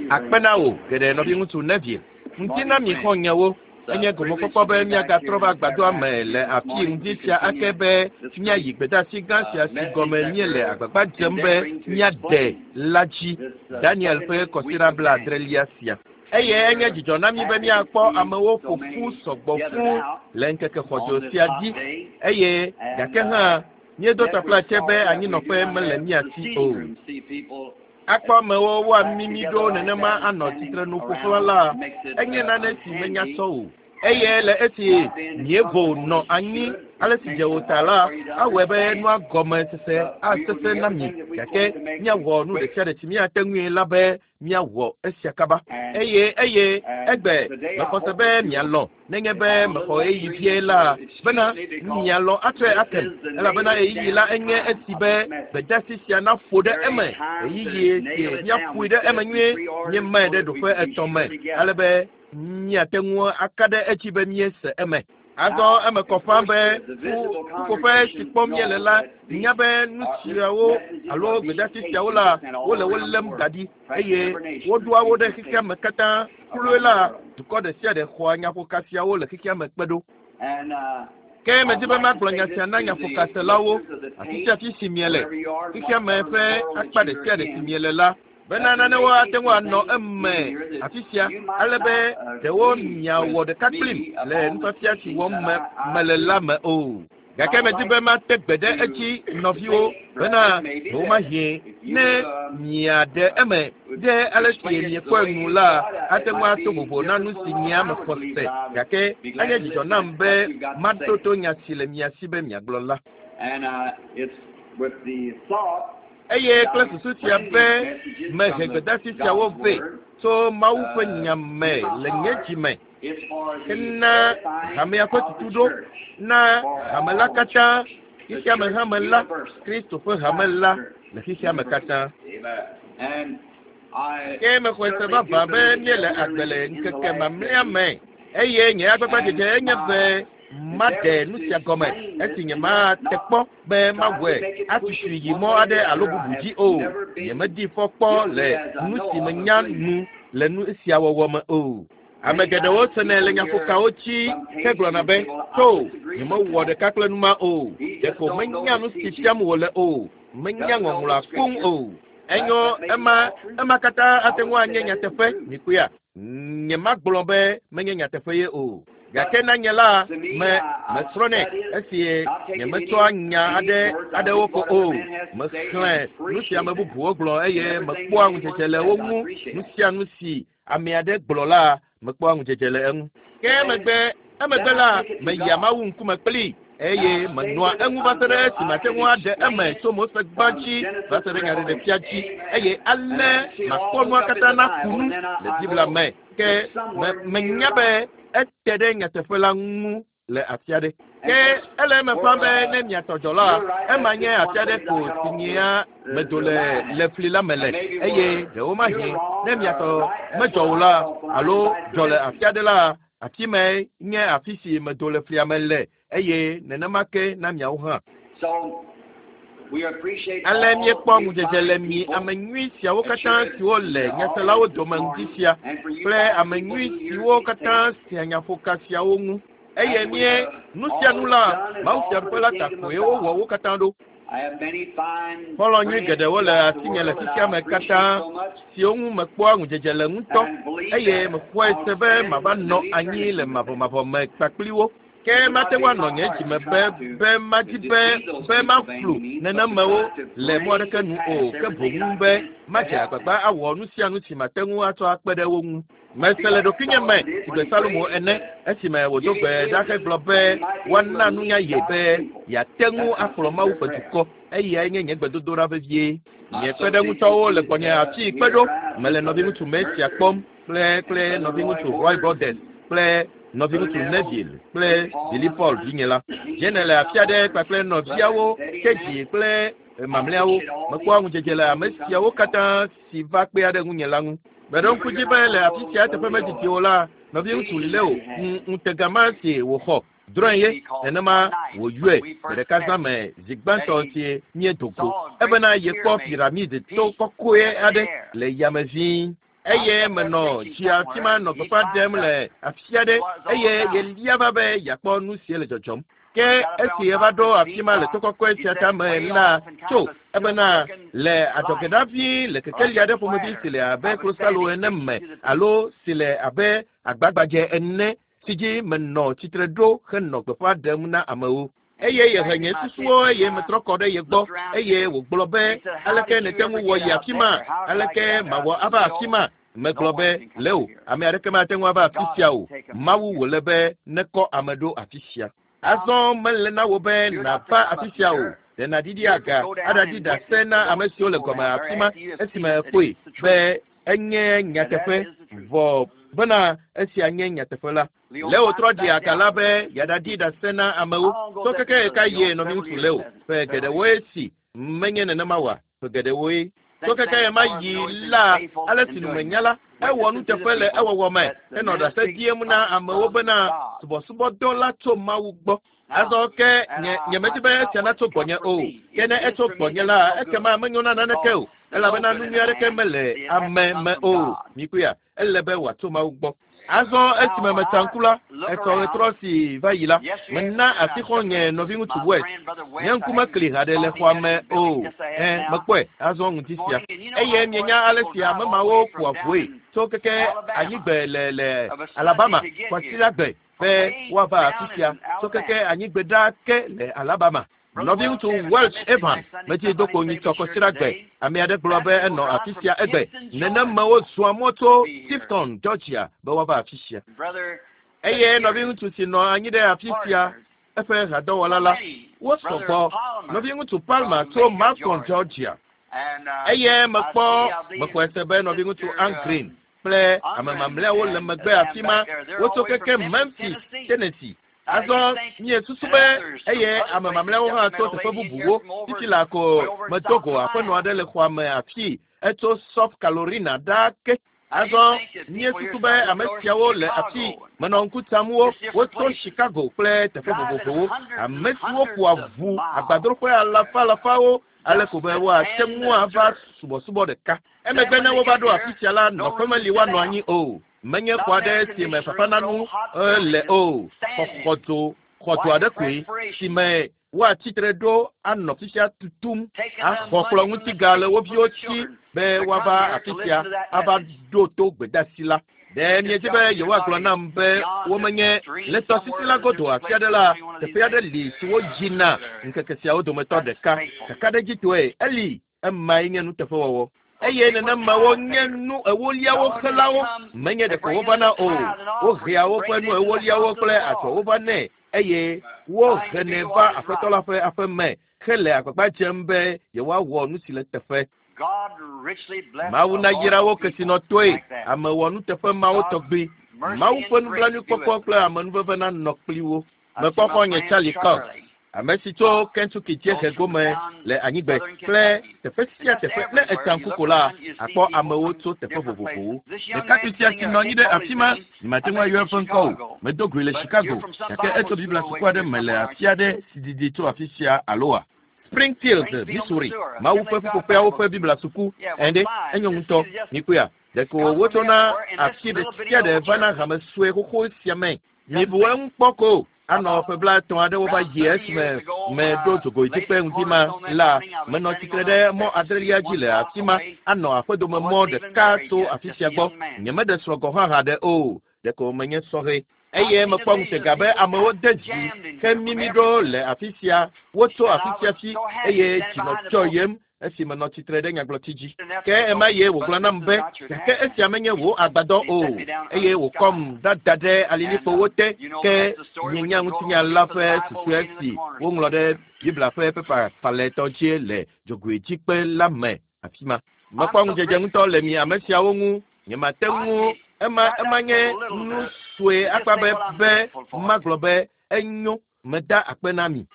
Akpe na wò geɖe nɔviŋutsu Neville. Ŋdi na mi xɔ̃nyewo. Enye gomekpɔkpɔ be míagatrɔ va agbadɔa me le afii ŋdi sia ake be míayi gbedeasi gã sia si gɔme míele agbagba dzem be míaɖe la dzi, Daniel ƒe kɔsiɖa blaadrelia sia. Eye enye dzidzɔ na mí be míakpɔ amewo ƒo ƒu sɔgbɔ fũu le ŋkeke xɔdzo sia dzi eye gake hã míedo taflatse be anyinɔƒe mele mía si o. Akpɔ amewo woamimi ɖo nenema anɔ tsitrenu ƒo xlã la, enye nane si menya sɔ o. Eye le esi míevo nɔ anyi ale si dze o ta la, awɔe be nua gɔme sese asesẽ na mi, gake míawɔ nu ɖe sia ɖe si míate ŋui la be míawɔ esia kaba. Eye eye egbe mexɔ se be mialɔ̃ nenye be mexɔ ɣeyiɣi vie la bena mialɔ̃ atsɔe akem, elabena ɣeyiɣi la enye esi be gbedeasi sia naƒo ɖe eme, ɣeyiɣi si míaƒoe ɖe eme nyuie. Míemae ɖe ɖoƒe etɔ̃ me ale be míate ŋu aka ɖe edzi be míese eme. Azɔ eme kɔ ƒãa be ƒuƒoƒe si kpɔm míele la nya be nu siawo alo gbedeasi siawo la, wole wo lém da ɖi eye woɖoa wo ɖe xexea me katã. Kloe la, dukɔ ɖe sia ɖe xɔa nyaƒoka siawo le xexea me kpe ɖo. Ke medi be magblɔ nya sia na nyaƒokaselawo, afi sia afi si miele, xexea me ƒe akpa ɖe sia ɖe si miele la, bena nanewo ate ŋu anɔ eme afi sia ale be ɖewo miawɔ ɖeka kplim le nufiafia si wɔm me mele la me o. Gake medi be mate gbe ɖe edzi nɔviwo bena ɖewomahi ne miaɖe eme ɖe ale si miekpɔe nu la ate ŋu ato vovo na nu si nyea mexɔ se gake enye dzidzɔ nam be maɖo to nya si le mia si be miagblɔ la. Eye kple susu sia be mehe gbedeasi siawo vɛ tso Mawu ƒe nya me le nye dzi me hena hamea ƒe tutuɖo na hame la katã, xexeame hame la, Kristo ƒe hame la le xexeame katã. Ke mexɔe se vavã be míele agbe le ŋkeke mamlɛa me eye nye agbagbadzedze enye be maɖe nu sia gɔme esi nyemate kpɔ be mawɔe atutui yi mɔ aɖe alo bubu dzi o. Nyemedi fɔ kpɔ le nu si menya nu le nu sia wɔwɔ me o. Ame geɖewo senɛ le nyaƒokawo dzi hegblɔna be, "To, nyemewɔ ɖeka kple nu ma o. Ɖeko menya nu si fiam wòle o. Menya ŋɔŋlɔa koŋ o." Enyo, ema, ema katã ate ŋu anye nyateƒe, mikpɔea? Nyemagblɔ be menye nyateƒe ye o. Gake na nye la, me, mesrɔ̃nɛ esi nyemetsɔa nya aɖe aɖewo ko o. Mexlẽ nu si ame bubuwo gblɔ eye mekpɔa ŋudzedze le wo ŋu. Nu sia nu si ame aɖe gblɔ la, mekpɔa ŋudzedze le eŋu. Ke emegbe, emegbe la, meyia Mawu ŋkume kplii eye menɔa eŋu va se ɖe esi mate ŋu aɖe eme tso Mose gbã dzi va se ɖe Nyaɖeɖefia dzi, eye ale makpɔ nua katã naku nu le Biblia me. Ke me, menya be ete ɖe nyateƒe la ŋu le afi aɖe. Ke ele eme ƒãa be ne mia tɔ dzɔ la, ema nye afi aɖe ko si nyea medo le le fli la me le, eye ɖewomahi ne mia tɔ medzɔ o la, alo dzɔ le afi aɖe la, afi mae nye afi si medo le flia me le, eye nenema ke na miawo hã. Ale míekpɔ ŋudzedze le mi ame nyui siawo katã siwo le nyaselawo dome ŋdi sia kple ame nyui siwo katã sea nyaƒoka siawo ŋu. Eye mie nu sia nu la, Mawu Fiaɖuƒe la ta koe wowɔ wo katã ɖo. Xɔlɔ̃ nyui geɖewo le asinye le xexea me katã siwo ŋu mekpɔa ŋudzedze le ŋutɔ eye mexɔe se be mava nɔ anyi le mavɔmavɔ me kpakpli wo. Ke mate ŋu anɔ nye dzi me be be madi be be maflu nenemewo le mɔ aɖeke nu o, ke boŋ be madze agbagba awɔ nu sia nu si mate ŋu atsɔ akpe ɖe wo ŋu. Mese le ɖokuinye me sigbe Salomo ene esime wòdo gbe ɖa hegblɔ be woana nunya ye be yeate ŋu akplɔ Mawu ƒe dukɔ. Eyae nye nye gbedodoɖa vevie. Nye kpeɖeŋutɔwo le gbɔnye afii kpe ɖo. Mele nɔviŋutsu Mesia kpɔm kple kple nɔviŋutsu Roy Borders kple nɔviŋutsu Neville kple Billy Paul vinye la. Jene le afi aɖe kpakple nɔviawo Kedzi kple mamlɛawo. Mekpɔa ŋudzedze le ame siawo katã si va kpea ɖe ŋunye la ŋu. Meɖo ŋku dzi be le afi sia eteƒe medidi o la, nɔviŋutsu Leo ŋutega ma si wòxɔ drɔ̃e ye nenema wòyɔe gbe ɖeka zã me zi gbãtɔ si míedo go ebena yekpɔ piramid to kɔkɔe aɖe le yame ʋĩi. Eye menɔ tsi afi ma nɔ gbeƒã ɖem le afi aɖe eye yelia va be yeakpɔ nu si le dzɔdzɔm. Ke esi eva ɖo afi ma le to kɔkɔe sia tame la tso ebena le adzɔgeɖavi le kekeli aɖe ƒomevi si le abe klosalo ene me alo si le abe agbagbadze ene si dzi menɔ tsitre ɖo henɔ gbeƒã ɖem na amewo. Eye yehe nye susuwo eye metrɔ kɔ ɖe ye gbɔ eye wògblɔ be aleke nète ŋu wɔ yi afi ma aleke mawɔ ava afi ma megblɔ be leo ame aɖeke mate ŋu ava afi sia o mawu wòle be nekɔ ame ɖo afi sia azɔ mele na wò be nàva afi sia o ɖe nàɖiɖi aga aɖaɖi ɖase na ame siwo le gɔme afi ma esime ekpɔe be enye nyateƒe vɔ bena esia nye nyateƒe la leo trɔ ɖi aga la be yeaɖaɖi ɖase na amewo tso keke ɣeka yie nɔviŋutsu leo ƒe geɖewoe si menye nenema oa ƒe geɖewoe tso keke ɣe ma yi la ale si numenya la ewɔ nuteƒe le ewɔwɔ me henɔ ɖase ɖiem na amewo bena subɔsubɔdɔ la tso mawu gbɔ azɔ ke nye nyemedi be esia natso gbɔnye o ke ne etso gbɔnye la ekema menyo na naneke o elabena nu nyui aɖeke mele ame me o mikpɔea ele be wòatso mawu gbɔ azɔ esime metsa ŋku la etsɔ ɣetrɔ si va yi la mena asixɔ nye nɔviŋutsu west nye ŋku mekli haɖe le xɔa me o ɛ mekpɔe azɔ ŋuti sia eye mienya ale si ame mawo ƒoa ʋue tso keke anyigbe le le alabama kwasiɖagbe be woava afi sia tso keke anyigbe ɖaa ke le alabama nɔviŋutsu welch evan metsi do ko nyitsɔ kɔsiɖagbe ame aɖe gblɔ be enɔ afi sia egbe nenemewo zɔa mɔ tso tifton georgia be woava afi sia eye nɔviŋutsu si nɔ anyi ɖe afi sia eƒe hadɔwɔla la wosɔ gbɔ nɔviŋutsu palmer tso macon georgia eye mekpɔ mexɔe se be nɔviŋutsu angreen kple ame mamlɛawo le megbe afi ma wotso keke memphis tennessee azɔ miesusu be eye ame mamlɛawo hã tso teƒe bubuwo titi la ko medo go aƒenɔ aɖe le xɔa me afi etso south carolina ɖaa ke azɔ miesusu be ame siawo le afi menɔ ŋku tsam wo wotso chicago kple teƒe vovovowo ame siwo ƒoa ʋu agbadroƒe alafa alafawo ale ko be woate ŋu ava subɔsubɔ ɖeka emegbe ne wova ɖo afi sia la nɔƒe meli woanɔ anyi o menye xɔ aɖe si me fafananu le o xɔxɔdzo xɔdzo aɖe koe si me woatsitre ɖo anɔ fifia tutum axɔ kplɔ ŋuti ga le wo viwo tsi be woava afi sia ava ɖo to gbedasi la ɖe miedzi be yewoagblɔ nam be womenye le tɔsisi la godo afi aɖe la teƒe aɖe li si woyina ŋkeke siawo dometɔ ɖeka kakaɖedzitɔe eli emae nye nuteƒewɔwɔ eye nenemawo nye nu ewoliawo xelawo menye ɖeko wovana o wohea woƒe nu ewoliawo kple adzɔwo va nɛ eye wohenɛ va aƒetɔ la ƒe aƒe me hele agbagba dzem be yewoawɔ nu si le teƒe mawu nayra wo kesinɔtɔe ame wɔ nuteƒe mawo tɔgbi mawu ƒe nublanuikpɔkpɔ kple amenuveve nanɔ kpli wo mekpɔ xɔ̃nye charlie cox ame si tso kentucky dziehe gome le anyigbe kple teƒe sia teƒe ne etsa ŋku ko la akpɔ amewo tso teƒe vovovowo ɖekakpui sia si nɔ anyi ɖe afi ma nyemate ŋu ayɔ eƒe ŋkɔ o medo goe le chicago gake etso biblia suku aɖe me le afi aɖe si didi tso afi sia aloa springfield missouri mawu ƒe ƒuƒoƒeawo ƒe biblia suku ɛnde enyo ŋutɔ mikpɔea ɖeko wotsona afi ɖe sia ɖe vana hame sue xoxo sia me mibu eŋu kpɔ ko anɔ ƒe blaetɔ̃ aɖewo va yi esime meɖo dzogoedzikpe ŋdi ma la menɔ tsitre ɖe mɔ adrelia dzi le afi ma anɔ aƒedome mɔ ɖeka tso afi sia gbɔ nyemeɖe srɔ̃ gɔ̃ hã haɖe o ɖeko menye sɔhɛ eye mekpɔ ŋutega be amewo de dzi hemimi ɖo le afi sia wotso afi sia fi eye dzi nɔ dzɔyem esi menɔ tsitre ɖe nyagblɔti dzi ke ema ye wògblɔ nam be gake esia menye wò agbadɔ o eye wòkɔm dada ɖe alilikpowo te ke mienya ŋutinya la ƒe susɔe si woŋlɔ ɖe biblia ƒe pepa falɛtɔ dzi le dzogoedzikpe la me afi ma mekpɔ ŋudzedze ŋutɔ le mi ame siawo ŋu nyemate ŋu ema ema nye nu sue akpa be be magblɔ be enyo meda akpe na mi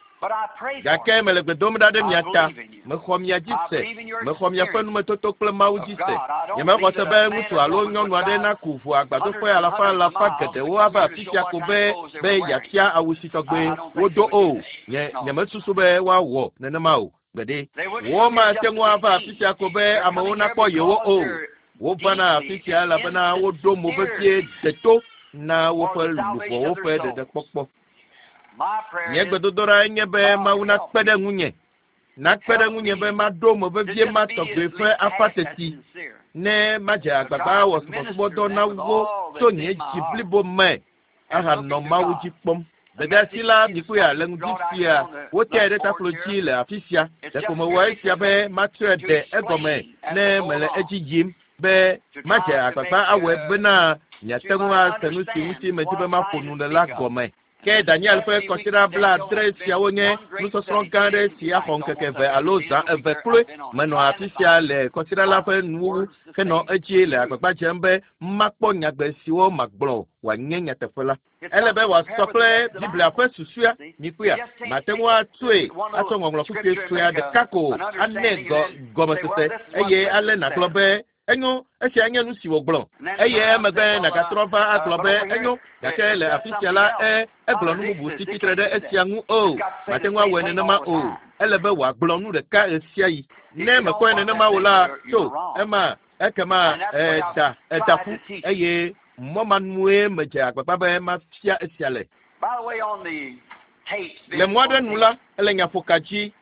gake mele gbe dom ɖa ɖe mia ta mexɔ mia dzi se mexɔ miaƒe numetoto kple mawu dzi se nyemexɔ se be ŋutsu alo nyɔnu aɖe naku ʋu agbadroƒe alafa alafa geɖewo ava afi sia ko be be yeafia awu si tɔgbe wodo o nye nyemesusu be woawɔ nenema o gbeɖe womate ŋu ava afi sia ko be amewo nakpɔ yewo o. Wovana afi sia elabena woɖo mo vevie deto na woƒe luʋɔwo ƒe ɖeɖekpɔkpɔ. Nye gbedodoɖa nye be Mawu nakpe ɖe ŋunye. Nakpe ɖe ŋunye be maɖo mo vevie ma tɔgbe ƒe afa teti ne madze agbagba awɔ subɔsubɔdɔ na wo tso nye dzi blibo me ahanɔ Mawu dzi kpɔm. Gbedeasi la mikpɔea le ŋdi sia woteae ɖe taklo dzi le afi sia. Ɖeko mewɔ esia be matrɔe ɖe egɔme ne mele edzi yim be madze agbagba awɔe bena miate ŋu ase nu si ŋuti medi be maƒo nu le la gɔme. Ke Daniel ƒe kɔsiɖa 70 siawo nye nusɔsrɔ̃ gã aɖe si axɔ ŋkeke 2 alo zã 2 kloe. Menɔ afi sia le kɔsiɖa la ƒe nuwuwu henɔ edzi le agbagba dzem be makpɔ nyagbe siwo magblɔ wòanye nyateƒe la. Ele be wòasɔ kple Biblia ƒe susua mikpɔea. Mate ŋu atsoe atsɔ ŋɔŋlɔ kpukpui sue ɖeka ko anɛ gɔmesese eye ale nàgblɔ be enyo esia nye nu si wògblɔ eye emegbe nàgatrɔ va agblɔ be enyo gake le afi sia la egblɔ nu bubu si tsitre ɖe esia ŋu o. Mate ŋu awɔe nenema o. Ele be wòagblɔ nu ɖeka ɣesiaɣi. Ne mekpɔe nenema o la, tso ema ekema eda ƒu eye mɔ ma nue medze agbagba be mafia esia le. Le mɔ aɖe nu la, ele nyaƒoka dzi.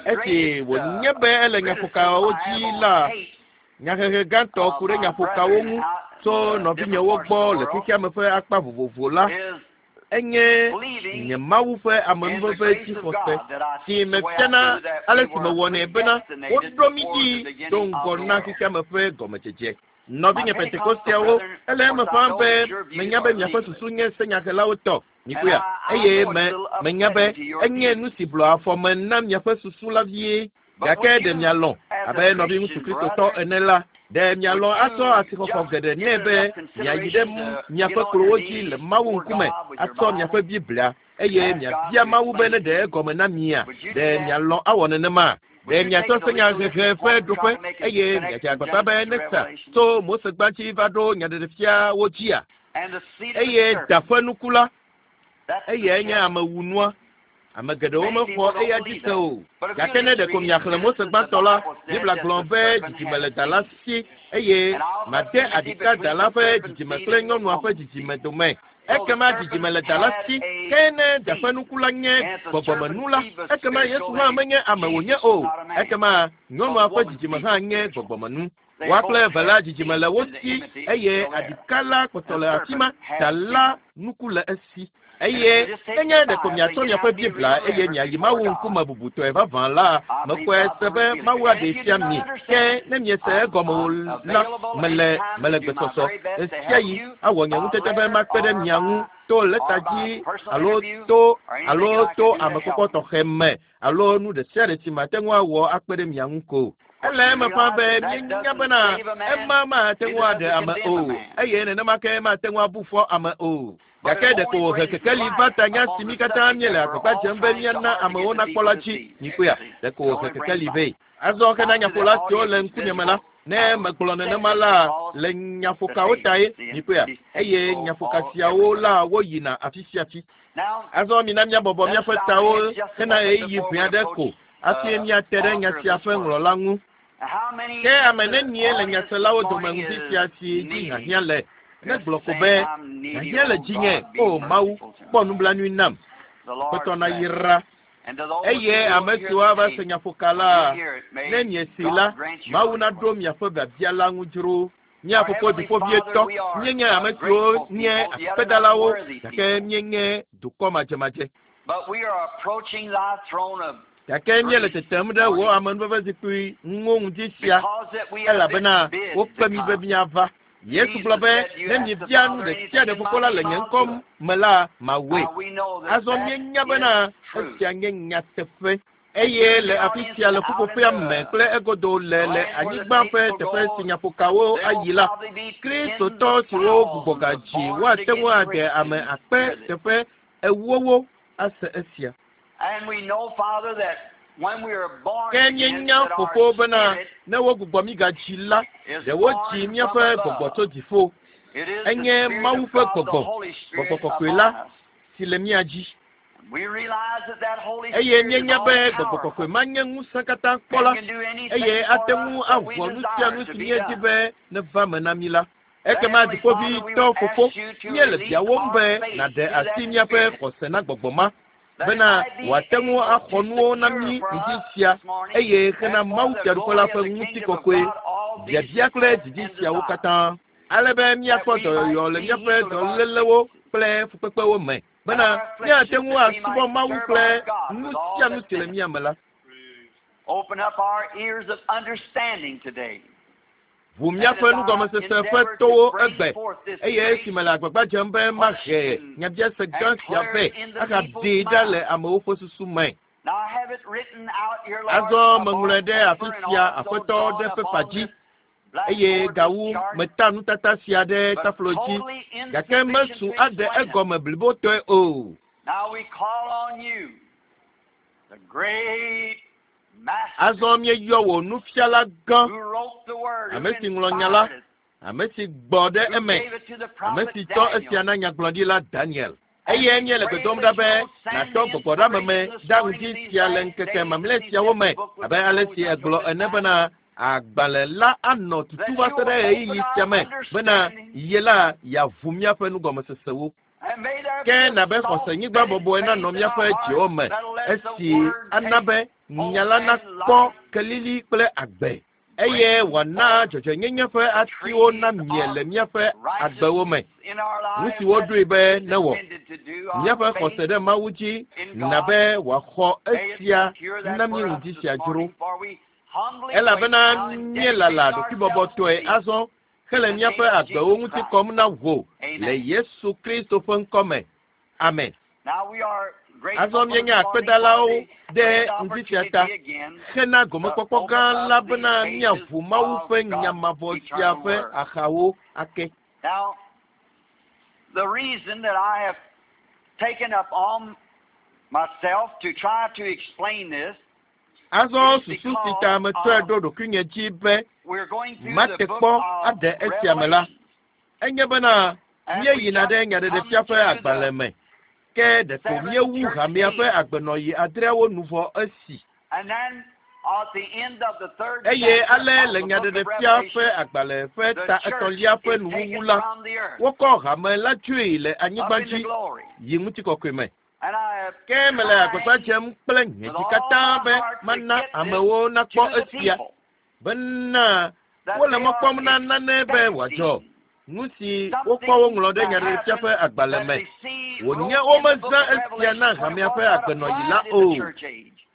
Esi wònye be ele nyaƒokawo dzi la, nyahehe gãtɔ ku ɖe nyaƒokawo ŋu tso nɔvinyewo gbɔ le xexeame ƒe akpa vovovo la, enye nye Mawu ƒe amenuveve dzixɔse si mefiana ale si mewɔnɛ bena woɖo mí dzi do ŋgɔ na xexeame ƒe gɔmedzedze. Nɔvinye Pentekosteawo, ele eme ƒãa be menya be miaƒe susu nye senyahelawo tɔ mikpɔea eye menya be enye nu si blɔ afɔ me na miaƒe susu la vie. Gake ɖe mialɔ̃ abe nɔviŋutsu Kristotɔ ene la, ɖe mialɔ̃ atsɔ asixɔxɔ geɖe nɛ be miayi ɖe miaƒe klowo dzi le Mawu ŋkume atsɔ miaƒe Biblia eye miabia Mawu be ne ɖe egɔme na mia. Ɖe mialɔ̃ awɔ nenema? Ɖe miatsɔ senyahehe ƒe ɖoƒe eye miadze agbagba be ne sa tso Mose gbãdzi va ɖo nyaɖeɖefiawo dzia? Eye da ƒe nuku la, eyae nye amewunua. Ame geɖewo mexɔ eya dzi se o. Gake ne ɖeko miaxlẽ Mose gbãtɔ la, Biblia gblɔ be dzidzime le da la si eye made aɖika da la ƒe dzidzime kple nyɔnua ƒe dzidzime dome. Ekema dzidzime le da la si, ke ne da ƒe nuku la nye gbɔgbɔmenu la, ekema Yesu hã menye ame wònye o. Ekema nyɔnua ƒe dzidzime hã nye gbɔgbɔmenu. Woa kple eve la dzidzime le wo si eye aɖika la kpɔtɔ le afi ma, da la nuku le esi. Eye nenye ɖeko miatsɔ miaƒe Biblia eye miayi Mawu ŋkume bubutɔe vavã la, mekpɔe se be Mawu aɖee fia mi. Ke ne miese egɔme o la, mele gbesɔsɔ ɣesiaɣi awɔ nye ŋutete be makpe ɖe mia ŋu to lɛta dzi alo to amekpɔkpɔ tɔxɛ me alo nu ɖe sia ɖe si mate ŋu awɔ akpe ɖe mia ŋu ko. Ele eme ƒã be míenya bena ema mate ŋu aɖe ame o eye nenema ke mate ŋu abu fɔ ame o. Gake ɖeko wòhe kekeli va ta nya si mí katã míele agbagba dzem be míana amewo nakpɔ la dzi. Mikpɔea, ɖeko wòhe kekeli vɛ. Azɔ hena nyaƒola siwo le ŋkunye me la, ne megblɔ nenema la le nyaƒokawo tae, mikpɔea, eye nyaƒoka siawo la woyina afi sia afi. Azɔ mina míabɔbɔ míaƒe tawo hena ɣeyiɣi ʋɛ aɖe ko hafi míate ɖe nya sia ƒe ŋlɔla ŋu. Ke ame nenie le nyaselawo dome ŋdi sia si dzi hiahiã le? Ne gblɔ ko be hiahiã le dzinye, o Mawu, kpɔ nublanui nam. Aƒetɔ nayra. Eye ame siwo ava se nyaƒoka la, ne miesi la, Mawu naɖo miaƒe biabia la ŋu dzro. Mía fofo dziƒovietɔ, míenye ame siwo nye akpedalawo gake míenye dukɔ madzemadze. Gake míele tetem ɖe wò amenuvevezikpui ŋu ŋdi sia elabena wokpe mí be míava. Yesu gblɔ be ne miebia nu ɖe sia ɖe fofo la le nye ŋkɔ me la, mawɔe. Azɔ míenya bena esia nye nyateƒe. Eye le afi sia le ƒuƒoƒea me kple egodo le anyigba ƒe teƒe si nyaƒokawo ayi la, Kristotɔ siwo gbugbɔ gadzi woate ŋu aɖe ame akpe teƒe 40 ase esia. Ke míenya fofo bena ne wogbugbɔ mí gadzi la, ɖe wodzi míaƒe gbɔgbɔ tso dziƒo. Enye Mawu ƒe gbɔgbɔ, gbɔgbɔ kɔkɔe la, si le mía dzi. Eye míenya be Gbɔgbɔ Kɔkɔe ma nye ŋusẽ katã kpɔla, eye ate ŋu awɔ nu sia nu si míedi be neva me na mí la. Ekema Dziƒoʋĩtɔ Fofo, míele biawòm be nàɖe asi míaƒe xɔse na Gbɔgbɔ ma, bena wòate ŋu axɔ nuwo na mí ŋdi sia, eye hena Mawu Fiaɖuƒe la ƒe ŋutikɔkɔe, biabia kple didi siawo katã, ale be míakpɔ dɔyɔyɔ le míaƒe dɔlélewo kple fukpekpewo me, bena míate ŋu asubɔ Mawu kple nu sia nu si le mía me la. Open up our ears of understanding today. Ʋu míaƒe nugɔmesese ƒe towo egbe, eye esi mele agbagba dzem be mahe nyabiase gã sia vɛ ahaɖee ɖa le amewo ƒe susu me. Azɔ meŋlɔe ɖe afi sia, Aƒetɔ, ɖe pepa dzi, eye gawu meta nutata sia ɖe taflo dzi, gake mesu aɖe egɔme blibotɔe o. Azɔ míeyɔ wò nufiala gã, ame si ŋlɔ nya la, ame si gbɔ ɖe eme, ame si tsɔ esia na nyagblɔɖila Daniel. Eye míele gbe dom ɖa be nàtɔ gbɔgbɔɖeameme ɖa ŋdi sia le ŋkeke mamlɛ siawo me, abe ale si ègblɔ ene bena agbalẽ la anɔ tutu va se ɖe ɣeyiɣi sia me bena ye la yeaʋu míaƒe nugɔmesesewo. Ke nabe xɔsenyigba bɔbɔe nanɔ míaƒe dziwo me, esi ana be nya la nakpɔ kelili kple agbe, eye wòana dzɔdzɔenyenye ƒe atiwo namie le míaƒe agbewo me. Nu si woɖoe be newɔ míaƒe xɔse ɖe Mawu dzi nabe wòaxɔ esia na mí ŋdi sia dzro. Elabena míelala ɖokuibɔbɔtɔe azɔ hele míaƒe agbewo ŋuti kɔm na wò le Yesu Kristo ƒe ŋkɔ me. Amen. Azɔ míenye akpedalawo ɖe ŋdi sia ta hena gomekpɔkpɔ gã la bena míaʋu Mawu ƒe nya mavɔ sia ƒe axawo ake. Now, the reason that I have taken up on myself to try to explain this Azɔ susu si ta metsɔe ɖo ɖokuinye dzi be mate kpɔ aɖe esia me la, enye bena míeyina ɖe Nyaɖeɖefia ƒe agbalẽ me, ke ɖeko míewu hamea ƒe agbenɔɣi adreawo nu vɔ esi. Eye ale le Nyaɖeɖefia ƒe agbalẽ ƒe ta etɔ̃lia ƒe nuwuwu la, wokɔ hame la dzoe le anyigba dzi yi ŋutikɔkɔe me. Ke mele agbagba dzem kple nye dzi katã be mana amewo nakpɔ esia, bena wole mɔ kpɔm na nane be wòadzɔ, nu si wokpɔ woŋlɔ ɖe Nyaɖeɖefia ƒe agbalẽ me, wònye womezã esia na hamea ƒe agbenɔɣi la o.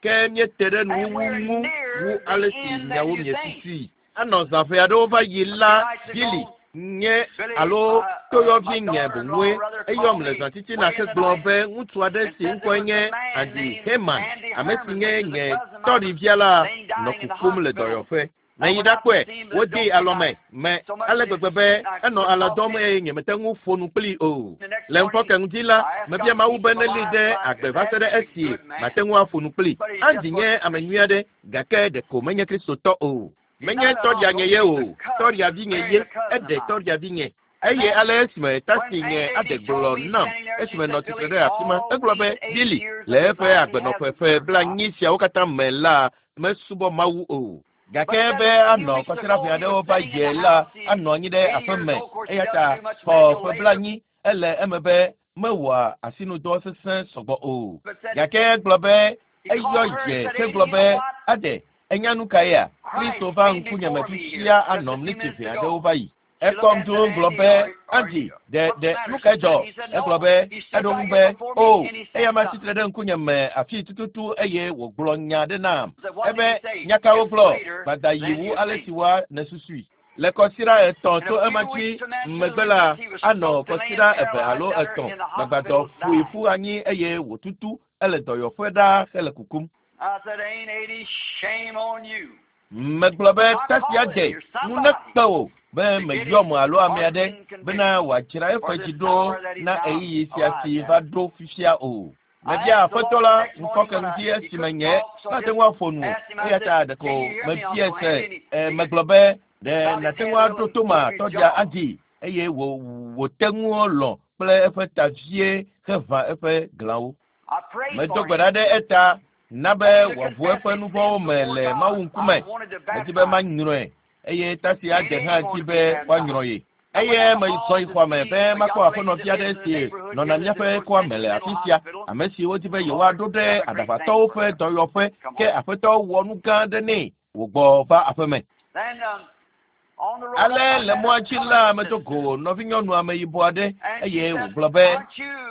Ke míete ɖe nuwuwu ŋu wu ale si miawo miesusui. Anɔ zã ʋɛ aɖewo va yi la, Billy, nye alo toyɔvi nye boŋue eyɔm le zã titina hegblɔ be ŋutsu aɖe si ŋkɔe nye Andy Herman, ame si nye nye tɔɖivia la, nɔ kukum le dɔyɔƒe. Meyi ɖakpɔe, wodee alɔme me ale gbegbe be enɔ alɔ̃ dɔm eye nyemete ŋu ƒo nu kplii o. Le ŋufɔke ŋdi la, mebia Mawu be nelée ɖe agbe va se ɖe esi mate ŋu aƒo nu kplii. Andy nye ame nyui aɖe, gake ɖeko menye Kristotɔ o. Menye tɔɖia nye ye o, tɔɖia vinye ye, eɖe tɔɖia vinye. Eye ale esime tasi nye aɖe gblɔ nam esime nɔ tsitre ɖe afi ma, egblɔ be, Billy, le eƒe agbenɔƒe ƒe blaenyi siawo katã me la, mesubɔ Mawu o. Gake be anɔ kɔsiɖa ʋɛ aɖewo va yi la, anɔ anyi ɖe aƒe me. Eya ta xɔ ƒe blaenyi, ele eme be mewɔa asinudɔ sesẽ sɔgbɔ o. Gake egblɔ be eyɔ ye hegblɔ be, Ade, ènya nu kaea? Kristo va ŋkunye me fifia anɔ mliti ʋɛ aɖewo va yi. Ekpɔm dũu gblɔ be, Andy, ɖe, ɖe, nu kae dzɔ? Egblɔ be, eɖo ŋu be, O, eyama tsi tre ɖe ŋkunye me afii tututu eye wògblɔ nya aɖe nam. Ebe, Nya ka wògblɔ? Gbada yi wu ale si woa nèsusui. Le kɔsiɖa etɔ̃ tso ema dzi megbe la, anɔ kɔsiɖa eve alo etɔ̃ gbagbadɔ ƒoe ƒu anyi eye wòtutu ele dɔyɔƒe ɖaa hele kukum. Megblɔ be, Tasia de, nu nekpe wò be meyɔm alo ame aɖe bena wòadzra eƒe dzi ɖo na ɣeyiɣi sia si va ɖo fifia o. Mebia Aƒetɔ la ŋkɔke ŋdi esime nye mate ŋu aƒo nu o, eya ta ɖeko mebiae se. E, megblɔ be, Ɖe nàte ŋu aɖo to ma tɔɖia adi? Eye wò, wòte ŋu lɔ̃ kple eƒe ta vie heʋã eƒe glãwo. Medo gbe ɖa ɖe eta na be wòaʋu eƒe nu vɔ̃wo me le Mawu ŋkume. Medi be manyrɔe eye ta si adze hã dzi be woanyrɔ ye. Eye mezɔ yi xɔa me be makpɔ aƒenɔvi aɖe si nɔna míaƒe kɔa me le afi sia, ame si wodi be yewoaɖo ɖe aɖaʋatɔwo ƒe dɔyɔƒe, ke aƒetɔ wɔ nu gã aɖe nɛ wògbɔ va aƒeme. Ale le mɔa dzi la, medo go nɔvinyɔnu ameyibɔ aɖe eye wògblɔ be,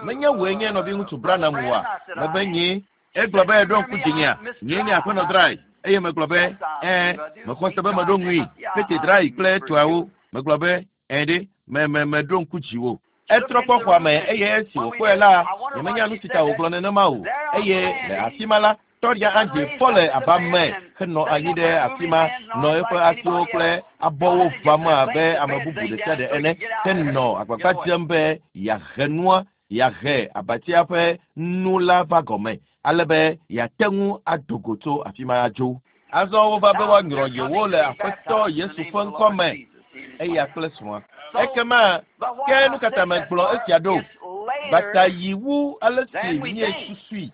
menye wòe nye nɔviŋutsu Branham oa? Mebe nyee. Egblɔ be ɖo ŋku dzinyea, nyee nye aƒenɔ Drai. Eye megblɔ be, ɛɛ, mexɔ se be meɖo ŋui, Pete Drai kple etɔawo. Megblɔ be, ɛɛ ɖe, me me meɖo ŋku dziwò. Etrɔ kpɔ xɔa me eye esi wòkpɔe la, nyemenya nu si ta wògblɔ nenema o. Eye le afi ma la, tɔɖia Andy fɔ le aba me henɔ anyi ɖe afi ma, nɔ eƒe asiwo kple abɔwo ʋãm abe ame bubu ɖe sia ɖe ene, henɔ agbagba dzem be yeahe nua, yeahe abatia ƒe nu la va gɔme, ale be yeate ŋu ado go tso afi ma adzo. Azɔ wova be woanyrɔ yewo le Aƒetɔ Yesu ƒe ŋkɔ me, eya kple srɔ̃a. Ekema ke nu ka ta megblɔ esia ɖo? Bata yi wu ale si míesusui.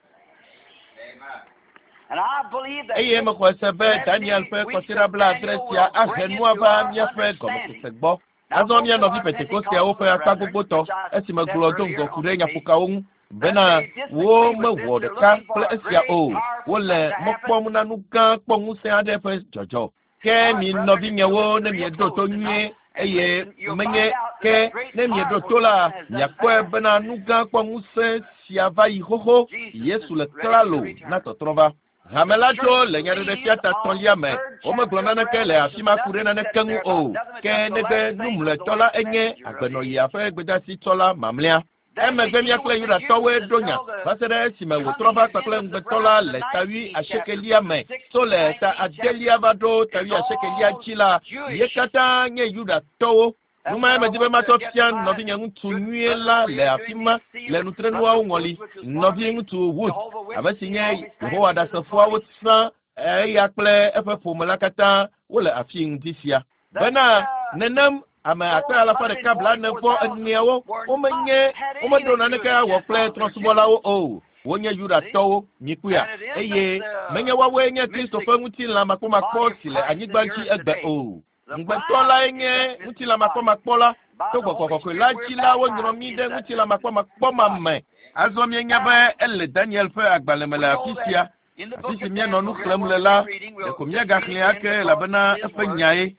Eye mexɔe se be Daniel ƒe kɔsiɖa 70 sia ahe nua va míaƒe gɔmesese gbɔ. Azɔ mía nɔvi Pentekosteawo ƒe akpa gbogbotɔ, esi megblɔ do ŋgɔ ku ɖe nyaƒokawo ŋu bena wo mewɔ ɖeka kple esia o, wole mɔ kpɔm na nu gã kpɔ ŋusẽ aɖe ƒe dzɔdzɔ. Ke mi nɔvinyewo, ne mieɖo to nyuie, eye menye ke ne mieɖo to la, miakpɔe bena nu gã kpɔ ŋusẽ sia va yi xoxo. Yesu le klalo na tɔtrɔ va. Hame la tso le nyaɖeɖefia ta 3lia me. Womegblɔ naneke le afi ma ku ɖe naneke ŋu o, ke negbe numlɔetɔ la enye agbenɔɣia ƒe gbedasitsɔla mamlɛa. Emegbe mía kple Yudatɔwoe ɖo nya va se ɖe esime wòtrɔ va kpakple ŋugbetɔ la le ta 80 me. Tso le ta 8 va ɖo ta 80 dzi la, ye katã nye Yudatɔwo. Nu mae medi be matsɔ fia nɔvinye ŋutsu nyuie la le afi ma le nutrenuawo ŋɔli. Nɔvi ŋutsu Wood, ame si nye Yehowa Ɖasefoawo sã, eya kple eƒe ƒome la katã wole afi ŋdi sia. Bena nenem ame 144,000 womenye womeɖo naneke awɔ kple trɔ̃subɔlawo o. Wonye Yudatɔwo, mikpɔea, eye menye woawoe nye Kristo ƒe ŋutilã makpɔmakpɔ si le anyigba dzi egbe o. Ŋugbetɔ lae nye ŋutilã makpɔmakpɔ la. To gbɔgbɔ kɔkɔe la dzi la, wonyrɔ mí ɖe ŋutilã makpɔmakpɔ ma me. Azɔ míenya be ele Daniel ƒe agbalẽ me le afi sia. Afi si míanɔ nu xlẽm le la, ɖeko míagaxlẽe ake elabena eƒe nyae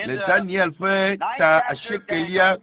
le Daniel ƒe ta 8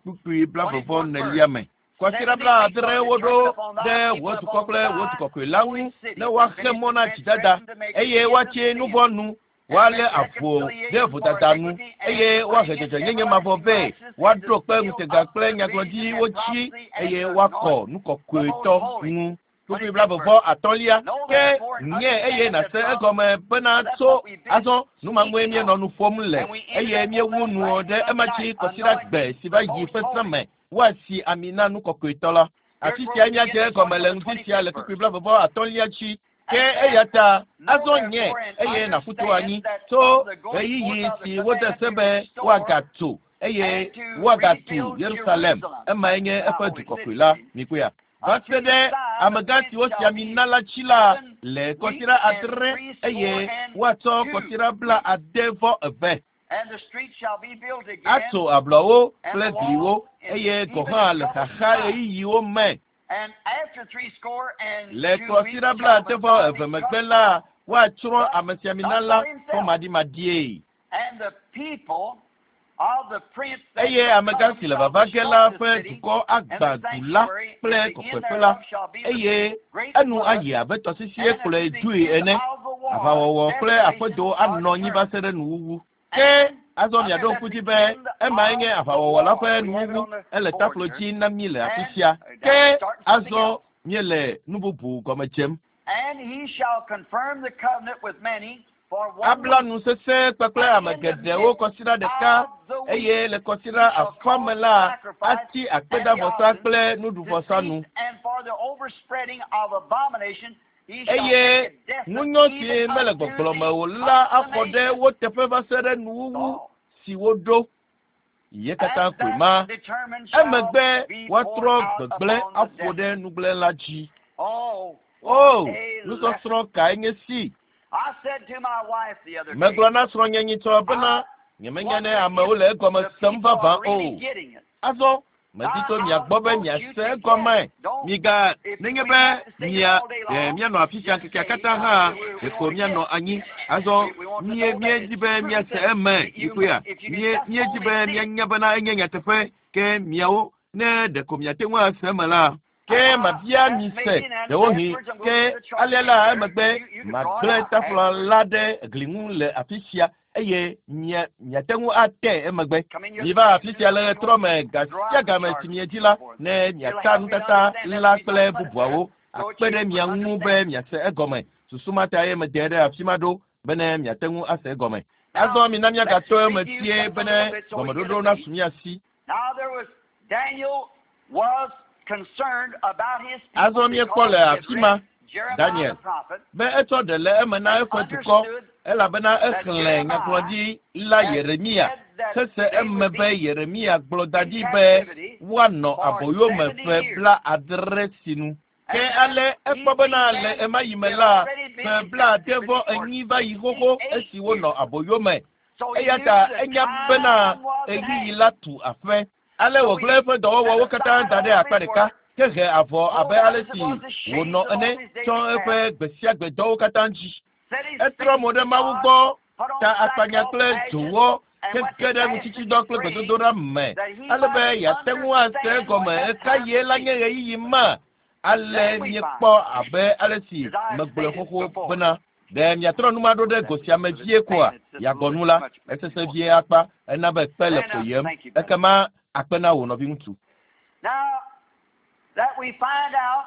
kpukpui 24 me. Kɔsiɖa 70 woɖo ɖe wò dukɔ kple wò dukɔkɔe la ŋu ne woaxe mɔ na dzidada eye woatsi nu vɔ̃ nu, woalé avu ɖe vodada nu eye woahe dzɔdzɔenyenye mavɔ vɛ, woaɖo kpe ŋutega kple nyagblɔɖiwo dzi eye woakɔ nu kɔkɔetɔ ŋu. Kpukpui 33 ke nye eye nàse egɔme bena tso azɔ nu ma ŋue míenɔ nu ƒom le eye míewu nu ɖe ema dzi kɔsiɖa gbe si va yi ƒe zã me woasi ami na nu kɔkɔetɔ la. Afi sia míadze egɔme le ŋdi sia le kpukpui 33 dzi. Ke eya ta azɔ nye eye nàƒu to anyi tso ɣeyiɣi si wode se be woagatso eye woagatu Yerusalem, emae nye eƒe du kɔkɔe la, mikpɔea. Va se ɖe amegã si wosi ami na la dzi la le kɔsiɖa 7 eye woatsɔ kɔsiɖa 72 atso ablɔwo kple gliwo eye gɔ̃ hã le xaxa ɣeyiɣiwo me. Le kɔsiɖa 72 megbe la, woatsrɔ̃ amesiamina la fɔmaɖimaɖie. Eye amegã si le vava ge la ƒe dukɔ agbã du la kple kɔkɔeƒe la, eye enu ayi abe tɔsisie kplɔe dzoe ene. Aʋawɔwɔ kple aƒedo anɔ anyi va se ɖe nuwuwu. Ke azɔ miaɖo ŋku dzi be emae nye aʋawɔwɔ la ƒe nuwuwu, ele taflo dzi na mí le afi sia. Ke azɔ míele nu bubu gɔme dzem. Abla nu sesẽ kpakple ame geɖewo kɔsiɖa ɖeka eye le kɔsiɖa afã me la atsi akpedavɔsa kple nuɖuvɔsa nu. Eye ŋunyɔ si mele gbɔgblɔ me o la axɔ ɖe wo teƒe va se ɖe nuwuwu si woɖo. Ye katã koe ma. Emegbe woatrɔ gbegblẽ aƒo ɖe nugblẽla dzi. O, nusɔsrɔ̃ kae nye si! Megblɔ na srɔ̃nye nyitsɔ bena nyemenya ne amewo le egɔme sem vavã o. Azɔ medi tso mia gbɔ be miase egɔme. Miga nenye be mia e, mianɔ afi sia ŋkekea katã hã ɖeko mianɔ anyi. Azɔ mie míedi be miase eme mikpɔea. Mie míedi be mianya bena enye nyateƒe ke miawo ne ɖeko miate ŋu ase eme la. Ke mabia mi se ɖewohĩ ke alea la emegbe magblẽ tafla la ɖe gli ŋu le afi sia eye mia miate ŋu ate emegbe. Miva afi sia le ɣetrɔ me gasia game si miedzi la ne miata nutata la kple bubuawo akpe ɖe mia ŋu be miase egɔme. Susu ma ta ye mede ɖe afi ma ɖo bene miate ŋu ase egɔme. Azɔ mina míagatɔ eme tie bene gɔmeɖoɖo nasu mía si. Now there was Daniel was concerned about his people Azɔ míekpɔ le because he afi ma had read Jeremiah Daniel the prophet be etsɔ ɖe le eme na and eƒe dukɔ understood elabena that exlẽ Jeremiah nyagblɔɖi la had Yeremia said that hese they eme would be be Yeremia gblɔ da in ɖi be captivity woanɔ for aboyome 70 ƒe years. 70 sinu. Ke And ale then he ekpɔ bena seen le then ema yi me they had la already been ƒe in bla ade captivity vɔ for enyi va yi xoxo 68 esi wonɔ years. aboyome. So he Eya knew ta the enya bena time was at ɣeyiɣi hand. la tu aƒe. Ale So wògblẽ he eƒe set dɔwɔwɔwo katã aside da ɖe all akpa his ɖeka work, ke he avɔ abe rolled out ale as it si was the shades wònɔ of all ene his tsɔ daily eƒe tasks, gbe sia gbe dɔwo katã dzi. set his Etrɔ face mo ɖe to Mawu God, gbɔ put on ta akpanya sackcloth kple and ashes, dzowɔ and went hege to ɖe fast and ŋutsitsidɔ kple pray gbedodoɖa me that he ale be might yeate ŋu ase understand egɔme what that ɣeka time ɣie would la be. nye ɣeyiɣi ma. Ale Then we míekpɔ find, abe ale si as I have megblɔe stated xoxo before, bena ɖe miatrɔ nu ma ɖo ɖe that go was sia me for the vie koa statement, just a yeagbɔ little nu bit la too much, maybe esesẽ more. vie akpa ena be kpe le Then, ƒoyem thank you, brother. ekema akpe na wò nɔviŋutsu. Now that we find out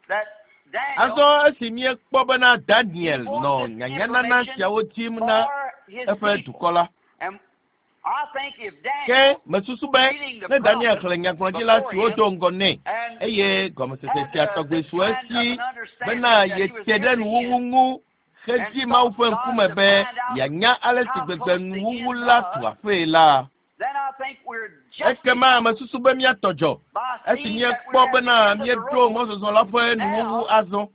that Daniel, Azɔ esi míekpɔ bena he Daniel wants nɔ this nyanyanana information siawo dim na for his eƒe people. dukɔ la And I think if ke Daniel, mesusu be reading the ne Daniel prophets xlẽ nyagblɔɖila before siwo him do ŋgɔ nɛ and eye gɔmesese had sia tɔgbe this su kind of esi an understanding bena that he was yete near ɖe the nuwuwu end ŋu and hedi Mawu sought ƒe God ŋkume to be find out yeanya ale si how gbegbe close the nuwuwu end la tu was, aƒee la then I think we're ekema justified mesusu be míatɔ dzɔ by esi seeing that míekpɔ we're at the bena end of the míeɖo road mɔzɔzɔ la ƒe nuwuwu now. azɔ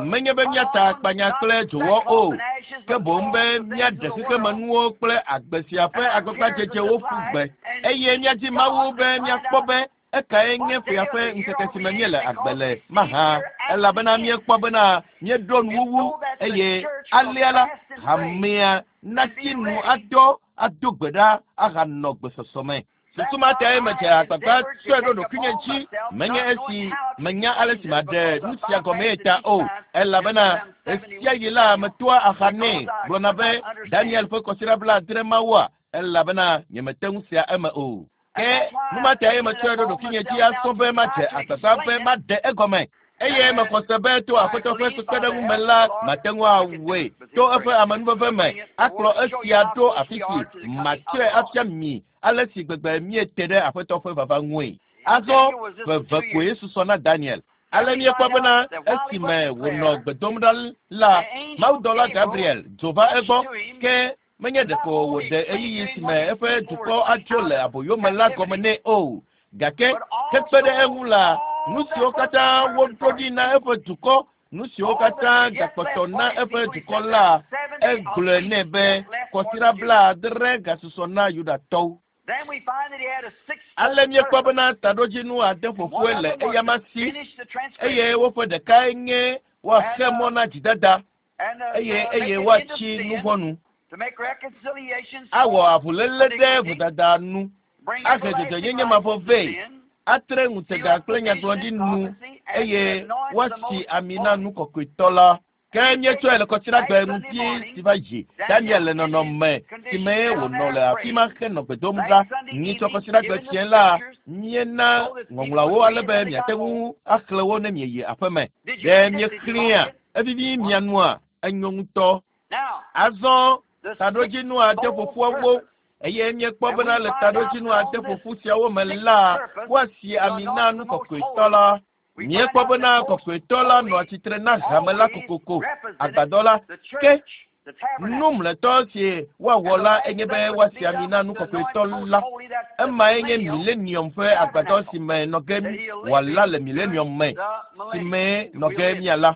menye be Put míata on akpanya not kple dzowɔ sackcloth o and ashes, ke but boŋ throw be off the things of míaɖe the world xexemenuwo kple agbe sia ƒe and our cares of agbagbadzedzewo this ƒu life, gbe and eye seek míadi Mawu God be to find míakpɔ out be ekae nye what day ƒea of ƒe the year ŋkeke are si we me in, míele agbe because le we see mahã we're at the elabena end. míekpɔ bena míeɖo And nuwuwu so that the eye church will alea la fast and pray hamea and natsi be nu ready. adɔ ado gbe ɖa ahanɔ gbesɔsɔ me. That's Susu ma why tae I medze have agbagba endeavored to tsɔe ɖo take ɖokuinye upon dzi myself, menye not knowing esi how to menya ale explain si this, maɖe because nu I sia gɔmee bypassed ta it o each time elabena just around 70 ɣesia weeks ɣi of la Daniel, metoa axa nɛ because I gblɔna could be not understand Daniel it. ƒe kɔsiɖa 70 mawua elabena nyemete ŋu sea eme o. And Ke that's why nu ma I've tae taken it metsɔe ɖo upon ɖokuinye dzi myself now asɔ to be try madze to agbagba be explain it. maɖe egɔme eye And mexɔ se be to I Aƒetɔ ƒe believe by the kpekpeɖeŋu me help of la the Lord mate ŋu I can do awɔe it with to His eƒe grace. amenuveve To me bring it the akplɔ word to show you esia how ɖo close afi we si are to the coming of matsɔe the Lord. afia mi ale si gbegbe míete ɖe Aƒetɔ ƒe vava ŋue. Azɔ Daniel was just ƒe for eve 2 koe years. susɔ na Daniel. Now Ale we míekpɔ find bena out that while he was esime in wònɔ prayer, gbe dom ɖa la the angel mawudɔla Gabriel Gabriel dzo va rushed egbɔ to him ke menye and not ɖeko only wòɖe explained to ɣeyiɣi him si what me his eƒe people were dukɔ to be atso out le of aboyome la gɔme captivity, nɛ o gake but hekpe ɖe also eŋu la nu all siwo that was katã determined woɖo for ɖi his na people. eƒe dukɔ nu siwo All katã that yet gakpɔtɔ left na for his eƒe people, he dukɔ said la there's 70 of egblɔe nɛ weeks be yet left for the kɔsiɖa Jews. 70 gasusɔ na Yudatɔwo. Then we find that he had a Ale sixfold míekpɔ purpose. bena taɖodzinu ade And one ƒoƒue of le them was eyama to si finish the eye transgression woƒe ɖekae nye and woaxe mɔ na dzidada and eye to make eye an end of woatsi nu sin, vɔ̃ nu to make reconciliations awɔ for avuléle ɖe iniquity, vodada nu bring ahe everlasting dzɔdzɔenyenye life mavɔ to vɛ sin, atre seal ŋutega up kple the vision nyagblɔɖi and nu prophecy, and to eye anoint the woasi most ami na holy. nu kɔkɔetɔ la. Ke And he míetsɔe le taken kɔsiɖagbe that Sunday ŋuti morning, si va yi Daniel Daniel le in his nɔnɔme si condition me down wònɔ there le afi ma praying. henɔ gbe dom That ɖa Sunday nyitsɔ evening, kɔsiɖagbe given the fiẽ la scriptures míena so that people ŋɔŋlɔawo would ale read it be when they miate got ŋu home. axlẽ wo ne mieyi aƒeme. Did you Ɖe read it? Did you miexlẽa like it? evivi mia nua enyo ŋutɔ. Now, Azɔ the taɖodzinu ade sixfold ƒoƒuawo purpose. eye míekpɔ And bena we le find out taɖodzinu that ade on this ƒoƒu siawo me sixth la purpose, woasi to ami na anoint nu the most kɔkɔetɔ holy. la. We find Míekpɔ out bena that most kɔkɔetɔ la nɔa holy tsitre na hame la always kokoko represented agbadɔ la the ke church, the nu tabernacle. mlɔetɔ si woawɔ And the la last enye thing be would woasi be ami na nu to anoint kɔkɔetɔ the most la. holy, that's the Emae nye millennium millennium ƒe agbadɔ tabernacle si me nɔ ge that he'll live wòala in le during millennium me the si millennium me that nɔ we'll ge live in. míala.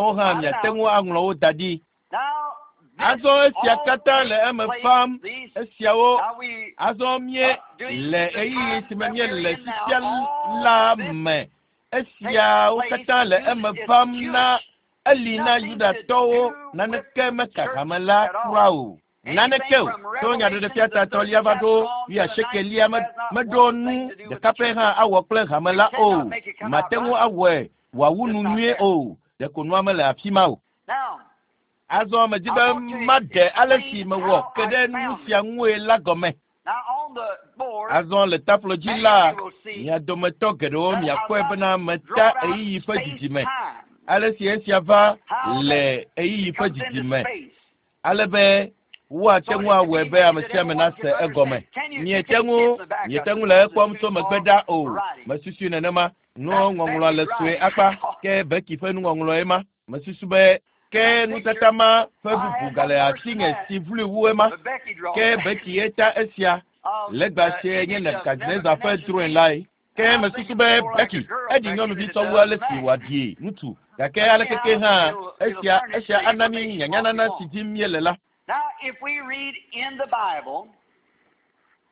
miawo hã miate ŋu aŋlɔ wo da ɖi. Now, this Azɔ esia all katã le takes eme place fam. these- Esiawo Now we azɔ mie le ɣeyiɣi si me míele fifia la me. Esiawo katã le eme vam na eli na Yudatɔwo naneke meka hame la kura o. Naneke o. Tso nyaɖeɖefia tatɔlia va ɖo wuiasiekelia meɖo nu ɖeka pɛ hã awɔ kple hame la o. Mate ŋu awɔe wòawu nu nyuie o. Ɖeko nua mele afi ma o. Azɔ medi be maɖe ale si mewɔ ke ɖe nu sia ŋue la gɔme. Azɔ le taflo dzi la, mia dometɔ geɖewo miakpɔe bena meta ɣeyiɣi ƒe didime. Ale si esia va le ɣeyiɣi ƒe didime. Ale be woate ŋu awɔe be ame sia ame nase egɔme. Miete ŋu miete ŋu le ekpɔm tso megbe ɖa o. Mesusui nenema. Nuŋɔŋlɔ le sue akpa ke Becky ƒe nuŋɔŋlɔe ma. Mesusu be ke nutata ma ƒe bubu gale asinye si vloe wu ema. Ke Becky ye ta esia. Legba sie nye Nebukadnezar ƒe drɔ̃e lae. Ke mesusu be Becky eɖi nyɔnuvi sɔwu ale si wòaɖi ŋutsu. Gake alekeke hã esia esia ana mí nyanyanana si dim míele la.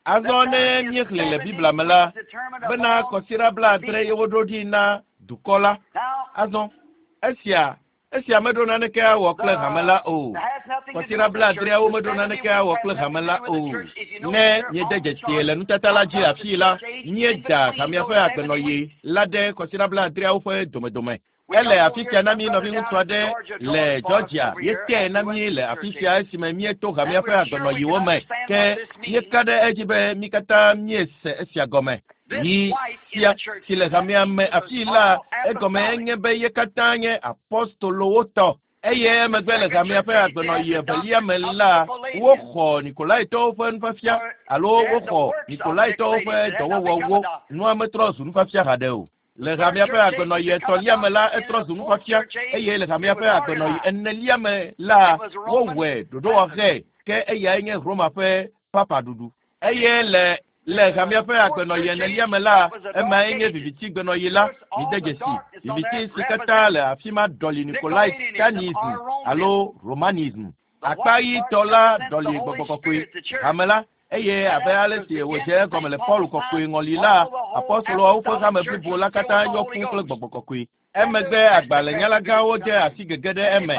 Azɔ ne míexlẽ le Biblia me la, bena kɔsiɖa blaadre ye woɖo ɖi na dukɔ la. Azɔ esia esia meɖo naneke awɔ kple hame la o. Kɔsiɖa blaadreawo meɖo naneke awɔ kple hame la o. Ne míede dzesi le nutata la dzi afii la, míeda hamea ƒe agbenɔɣi la ɖe kɔsiɖa blaadreawo ƒe domedome. Ele afi sia na mí nɔviŋutsu aɖe le Georgia. Yetee na mí le afi sia esime míeto hamea ƒe agbenɔɣiwo me. Ke míeka ɖe edzi be mí katã míese esia gɔme. Yi sia si le hamea me afii la, egɔme enye be ye katã nye apɔstolowo tɔ. Eye emegbe le hamea ƒe agbenɔɣi evelia me la, woxɔ Nikolaitɔwo ƒe nufiafia alo woxɔ Nikolaitɔwo ƒe dɔwɔwɔwo. Nua metrɔ zu nufiafia haɖe o. Le hamea ƒe agbenɔɣi etɔ̃lia me la, etrɔ zu nufiafia eye le hamea ƒe agbenɔɣi enelia me la, wowɔe ɖoɖowɔɣe ke eyae nye Roma ƒe papa ɖuɖu. Eye le le hamea ƒe agbenɔɣi enelia me la, emae nye viviti gbenɔɣi la. Mide dzesi viviti si katã le afi ma ɖɔli Nicolaitanism alo Romanism. Akpa ɣitɔ la ɖɔli gbɔgbɔ kɔkɔe hame la eye abe ale si wòdze egɔme le Paul kɔkɔe ŋɔli la, apɔstoloawo ƒe hame blibo la katã yɔ fũ kple gbɔgbɔ kɔkɔe. Emegbe agbalẽnyalagãwo de asi gege ɖe eme.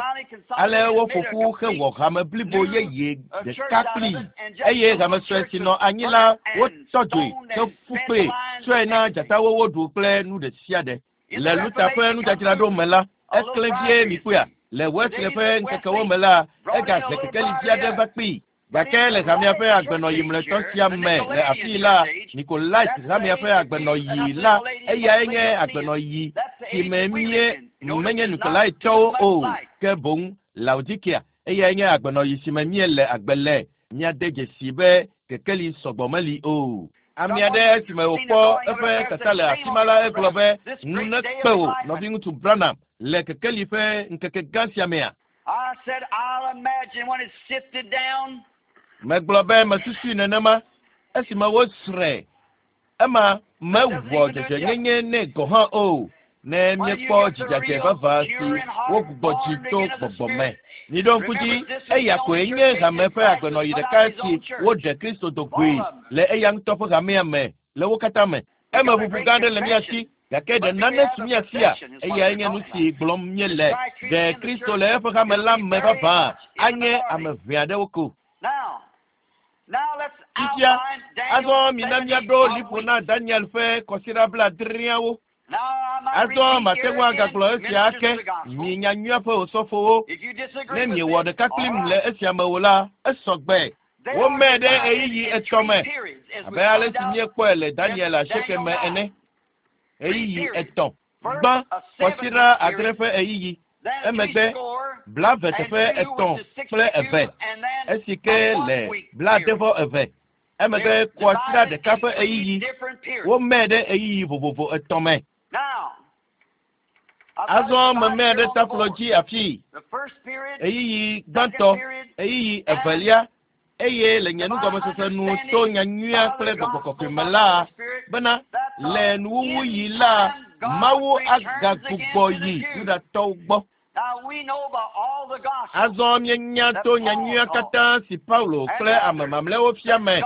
Ale woƒo ƒu hewɔ hame blibo yeye ɖeka kplii. Eye hame sue si nɔ anyi la wotɔ dzoe heƒu kpee tsɔe na dzatawo woɖu kple nu ɖe sia ɖe. Le Luther ƒe nudzadzraɖo me la, eklẽ vie mikpɔea. Le Wesley ƒe ŋkekewo me la, egahe kekeli vi aɖe va kpee. Gake le hamea ƒe agbenɔɣi mlɔetɔ sia me le afii la, Nikolait hamea ƒe agbenɔɣi la, eyae nye agbenɔɣi si me mie menye Nikolaitɔwo o, ke boŋ Laodikea, eyae nye agbenɔɣi si me míele agbe le. Míade dzesi be kekeli sɔgbɔ meli o. Ame aɖe esime wòkpɔ eƒe tata le afi ma la, egblɔ be, "Ŋu nekpe wò, nɔviŋutsu Branham, le kekeli ƒe ŋkeke gã sia mea?" I said, I'll imagine when it's sifted down. Megblɔ be mesusui nenema esime wosrɔ̃e. Ema mewɔ dzɔdzɔenyenye nɛ gɔ̃ hã o. Ne míekpɔ dzidzadze vavã si wogbugbɔ dzi to gbɔgbɔ me. Miɖo ŋku dzi, eya koe nye hame ƒe agbenɔɣi ɖeka si woɖe Kristo do goe le eya ŋutɔ ƒe hamea me le wo katã me. Eme ʋuʋu gã aɖe le mía si, gake ɖe nane su mía sia? Eyae nye nu si gblɔm míele. Ɖe Kristo le eƒe hame la me vavã anye ame ʋɛ aɖewo ko. Fifia, azɔ mina míaɖo liƒo na Daniel ƒe kɔsiɖa blaadreawo. Azɔ mate ŋu agagblɔ esia ake, mi nyanyuia ƒe osɔfowo. Ne miewɔ ɖeka kplim le esia me o la, esɔ gbe. Womee ɖe ɣeyiɣi etɔ̃ me abe ale si míekpɔe le Daniel asieke me ene. Ɣeyiɣi etɔ̃. Gbã, kɔsiɖa adre ƒe ɣeyiɣi. Emegbe, blaeve teƒe etɔ̃ kple eve. Esi ke le blaade vɔ eve. Emegbe kɔsiɖa ɖeka ƒe ɣeyiɣi. Womee ɖe ɣeyiɣi vovovo etɔ̃ me. Azɔ memee ɖe taflo dzi afii. Ɣeyiɣi gbãtɔ, ɣeyiɣi evelia, eye le nye nugɔmesese nu to nyanyuia kple gbɔgbɔ kɔkɔe me la, bena le nuwuwuɣi la, Mawu agagbugbɔ yi Yudatɔwo gbɔ. Azɔ míenya to nyanyuia katã si Paulo kple ame mamlɛawo fia me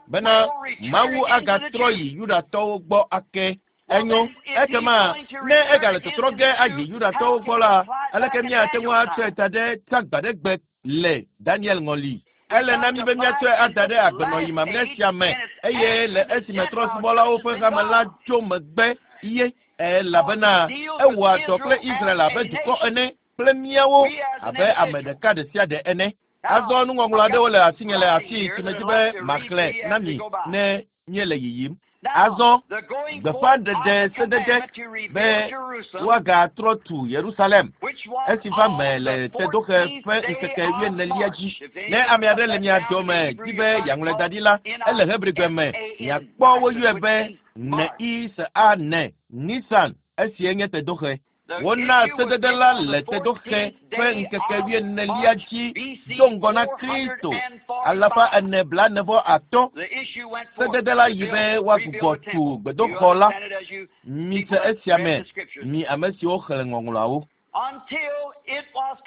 bena Mawu agatrɔ yi Yudatɔwo gbɔ ake. Enyo, ekema ne egale tɔtrɔ ge ayi Yudatɔwo gbɔ la, aleke míate ŋu atsɔe da ɖe tagbaɖegbe le Daniel ŋɔli? Ele na mí be míatsɔe ada ɖe agbenɔyi mamlɛ sia me eye le esime trɔ̃subɔlawo ƒe hame la tso megbe ye elabena ewɔa dɔ kple Israel abe dukɔ ene kple míawo abe ame ɖeka ɖe sia ɖe ene. Azɔ nuŋɔŋlɔ aɖewo le asinye le afii si medzi be maxlẽ na mi ne míele yiyim. Azɔ gbeƒãɖeɖe sedede be woagatrɔ tu Yerusalem esi va me le tedoxe ƒe ŋkeke wuienelia dzi. Ne ame aɖe le mia dome di be yeaŋlɔe da ɖi la, ele Hebrigbe me. Miakpɔ woyɔe be N-I-S-A-N, Nisan, esie nye tedoxe. Wona sedede la le tedoxe ƒe ŋkeke wuienelia dzi do ŋgɔ na Kristo 443. Sedede la yi be woagbugbɔ tu gbedoxɔ la. Mise esia me, mi ame siwo xlẽ ŋɔŋlɔawo.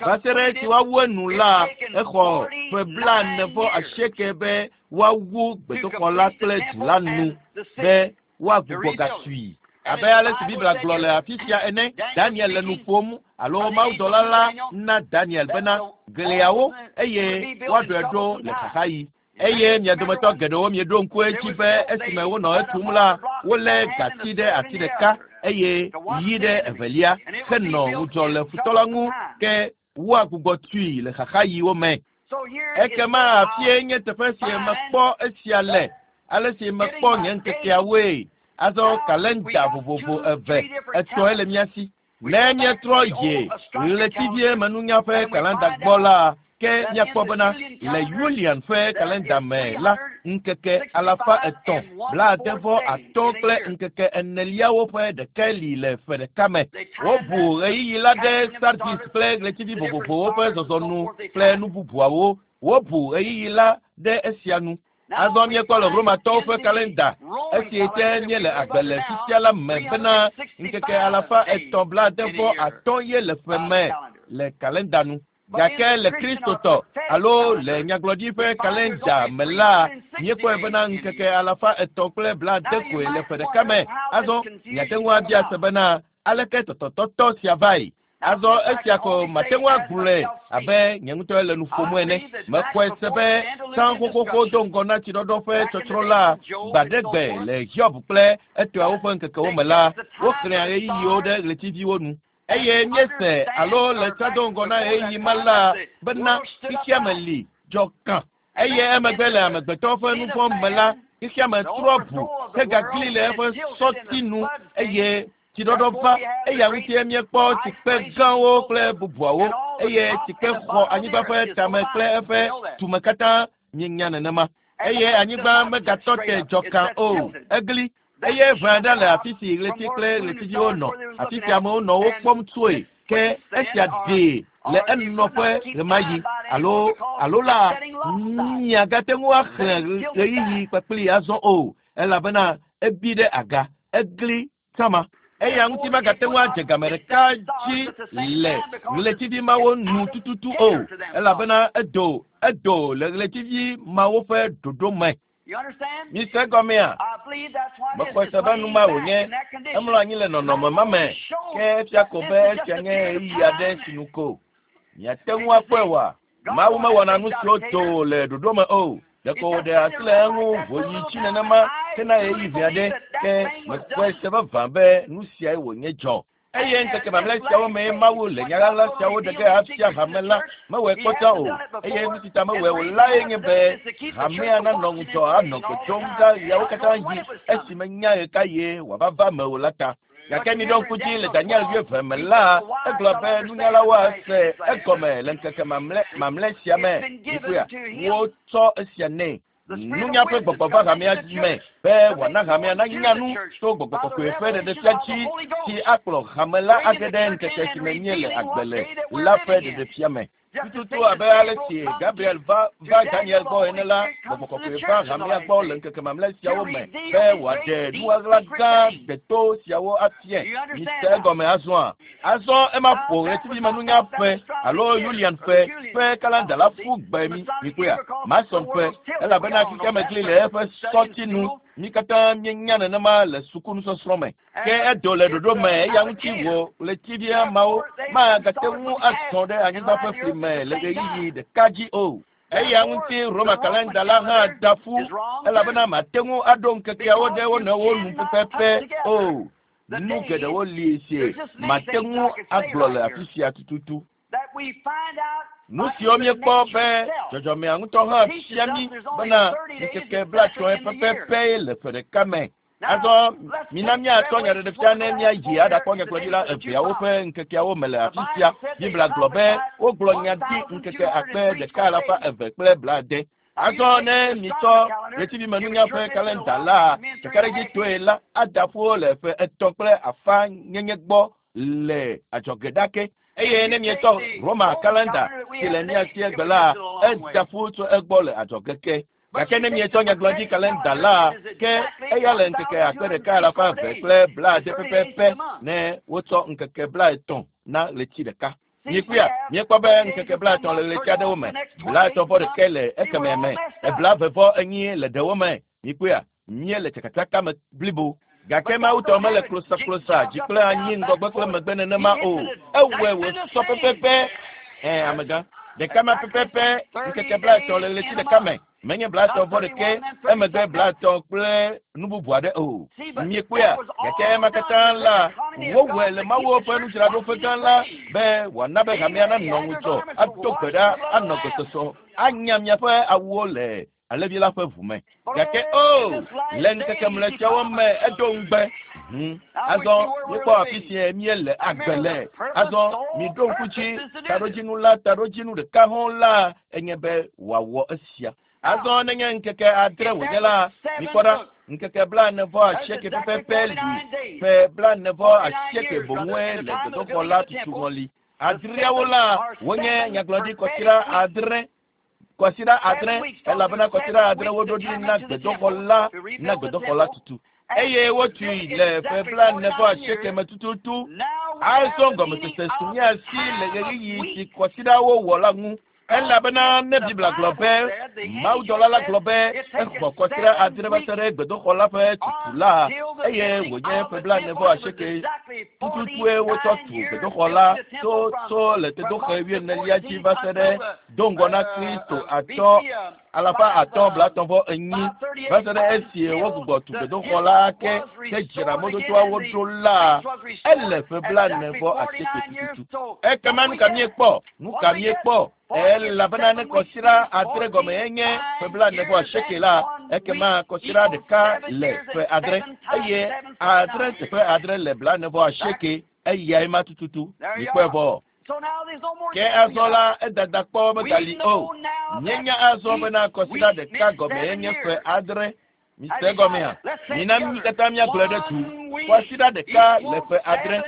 Va se ɖe esi woawu enu la, exɔ ƒe 48 be woawu gbedoxɔ la kple du la nu be woagbugbɔ gatui. Abe ale si Biblia gblɔ le afi sia ene, Daniel le nu ƒom alo mawudɔla la na Daniel bena gliawo eye woaɖɔe ɖo le xaxaɣi. Eye mia dometɔ geɖewo mieɖo ŋku edzi be esime wonɔ etum la, wolé gati ɖe ati ɖeka eye yi ɖe evelia henɔ ŋudzɔ le futɔ la ŋu ke woagbugbɔ tui le xaxaɣiwo me. Ekema afie nye teƒe si mekpɔ esia le, ale si mekpɔ nye ŋkekeawoe. Azɔ kalenda vovovo eve etɔ̃e le mía si. Ne míetrɔ yi ɣletivie menunya ƒe kalenda gbɔ la, ke míakpɔ bena le Julian ƒe kalenda me la, ŋkeke 365 kple ŋkeke eneliawo ƒe ɖekae li le ƒe ɖeka me. Wobu ɣeyiɣi la ɖe Sardis kple ɣletivi vovovowo ƒe zɔzɔnu kple nu bubuawo. Wobu ɣeyiɣi la ɖe esia nu. Azɔ míekpɔ le Romatɔwo ƒe kalenda esi te míele agbe le fifia la me bena ŋkeke 365 ye le ƒe me le kalenda nu. Gake le Kristotɔ alo le nyagblɔɖi ƒe kalenda me la, míekpɔe bena ŋkeke 370 koe le ƒe ɖeka me. Azɔ miate ŋu abia se bena aleke tɔtɔtɔtɔ sia vae. Azɔ esia ko mate ŋu agblɔe abe nye ŋutɔ le nu ƒom ene. Mexɔe se be tsã xoxoxo do ŋgɔ na tsiɖɔɖɔ ƒe tsɔtsrɔ̃ la gbaɖegbe le Hiob kple etɔawo ƒe ŋkekewo me la, woxlẽa ɣeyiɣiwo ɖe ɣletiviwo nu. Eye míese alo le tsã do ŋgɔ na ɣeyiɣi ma la bena xexeame li dzɔ kã. Eye emegbe le amegbetɔ ƒe nu vɔ̃ me la, xexeame trɔ ʋu hegagli le eƒe sɔti nu eye tsiɖɔɖɔ va. Eya ŋutie míekpɔ tsikpe gãwo kple bubuawo eye tsikpe xɔ anyigba ƒe tame kple eƒe tume katã míenya nenema. Eye anyigba megatɔ te dzɔ kã o, egli. Eye ʋe aɖe le afi si ɣleti kple ɣletiviwo nɔ, afi si amewo nɔ wo kpɔm tsoe. Ke esia ɖee le enɔƒe ɣemaɣi alo alo la miagate ŋu axlẽ ɣeyiɣi kpakpli azɔ o, elabena ebi ɖe aga, egli sama. Eya ŋuti magate ŋu adze game ɖeka dzi le ɣletivi mawo nu tututu o, elabena edo edo le ɣletivi mawo ƒe ɖoɖo me. Mise egɔmea? Mexɔe se be nu ma wònye. Emlɔ anyi le nɔnɔme ma me. Ke efia ko be esia nye ɣeyiɣi aɖe si nu ko. Miate ŋu akpɔe oa? Mawu mewɔna nu siwo do le ɖoɖo me o. Ɖeko wòɖe asi le eŋu wòyi tsi nenema hena ɣeyiɣi vi aɖe. Ke mexɔe se vavã be nu siae wònye dzɔ. Eye ŋkeke mamlɛ siawo mee Mawu le nya ɣaɣla siawo ɖe ge afia hame la mewɔe kpɔtɔ o. Eye nu si ta mewɔe o lae nye be hamea nanɔ ŋudzɔ anɔ gbe dom ɖa ɣeawo katã ɣi esime nya ɣekaɣie wòava va eme o la ta. Gake miɖo ŋku dzi le Daniel wuieve me la, egblɔ be nunyalawo ase egɔme le ŋkeke mamlɛ mamlɛ sia me. Mikpɔea, wotsɔ esia nɛ. Nunya ƒe gbɔgbɔ va hamea me be wòana hamea nanya nu to gbɔgbɔ kɔkɔe ƒe ɖeɖefia dzi si akplɔ hame la age ɖe ŋkeke si me míele agbe le la ƒe ɖeɖefia me. Tututu abe ale si Gabriel va va Daniel gbɔ ene la, gbɔgbɔ kɔkɔe va hamea gbɔ le ŋkeke mamlɛ siawo me be wòaɖe nuɣaɣla gã deto siawo afia. Mise egɔme azɔa? Azɔ ema ƒo ɣletivimenunya ƒe alo Julian ƒe ƒe kalenda la ƒu gbe mi mikpɔea? Mason ƒe, elabena xexeame gli le eƒe sɔti nu. Mi katã míenya nenema le sukunusɔsrɔ̃ me. Ke edo le ɖoɖo me eya ŋuti wò ɣletivia mawo magate ŋu azɔ ɖe anyigba ƒe fli me le ɣeyiɣi ɖeka dzi o. Eya ŋuti Roma kalenda la hã da ƒu elabena mate ŋu aɖo ŋkekeawo ɖe wo nɔewo nu pɛpɛpɛ o. Nu geɖewo li si mate ŋu agblɔ le afi sia tututu. Nu siwo míekpɔ be dzɔdzɔmea ŋutɔ hã fia mí bena ŋkeke 30 pɛpɛpɛ le ƒe ɖeka me. Azɔ mina míatɔ nyaɖeɖefia ne míayi aɖakpɔ nyagblɔɖila eveawo ƒe ŋkekeawo me le afi sia. Biblia gblɔ be wogblɔ nya ɖi ŋkeke 1270. Azɔ ne mitsɔ ɣletivimenunya ƒe kalenda la ɖekaɖedzitɔe la ada ƒu le ƒe 3 kple afã nyenye gbɔ le adzɔge ɖake. Eye ne mietsɔ Roma kalenda si le mía si egbe la, eda ƒu tso egbɔ le adzɔge ke. Gake ne mietsɔ nyagblɔɖi kalenda la, ke eya le ŋkeke 1270 pɛpɛpɛ ne wotsɔ ŋkeke 30 na ɣleti ɖeka. Mikpɔa, míekpɔ be ŋkeke 30 le ɣleti aɖewo me, 30 ɖeka le ekemɛ me, 44 le ɖewo me. Mikpɔa, míele tsakatsaka me blibo. Gake Mawu tɔ mele klosaklosa dzi kple anyi ŋgɔgbe kple megbe nenema o. Ewɔe wòsɔ pɛpɛpɛ. Amegã. Ɖeka ma pɛpɛpɛ ŋkeke 30 le ɣleti ɖeka me. Menye 30 ɖeka emegbe 30 kple nu bubu aɖe o. Miekpɔea, gake ema katã la wowɔe le Mawu ƒe nudzraɖoƒe gã la be wòana be hamea nanɔ ŋudzɔ, ado gbe ɖa, anɔ gbesɔsɔ, anya miaƒe awuwo le alẽvi la ƒe ʋu me. Gake o, le ŋkeke mlɔetsiawo me edo ŋugbe. Azɔ míekpɔ afi si míele agbe le. Azɔ miɖo ŋku dzi taɖodzinu la, taɖodzinu ɖeka hɔ̃ la enye be wòawɔ esia. Azɔ nenye ŋkeke 6 wònye la, mikpɔ ɖa, ŋkeke 48 pɛpɛpɛ li, ƒe 48 boŋue le gbedoxɔ la tutu ŋɔli. Adreawo la wonye nyagblɔɖi kɔsiɖa 6. Kɔsiɖa 6, elabena kɔsiɖa 6 woɖo ɖi na gbedoxɔ la, na gbedoxɔ la tutu. Eye wotui le ƒe 48 me tututu. Azɔ gɔmesese su mía si le ɣeyiɣi si kɔsiɖawo wɔ la ŋu. Elabena ne Biblia gblɔ be mawudɔla la gblɔ be exɔ kɔsiɖa 6 va se ɖe gbedoxɔ la ƒe tutu la, eye wònye ƒe 48 tututue wotsɔ tu gbedoxɔ la tso tso le tedoxe 40lia dzi va se ɖe do ŋgɔ na Kristo 534 va se ɖe esi wogbugbɔ tu gbedoxɔ la ke ke dzra mɔdodoawo ɖo la, ele ƒe 48 tututu. Ekema nu ka míekpɔ? Nu ka míekpɔ? Elabena ne kɔsiɖa 6 gɔme enye ƒe 48 la, ekema kɔsiɖa ɖeka le ƒe 6 eye 6 teƒe 6 le 48 eyae ma tututu. Mikpɔe vɔ. Ke azɔ la edada kpɔ megali o. Míenya azɔ bena kɔsiɖa ɖeka gɔme enye ƒe 6. Mise gɔmea? Mina mí katã míagblɔe ɖe du. Kɔsiɖa ɖeka le ƒe 6.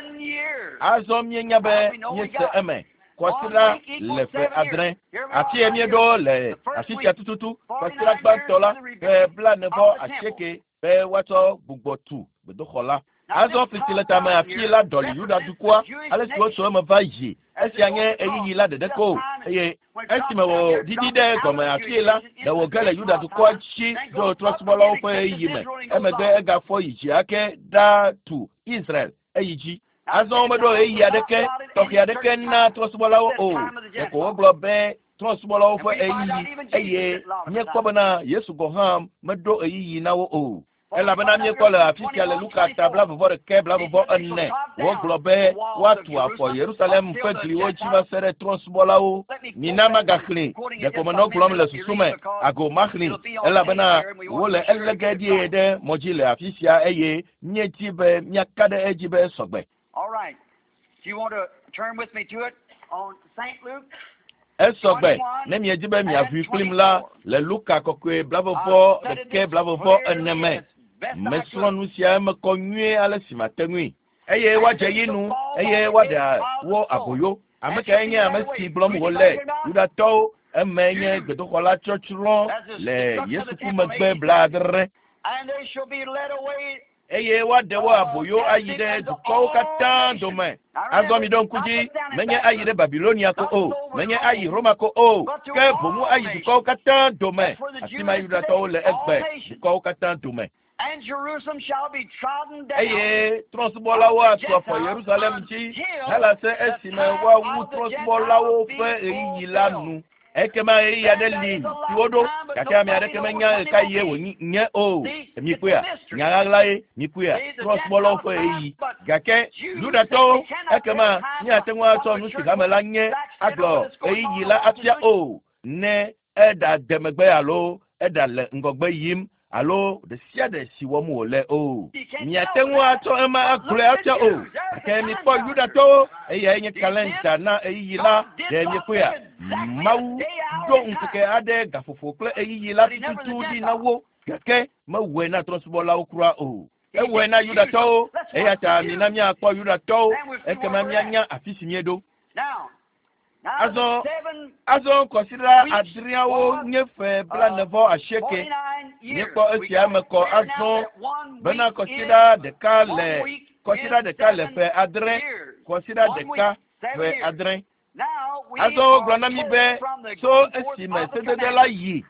Azɔ míenya be míese eme. Kɔsiɖa le ƒe 6. Afi ye míeɖo le afi sia tututu. Kɔsiɖa gbãtɔ la ƒe 48 be woatsɔ gbugbɔ tu gbedoxɔ la. Azɔ fli si le tame afi la ɖɔli Yuda dukɔa, ale si wotso eme va yi. Esia nye ɣeyiɣi la ɖeɖe ko eye esime wòɖiɖi ɖe gɔme afi la, ɖe wòge le Yuda dukɔa dzi ɖo trɔ̃subɔlawo ƒe ɣeyiɣi me. Emegbe egafɔ yi dzi ake ɖa tu Israel eyi dzi. Azɔ womeɖo ɣeyiɣi aɖeke tɔxɛ aɖeke na trɔ̃subɔlawo o. Ɖeko wogblɔ be trɔ̃subɔlawo ƒe ɣeyiɣi eye míekpɔ bena Yesu gɔ̃ hã meɖo ɣeyiɣi na wo o. Elabena míekpɔ le afi sia le Luka ta 20 20 24 wogblɔ be woatu afɔ Yerusalem ƒe gliwo dzi va se ɖe trɔ̃subɔlawo. Mina magaxlẽ, ɖeko menɔ gblɔm le susu me, ago maxlẽ, elabena wole elé ge ɖie ɖe mɔ dzi le afi sia eye míedi be míaka ɖe edzi be esɔgbe. All right. If you want to turn with me to it on St. Luke. Esɔgbe ne miedi be miaʋui kplim la le Luka kɔkɔe 21 24 me. Mesrɔ̃ nu sia eme kɔ nyuie ale si mate ŋui. Eye woadze yi nu eye woaɖe wo aboyo. Ame kae nye ame si gblɔm wòle? Yudatɔwo. Eme nye gbedoxɔ la tsɔtsrɔ̃ le Yesu ku megbe 70. And they shall be led away. Eye woaɖe wo aboyo ayi ɖe dukɔwo katã dome. Azɔ mi ɖo ŋku dzi, menye ayi ɖe Babilonia ko o, menye ayi Roma ko o, ke boŋu ayi dukɔwo katã dome. Afi ma Yudatɔwo le egbe, dukɔwo katã dome. And Jerusalem shall be trodden down. Eye trɔ̃subɔlawo atu afɔ Yerusalem dzi hele se esime woawu trɔ̃subɔlawo ƒe ɣeyiɣi la nu. Ekema ɣeyiɣi aɖe li si woɖo gake ame aɖeke menya ɣekaɣie wònye o. Mikpɔea? Nya ɣaɣla ye mikpɔea? Trɔ̃subɔlawo ƒe ɣeyiɣi. Gake Yudatɔwo ekema míate ŋu atsɔ nu si hame la nye agblɔ ɣeyiɣi la afia o ne eɖa de megbe alo eɖa le ŋgɔgbe yim alo ɖe sia ɖe si wɔm wòle o. Miate ŋu atsɔ ema agblɔe afia o. Gake mikpɔ Yudatɔwo eyae nye kalẽnda na ɣeyiɣi la ɖe miekpɔea? Mawu ɖo ŋkeke aɖe gaƒoƒo kple ɣeyiɣi la tututu ɖi na wo gake mewɔe na trɔ̃subɔlawo kura o. Ewɔe na Yudatɔwo eya ta mina míakpɔ Yudatɔwo ekema míanya afi si míeɖo. Now, Azɔ the seven azɔ kɔsiɖa adreawo nye ƒe 49. 49 years. Míekpɔ We esia got me it kɔ clear now azɔ that one bena week kɔsiɖa is ɖeka one le week kɔsiɖa is ɖeka le seven ƒe adre years. kɔsiɖa One week, ɖeka seven ƒe years. adre. Now we Azɔ wogblɔ are na mí told be from the tso going forth esime of the sedede la commandment. yi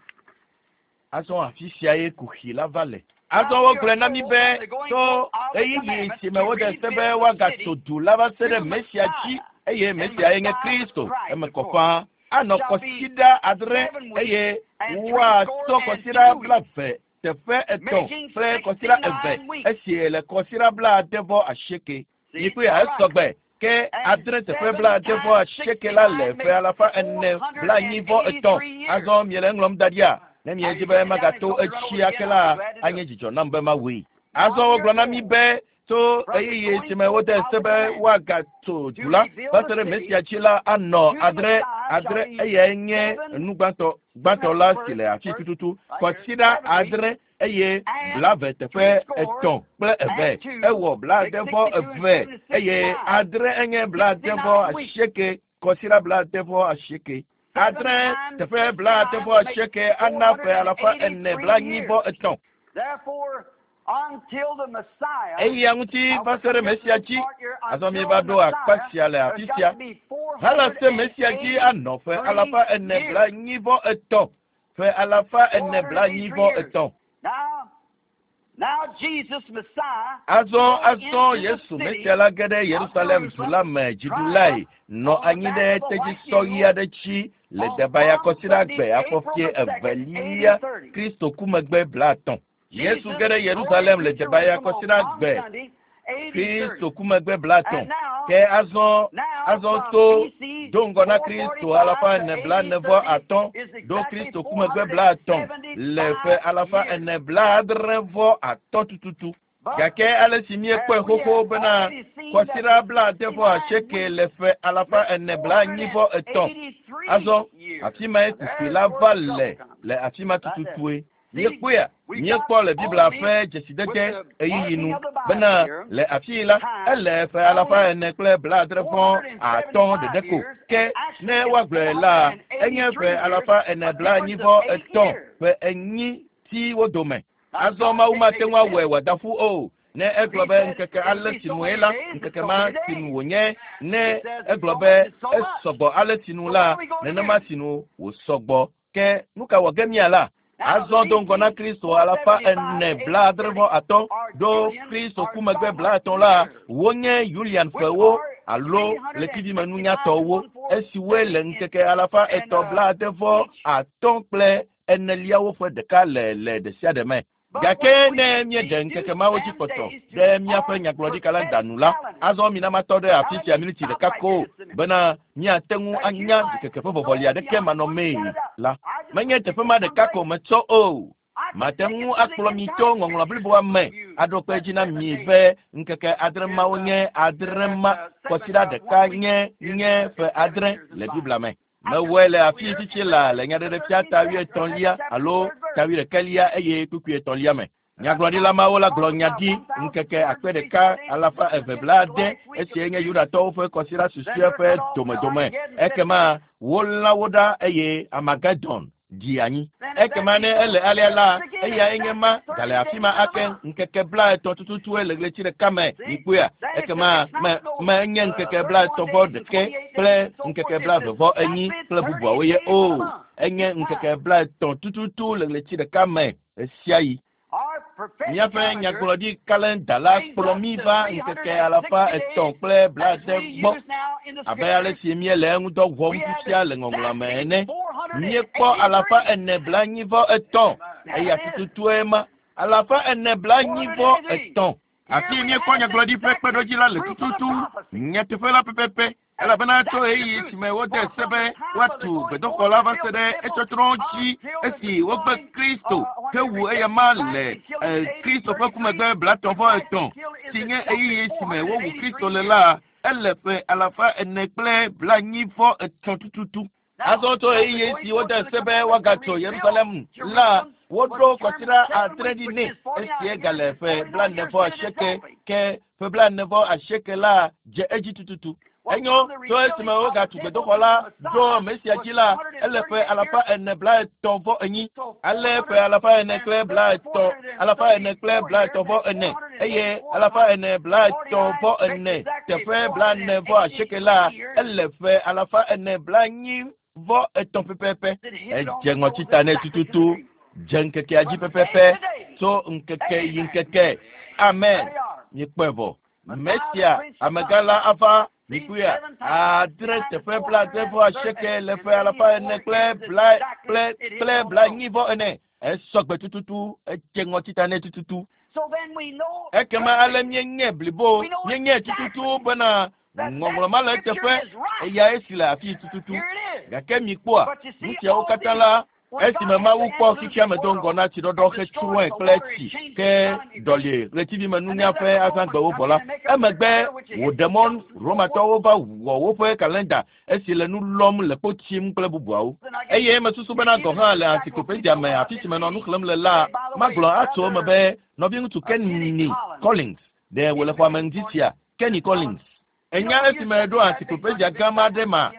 azɔ afi sia ye kuxi la va le. Azɔ wogblɔ na mí be tso ɣeyiɣi si me wode se be woagatso du la va se ɖe Mesia dzi eye Mesia ye nye Kristo eme kɔ ƒãa anɔ kɔsiɖa adre eye woatsɔ kɔsiɖa 23 teƒe etɔ̃ kple kɔsiɖa eve esi le kɔsiɖa 89. See? Mikpɔe All right. esɔgbe ke And adre teƒe seven 89 times la le 69 ƒe makes 445. 483 years. Azɔ miele eŋlɔm da ɖia? Ne Now miedzi you be get it down and magato go run over etsi it ake again. la, I'll be glad to do anye it. dzidzɔ nam be mawɔe. Now Azɔ we wogblɔ are na mí told be tso from the ɣeyiɣi going si me forth wode of se the be commandment woagatso to du la reveal va the se ɖe city Mesia dzi la anɔ to the adre Messiah shall adre be eyae nye seven nu gbãtɔ seven gbãtɔ that's la the si first le afi first tututu right here kɔsiɖa 7 weeks adre eye and 23 teƒe three score etɔ̃ kple eve and two ewɔ make 69 62 and eve seven is eye 69. adre enye blaade 69 vɔ weeks. asieke kɔsiɖa 89. Seven Adre times teƒe 69 blaade vɔ will make asieke ana ƒe alafa ene 483 blaenyi years. vɔ etɔ̃. Therefore, until the Messiah, Eya ŋuti now va we se ɖe come here to Mesia this dzi. part here, Azɔ until míeva the ɖo akpa Messiah, sia le there's afi got sia. to be Hala se Mesia dzi anɔ ƒe 483 alafa ene years. blaenyi vɔ etɔ̃. Ƒe alafa ene blaenyi 483 vɔ years. etɔ̃. Now, now Jesus Messiah Azɔ rode azɔ into the Yesu city Mesia la ge ɖe of Yerusalem du Jerusalem, la me crying dziɖulae nɔ on the anyi back ɖe of a white tedzisɔ ɣi mule aɖe dzi le on Debaya Palm kɔsiɖa Sunday, gbe April afɔfie the 2nd, evelia AD 30. Kristo ku megbe 50. Yesu Jesus ge ɖe rode Yerusalem into le Debaya Jerusalem on kɔsiɖa Palm gbe Sunday, AD 30. Kristo ku megbe 50. And now, Ke azɔ now azɔ from tso BC do ŋgɔ na Kristo alafa 445 to ene AD blaene vɔ 30 atɔ̃ is ɖo exactly Kristo ku megbe 50 le ƒe 475 alafa years. ene blaadre vɔ atɔ̃ tututu. But Gake ale si míekpɔe as we xoxo have bena already seen that kɔsiɖa the 69 weeks le ƒe alafa make ene blaenyi vɔ etɔ̃. 483 Azɔ years. afi mae Now kuxi there's la where va the le trouble comes. le afi ma Right there. tututue. See, Míekpɔea we got míekpɔ le Biblia only ƒe with dzesidede the ɣeyiɣi marking nu of the Bible bena here, le afi la time, ele ƒe alafa only ene kple 69 ɖeɖe ko. 475 years, Ke and actually ne it's woagblɔe la enye 483 ƒe years, alafa ene a blaenyi difference vɔ of 8 etɔ̃ years. ƒe enyi ti wo dome. Now Azɔ God Mawu can't mate make a ŋu awɔe mistake. wòada ƒu o. Ne If egblɔ he be said ŋkeke it'll ale be si so nue many la, days, it's ŋkeke so ma many si nu days. wònye. Ne He says it's egblɔ so be much, it's so much. esɔgbɔ ale si nu So what la, are we going to nenema do? si nu wòsɔgbɔ. Ke nu ka wɔ ge míala? Now the Azɔ do ŋgɔ na BC Kristo alafa 475 ene to AD blaadre 30 vɔ atɔ̃ are ɖo Julian Kristo or ku megbe Solomon 50 la, years, wonye Julian which ƒewo are alo ɣletivimenunyatɔwo 365 esiwoe le 1470 in ŋkeke alafa and etɔ̃ blaade vɔ each. atɔ̃ kple eneliawo ƒe ɖeka le le ɖe sia ɖe me. But Gake when we ne míeɖe ŋkeke deduce mawo dzi them kpɔtɔ days to ɖe míaƒe our nyagblɔɖikalenda prophetic nu la, calendar. azɔ mina matɔ ɖe Now afi let sia me miniti stop ɖeka right ko here just a minute. bena míate ŋu That you anya might ɖikeke ƒe go vɔvɔli aɖeke beyond one manɔmee set it up. la, I just menye want to teƒe take ma it one ɖeka ko place. metsɔ o. I could Mate take ŋu it to the akplɔ mi entire tso ŋɔŋlɔ scriptures bliboa to me show you aɖo kpe that dzi na 7 mi days be ŋkeke adre is mawo nye adre that ma seven kɔsiɖa one ɖeka week nye is nye ƒe is seven adre years in le the Biblia Bible. me. I could Mewɔe take le it over afi here tsitsi in la le nyaɖeɖefia the ta 13th chapter, that wuietɔ̃lia chapter, alo third ta verse. wuiɖekɛlia eye kpukpui etɔ̃lia me. And that Nyagblɔɖila prophet mawo la gblɔ nya prophesied ɖi ŋkeke akpe 1,265 ɖeka days alafa to eve the blaade last week of esie nye June. Yudatɔwo ƒe kɔsiɖa Then susɔe they're ƒe cut off with domedome. Armageddon said Ekema wolã wo ɖa eye Armageddon ɖi anyi. Then if that Ekema be ne so, ele alea la, it's again eyae nye exactly ma 30 gale afi days ma in a ake month. ŋkeke 30 tututue le ɣleti ɖeka me. See? Mikpɔea? Then it's, Ekema it's me not no menye ŋkeke 31 blaetɔ̃ vɔ days and ɖeke 28 days kple and so forth. ŋkeke It's blaeve vɔ enyi exactly kple 30 bubuawo ye days in a o. month. Enye Each ŋkeke time. 30 tututu le ɣleti ɖeka me ɣesiaɣi. Our Míaƒe nyagblɔɖi kalenda la kplɔ mí va ŋkeke 370 gbɔ abe ale si míele eŋudɔ wɔm fifia le ŋɔŋlɔa me ene. Míekpɔ 443, eya tututue ma 443. Afi míekpɔ nyagblɔɖi ƒe kpeɖodzi la le tututu nyateƒe la pɛpɛpɛ. Elabena tso ɣeyiɣi si me wode se be woatu gbedoxɔ la va se ɖe etsɔtsrɔ̃ dzi esi wogbe Kristo hewu eyama le Kristo ƒe ku megbe 33 si nye ɣeyiɣi si me wowu Kristo le la, ele ƒe 443 tututu. Azɔ tso ɣeyiɣi si wode se be woagatso Yerusalem la, woɖo kɔsiɖa 7 ɖi nɛ esie gale ƒe 48 ke ƒe 48 la dze edzi tututu. Enyo tso esime wogatu gbedoxɔ la ɖo Mesia dzi la, ele ƒe 434. Ale ƒe 430, 434 eye 434 teƒe 48 la, ele ƒe 443 pɛpɛpɛ. Edze ŋɔtita nɛ tututu, dze ŋkekea dzi pɛpɛpɛ, tso ŋkeke yi ŋkeke. Amen. Míekpɔe vɔ. Mesia amegã la ava mikpɔea 7 teƒe 78 le ƒe 400 kple bla kple kple 44. Esɔgbe tututu, edze ŋɔtita nɛ tututu. Ekema ale míenye blibo, míenye tututu bena ŋɔŋlɔ ma le eteƒe, eya esi le afi tututu. Gake mikpɔa nu siawo katã la, esime Mawu kpɔ xexea me do ŋgɔ na tsiɖɔɖɔ hetsrɔ̃e kple tsi ke ɖɔli ɣletivimenunya ƒe azãgbewo vɔ la, emegbe wòɖe mɔ Romatɔwo va wɔ woƒe kalenda esi le nu lɔm le kpo tsim kple bubuawo. Eye mesusu bena gɔ̃ hã le encyclopedia me afi si menɔ nu xlẽm le la, magblɔ atso eme be nɔviŋutsu Kenny Collins ɖe wòle xɔa me ŋdi sia. Kenny Collins. Enya esime eɖo encyclopedia gã ma ɖe ma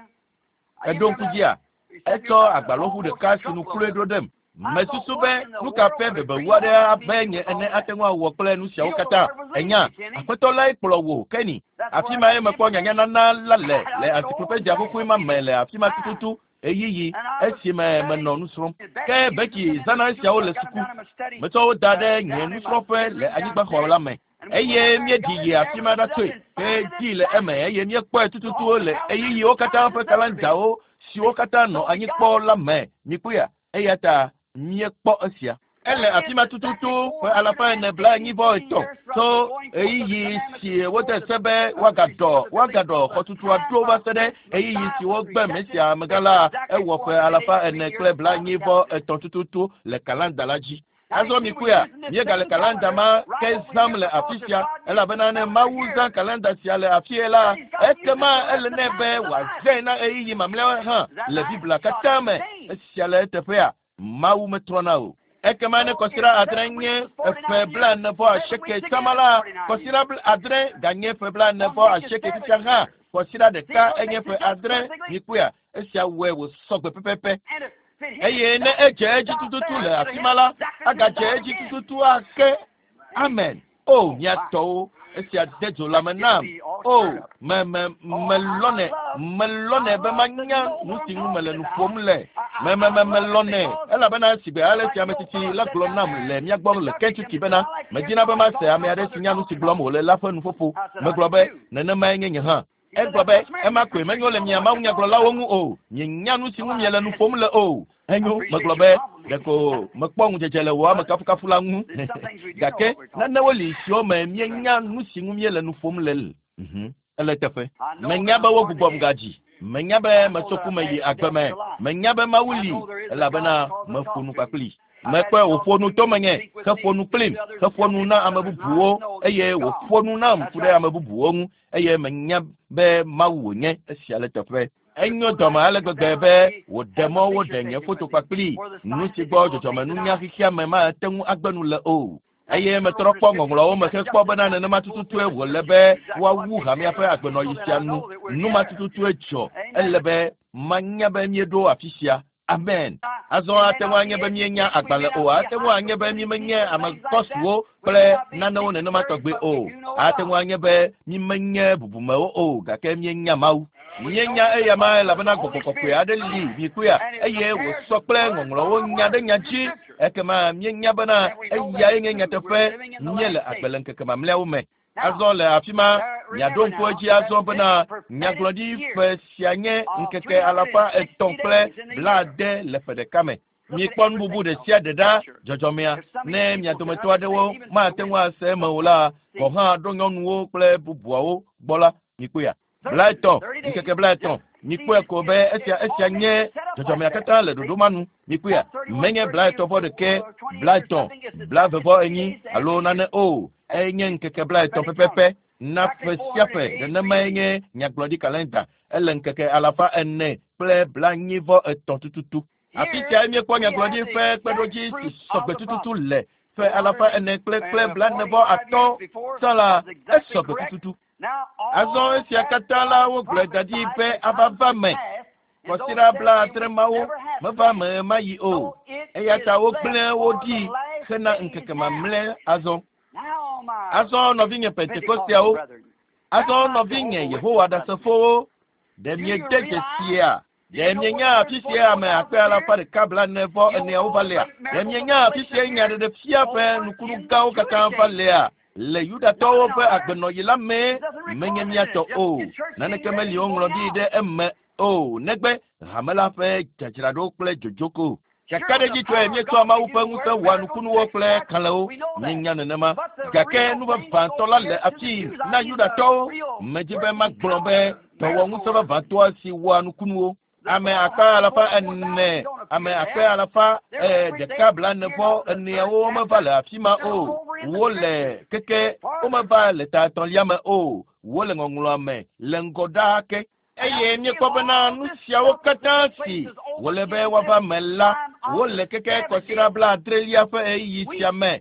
eɖo ŋku dzia? Etsɔ agbalɔʋu ɖeka si nu kloe ɖo ɖem. Mesusu be nu ka ƒe bebewu aɖe abe nye ene ate ŋu awɔ kple nu siawo katã. Enya, Aƒetɔ lae kplɔ wò, Kenny. Afi mae mekpɔ nyanyanana la le le encyclopedia xoxoe ma me le afi ma tututu ɣeyiɣi esime menɔ nu srɔ̃m. Ke Becky zãna esiawo le suku. Metsɔ wo da ɖe nye nusrɔ̃ƒe le anyigbaxɔ la me. Eye míeɖi yi afi ma ɖatsoe ke dzi le eme eye míekpɔe tututu le ɣeyiɣiwo katã ƒe kalendawo siwo katã nɔ anyi kpɔ la me. Mikpɔea? Eya ta míekpɔ esia. Ele afi ma tututu ƒe 443 tso ɣeyiɣi si wode se be woagaɖɔ woagaɖɔ xɔtutua ɖo va se ɖe ɣeyiɣi si wogbe Mesia amegã la, ewɔ ƒe 443 tututu le kalenda la dzi. Azɔ mikpɔea, míegale kalenda ma ke zãm le afi sia, elabena ne Mawu zã kalenda sia le afie la, ekema ele nɛ be wòazãe na ɣeyiɣi mamlɛawo hã le Biblia katã me. Esia le eteƒea, Mawu metrɔna o. Ekema ne kɔsiɖa 7 nye ƒe 48 tsama la, kɔsiɖa 7 ganye ƒe 48 fifia hã, kɔsiɖa ɖeka enye ƒe 7. Mikpɔea, esia wɔe wòsɔgbe pɛpɛpɛ. Eye ne edze edzi tututu le afi ma la, agadze edzi tututu ake. Amen. O, mia tɔwo, esia de dzo lãme nam. O, me me melɔnɛ, melɔnɛ be manya nu si ŋu mele nu ƒom le. Me me me melɔnɛ, elabena sigbe ale si ame tsitsi la gblɔ nam le mía gbɔ le Kentucky bena medina be mase ame aɖe si nya nu si gblɔm wòle la ƒe nuƒoƒo. Megblɔ be nenemae nye nye hã. Egblɔ be ema koe menyo le mia mawunyagblɔlawo ŋu o. Mienya nu si ŋu miele nu ƒom le o. Enyo, megblɔ be ɖeko mekpɔ ŋudzedze le wò amekafukafu la ŋu. Gake nanewo li siwo me míenya nu si ŋu míele nu ƒom le. Ele teƒe. Menya be wogbugbɔm gadzi. Menya be metso ku me yi agbe me. Menya be Mawu li elabena meƒo nu kpakpli. Mekpɔe wòƒo nu to menye, heƒo nu kplim, heƒo nu na ame bubuwo eye wòƒo nu nam ku ɖe ame bubuwo ŋu eye menya be Mawu wònye. Esia le teƒe. Enyo dɔme ale gbegbe be wòɖe mɔ woɖe nye foto kpakpli, nu si gbɔ dzɔdzɔmenunya xexea me mate ŋu agbe nu le o. Eye metrɔ kpɔ ŋɔŋlɔawo me hekpɔ bena nenema tututue wòle be woawu hamea ƒe agbenɔɣi sia nu. Nu ma tututue dzɔ. Ele be manya be míeɖo afi sia. Amen. Azɔ ate ŋu anye be míenya agbalẽ o, ate ŋu anye be mímenye ame kɔsuwo kple nanewo nenema tɔgbe o. Ate ŋu anye be mímenye bubumewo o, gake míenya Mawu. Míenya eyama elabena gbɔgbɔ kɔkɔe aɖe li mikpɔea eye wòsɔ kple ŋɔŋlɔwo nya ɖe nya dzi ekema míenya bena eyae nye nyateƒe míele agbe le ŋkeke mamlɛawo me. Azɔ le afi ma miaɖo ŋku edzi azɔ bena nyagblɔɖi ƒe sia nye ŋkeke 360 le ƒe ɖeka me. Mikpɔ nu bubu ɖe sia ɖe ɖa dzɔdzɔmea ne mia dometɔ aɖewo mate ŋu ase eme o la gɔ̃ hã ɖo nyɔnuwo kple bubuawo gbɔ la mikpɔea. 30 ŋkeke 30 mikpɔe ko be esia nye dzɔdzɔmea katã le ɖoɖo ma nu mikpɔea menye 31 30 24 alo nane o enye ŋkeke 30 pɛpɛpɛ na ƒe sia ƒe nenemae nye nyagblɔɖi kalenda ele ŋkeke 443 tututu. Afi sia míekpɔ nyagblɔɖi ƒe kpeɖodzi si sɔgbe tututu le ƒe 443 tsã la esɔgbe tututu. Azɔ esia katã la wogblɔe da ɖi be ava va me. Kɔsiɖa 70 mawo meva me ma yi o. Eya ta wogblẽ wo ɖi hena ŋkeke mamlɛ azɔ. Azɔ nɔvinye Pentekosteawo, azɔ nɔvinye Yehowa Ɖasefowo, ɖe miede dzesia? Ɖe mienya afi sia ame akpe 144 va lea? Ɖe mienya afi sia nyaɖeɖefia ƒe nukunu gãwo katã va lea? Le Yudatɔwo ƒe agbenɔɣi la mee menye míatɔ o. Naneke meli woŋlɔ ɖi ɖe eme o negbe hame la ƒe dzadzraɖo kple dzodzoko. Kakaɖedzitɔe míetsɔa Mawu ƒe ŋusẽ wɔa nukunuwo kple kalẽwo. Míenya nenema. Gake nu vavãtɔ la le afi na Yudatɔwo. Medzi be magblɔ be dɔwɔŋusẽ vavãtɔa si wɔa nukunuwo. Ame akpe 400, ame akpe 144 meva le afi ma o. Wole keke womeva le ta etɔ̃lia me o. Wole ŋɔŋlɔa me le ŋgɔ ɖaa ke. Eye míekpɔ bena nu siawo katã si wòle be woava me la, wole keke kɔsiɖa 70lia ƒe ɣeyiɣi sia me.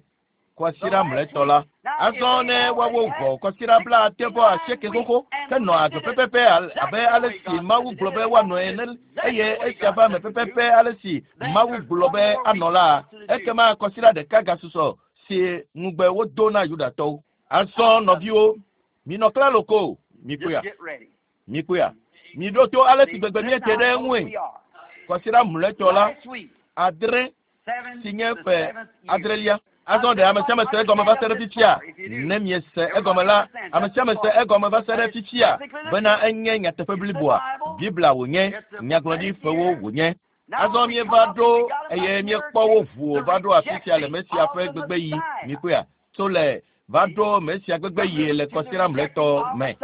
Kɔsiɖa mlɔetɔ la. Azɔ ne woawo vɔ kɔsiɖa 88 xoxo henɔ agbe pɛpɛpɛ abe ale si Mawu gblɔ be woanɔ ene eye esia va me pɛpɛpɛ ale si Mawu gblɔ be anɔ la, ekema kɔsiɖa ɖeka gasusɔ si ŋugbe wodo na Yudatɔwo. Azɔ nɔviwo, minɔ klalo ko, mikpɔea. Mikpɔea. Miɖo to ale si gbegbe míete ɖe eŋue. Kɔsiɖa mlɔetɔ la, 7 si nye ƒe 7lia. Azɔ ɖe ame sia ame se egɔme va se ɖe fifia? Ne miese egɔme la, ame sia ame se egɔme va se ɖe fifia bena enye nyateƒe bliboa. Biblia wònye, nyagblɔɖi ƒewo wònye. Azɔ míeva ɖo eye míekpɔ wo ʋu va ɖo afi sia le Mesia ƒe gbegbe yi. Mikpɔea, tso le va ɖo Mesia gbegbe yi le kɔsiɖa mlɔetɔ me.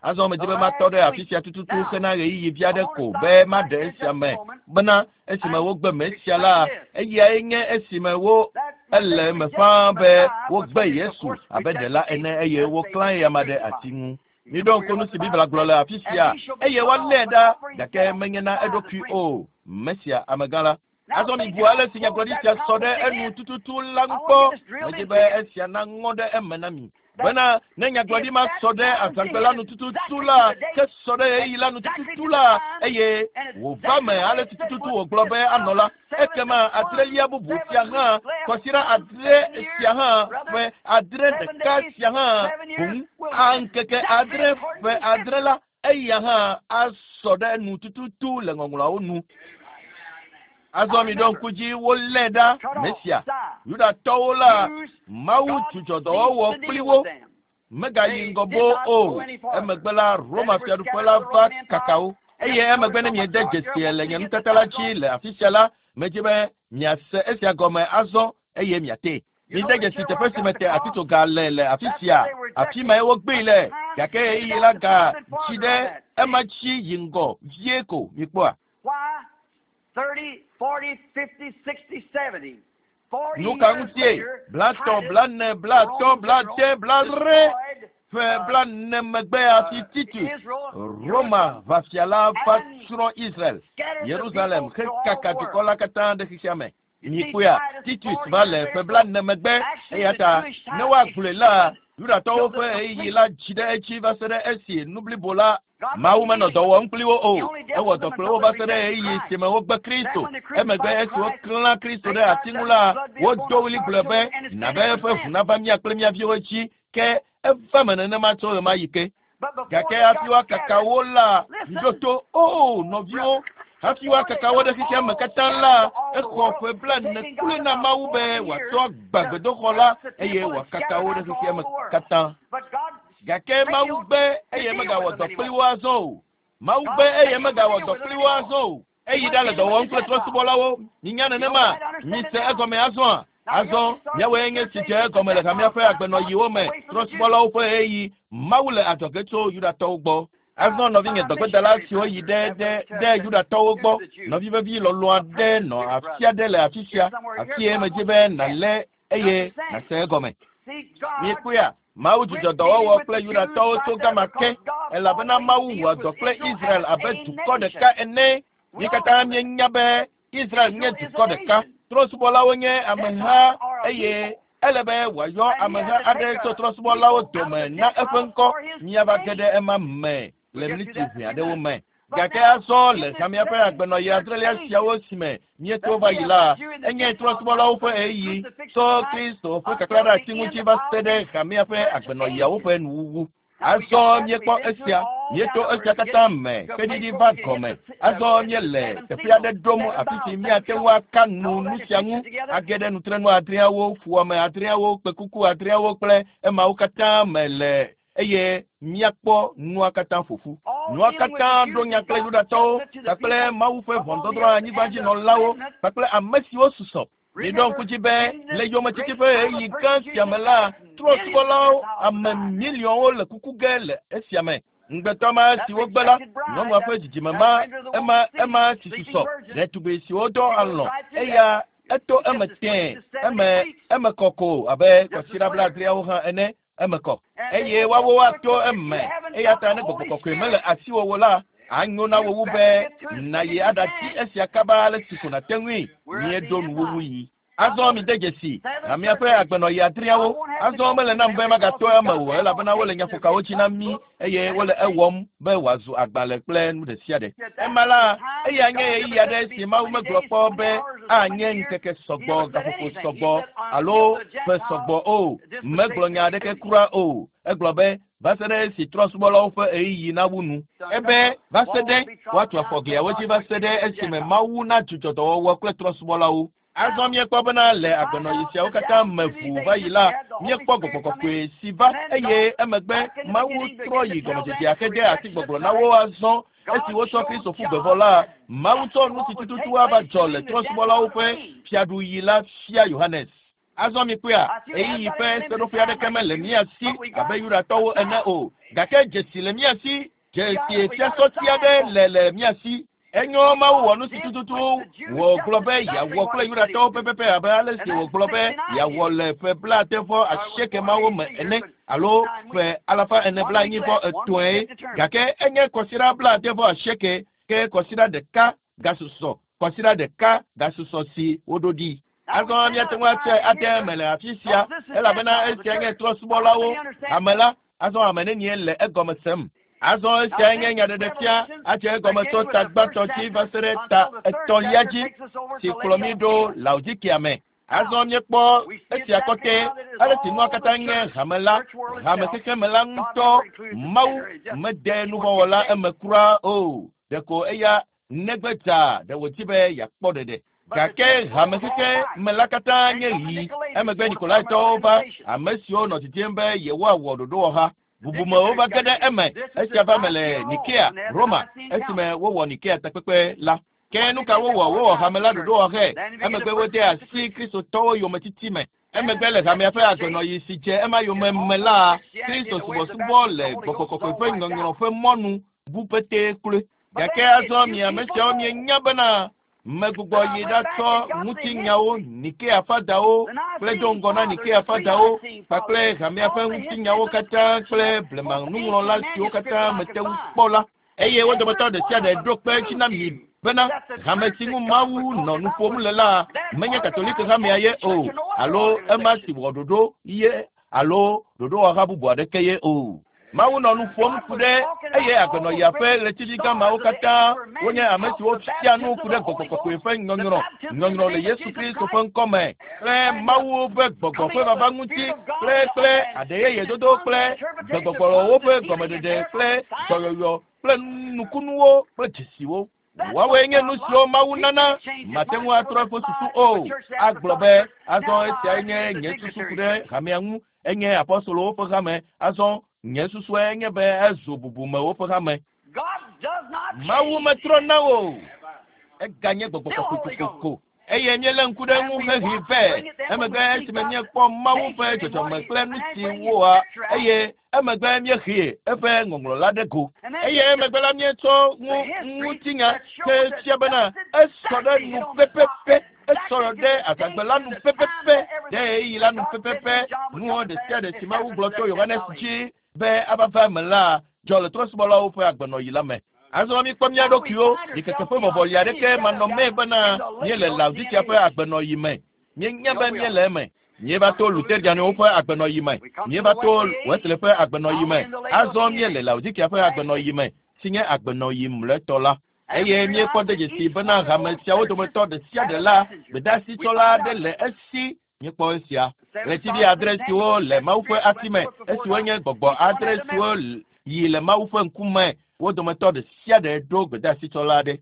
Azɔ medzi be matɔ ɖe afi sia tututu hena ɣeyiɣi vi aɖe ko be maɖe esia me bena esime wogbe Mesia la, eyae nye esime wo ele eme ƒãa be wogbe Yesu abe ɖela ene eye woklã eyama ɖe ati ŋu. Miɖo ŋku nu si Biblia gblɔ le afi sia eye woalée ɖa gake menye na eɖokui o. Mesia amegã la. Azɔ mibu ale si nyagblɔɖi sia sɔ ɖe enu tututu la ŋu kpɔ. Medzi be esia naŋɔ ɖe eme na mi. Bena ne nyagblɔɖi ma sɔ ɖe azãgbe la nu tututu la, ke sɔ ɖe ɣeyiɣi la nu tututu la, eye wòva me ale si tututu wògblɔ be anɔ la, ekema 7lia bubu sia hã, kɔsiɖa 7 sia hã, ƒe 7 ɖeka sia hã, boŋ ŋkeke 7 ƒe 7 la, eya hã asɔ ɖe enu tututu le ŋɔŋlɔawo nu. Azɔ miɖo ŋku dzi wolé ɖa Mesia. Yudatɔwo la, Mawu dzudzɔ dɔwɔwɔ kpli wo. Megayi ŋgɔ boo o. Emegbe la, Roma fiaɖuƒe la va kaka wo. Eye emegbe ne miede dzesie le nye nutata la dzi le afi sia la, medzi be miase esia gɔme azɔ eye miatee. Mide dzesi teƒe si mete atitsoga le le afi sia. Afi mae wogbee le. Gake ɣeyiɣi la ga tsi ɖe ema dzi yi ŋgɔ vie ko mikpɔa. 30, 40, 50, 60, 70. Nu ka ŋutie? 30, 40, 50, 60 ƒe 40 megbe hafi Titus, Roma ʋafia la va tsrɔ̃ Israel, Yerusalem hekaka dukɔ la katã ɖe xexea me. Mikpɔea, Titus va le ƒe 40 megbe eya ta ne woagblɔe la, Yudatɔwo ƒe ɣeyiɣi la dzi ɖe edzi va se ɖe esi nu blibo la Mawu menɔ dɔ wɔm kpli wo o. Ewɔ dɔ kple wo va se ɖe ɣeyiɣi si me wogbe Kristo. Emegbe esi woklã Kristo ɖe ati ŋu la, wodo ɣli gblɔ be, na be eƒe ʋu nava mía kple mía viwo dzi. Ke eva me nenema tso ɣemaɣi ke. Gake hafi woakaka wo la, miɖo to o nɔviwo, hafi woakaka wo ɖe xexea me katã la, exɔ ƒe 40 kloe na Mawu be wòatsɔ agbã gbedoxɔ la eye wòakaka wo ɖe xexea me katã. Gake Mawu gbe eye megawɔ dɔ kpli wo azɔ o. Mawu gbe eye megawɔ dɔ kpli wo azɔ o. Eyi ɖa le dɔ wɔm kple trɔ̃subɔlawo. Minya nenema? Mise egɔme azɔa? Azɔ míawoe nye si dze egɔme le hamea ƒe agbenɔɣiwo me, trɔ̃subɔlawo ƒe ɣeyiɣi. Mawu le adzɔge tso Yudatɔwo gbɔ. Azɔ nɔvinye dɔgbedala siwo yi ɖe ɖe ɖe Yudatɔwo gbɔ, nɔvi vevi lɔlɔ̃ aɖe nɔ afi aɖe le afi sia, afie medzi be nàlé eye nàse egɔme. Miekpɔea? Mawu dzudzɔ dɔwɔwɔ kple Yudatɔwo tso gama ke, elabena Mawu wɔa dɔ kple Israel abe dukɔ ɖeka ene. Mi katã míenya be Israel nye dukɔ ɖeka. Trɔ̃subɔlawo nye ameha eye ele be wòayɔ ameha aɖe tso trɔ̃subɔlawo dome na eƒe ŋkɔ. Míava ge ɖe ema me le miniti ʋɛ aɖewo me. Gake azɔ le hamea ƒe agbenɔɣi adrelia siawo si me míeto va yi la, enye trɔ̃subɔlawo ƒe ɣeyiɣi tso Kristo ƒe kaklã ɖe ati ŋuti va se ɖe hamea ƒe agbenɔɣiawo ƒe nuwuwu. Azɔ míekpɔ esia, míeto esia katã me kpeɖiɖi va gɔme. Azɔ míele teƒe aɖe ɖom afi si míate ŋu aka nu nu sia ŋu, age ɖe nutrenu adreawo, fuwɔame adreawo, kpekuku adreawo kple emawo katã me le eye míakpɔ nua katã ƒoƒu. Nua katã ɖo nya kple Yudatɔwo kpakple Mawu ƒe ʋɔnudɔdrɔ̃ anyigbadzinɔlawo kpakple ame siwo susɔ. Miɖo ŋku dzi be le yometiti ƒe ɣeyiɣi gã sia me la, trɔ̃subɔlawo ame miliɔnwo le kuku ge le esia me. Ŋugbetɔ ma si wogbe la, nyɔnua ƒe dzidzime ma, ema ema si susɔ, ɖetugbi siwo dɔ alɔ̃, eya eto eme tẽe, eme eme kɔ ko abe kɔsiɖa 70awo hã ene, eme kɔ. Eye woawo woato eme, eya ta ne gbɔgbɔ kɔkɔe mele asiwò o la, anyo na wò wu be nàyi aɖati esia kaba ale si ko nàte ŋui. Míeɖo nuwuwu yi. Azɔ mide dzesi hamea ƒe agbenɔɣi adreawo. Azɔ mele nam be magato eme o elabena wole nyaƒokawo dzi na mí eye wole ewɔm be wòazu agbalẽ kple nu ɖe sia ɖe. Ema la, eya nye ɣeyiɣi aɖe si Mawu megblɔ kpɔ be anye ŋkeke sɔgbɔ, gaƒoƒo sɔgbɔ alo ƒe sɔgbɔ o. Megblɔ nya aɖeke kura o. Egblɔ be va se ɖe esi trɔ̃subɔlawo ƒe ɣeyiɣi nawu nu. Ebe va se ɖe woatu afɔ gliawo dzi va se ɖe esime Mawu nadzudzɔ dɔwɔwɔ kple trɔ̃subɔlawo. Azɔ míekpɔ bena le agbenɔɣi siawo katã me ʋuu va yi la, míekpɔ gbɔgbɔ kɔkɔe si va eye emegbe Mawu trɔ yi gɔmedzedzea ke de asi gbɔgblɔ na wo azɔ. Esi wotsɔ Kristo ƒu gbe vɔ la, Mawu tsɔ nu si tututu ava dzɔ le trɔ̃subɔlawo ƒe fiaɖuɣi la fia Yohanes. Azɔ mikpɔea, ɣeyiɣi ƒe seɖoƒe aɖeke mele mía si abe Yudatɔwo ene o, gake dzesi le mía si, dzesi fiasɔti aɖe le le mía si. Enyo Mawu wɔ nu si tututu wògblɔ be yeawɔ kple Yudatɔwo pɛpɛpɛ abe ale si wògblɔ be yeawɔ le ƒe 78 mawo me ene alo ƒe 443 gake enye kɔsiɖa 78 ke kɔsiɖa ɖeka gasusɔ, kɔsiɖa ɖeka gasusɔ si woɖo ɖi. Azɔ míate ŋu atsɔe ade eme le afi sia elabena esia nye trɔ̃subɔlawo hame la. Azɔ ame nenie le egɔme sem? Azɔ esia nye nyaɖeɖefia adze egɔme tso ta gbãtɔ dzi va se ɖe ta etɔ̃lia dzi si kplɔ mí ɖo Laodikea me. Azɔ míekpɔ esia kɔtɛ ale si nua katã nye hame la, hame xexeme la ŋutɔ. Mawu mede nuvɔ̃wɔla eme kura o. Ɖeko eya negbe dza ɖe wòdi be yeakpɔ ɖeɖe. Gake hame xexeme la katã nye ɣi. Emegbe Nikolaitɔwo va, ame siwo nɔ didim be yewoawɔ ɖoɖowɔha. Bubumewo va ge ɖe eme. Esia va me le Nikea, Roma, esime wowɔ Nikea takpekpe la. Ke nu ka wowɔ? Wowɔ hame la ɖoɖowɔhɛ. Emegbe wode asi Kristotɔwo yometiti me. Emegbe le hamea ƒe agbenɔɣi si dze ema yome me la, Kristo subɔsubɔ le gbɔgbɔ kɔkɔe ƒe nyɔnyrɔ ƒe mɔnu bu petee kloe. Gake azɔ mi ame siawo mienya bena megbugbɔ yi ɖatsɔ ŋutinyawo, Nikea fadawo kple do ŋgɔ na Nikea fadawo kpakple hamea ƒe ŋutinyawo katã kple blema nuŋlɔla siwo katã mete ŋu kpɔ la. Eye wo dometɔ ɖe sia ɖe ɖo kpe edzi na mi bena hame si ŋu Mawu nɔ nu ƒom le la menye Katoliki hamea ye o, alo ema si wɔ ɖoɖo ye alo ɖoɖowɔha bubu aɖeke ye o. Mawu nɔ nu ƒom ku ɖe eye agbenɔɣia ƒe ɣletivi gã mawo katã wonye ame siwo fia nu ku ɖe gbɔgbɔ kɔkɔe ƒe nyɔnyrɔ, nyɔnyrɔ le Yesu Kristo ƒe ŋkɔ me kple Mawu ƒe gbɔgbɔ ƒe vava ŋuti kple kple aɖeyeyedodo kple gbegbɔgblɔwo ƒe gɔmeɖeɖe kple dɔyɔyɔ kple nukunuwo kple dzesiwo. Woawoe nye nu siwo Mawu nana. Mate ŋu atrɔ eƒe susu o. Agblɔ be, azɔ esiae nye nye susu ku ɖe hamea ŋu. Enye apɔstolowo ƒe hame. Azɔ nye susue nye be ezu bubumewo ƒe hame. Mawu metrɔna o. Eganye gbɔgbɔ kɔkɔe kokoko. Eye míelé ŋku ɖe eŋu hehe vɛ. Emegbe esime míekpɔ Mawu ƒe dzɔdzɔme kple nu si wɔa, eye emegbe míehe eƒe ŋɔŋlɔ la ɖe go. Eye emegbe la míetsɔ ŋu ŋutinya ke fia bena esɔ ɖe nu pɛpɛpɛ, esɔ ɖe azãgbe la nu pɛpɛpɛ, ɖe ɣeyiɣi la nu pɛpɛpɛ. Nuwo ɖe sia ɖe si Mawu gblɔ to Yohanes dzi be ava va eme la dzɔ le trɔ̃subɔlawo ƒe agbenɔɣi la me. Azɔ míkpɔ mía ɖokuiwo ɖikeke ƒe vɔvɔli aɖeke manɔmee bena míele Laodikea ƒe agbenɔɣi me. Míenya be míele eme. Míeva to Luterianwo ƒe agbenɔɣi me. Míeva to Wesley ƒe agbenɔɣi me. Azɔ míele Laodikea ƒe agbenɔɣi me, si nye agbenɔɣi mlɔetɔ la. Eye míekpɔ de dzesi bena hame siawo dometɔ ɖe sia ɖe la, gbedeasitsɔla aɖe le esi. Míekpɔ esia. Ɣletivi adre siwo le Mawu ƒe asi me, esiwo nye gbɔgbɔ adre siwo yi le Mawu ƒe ŋkume, wo dometɔ ɖe sia ɖe ɖo gbedeasitsɔla aɖe.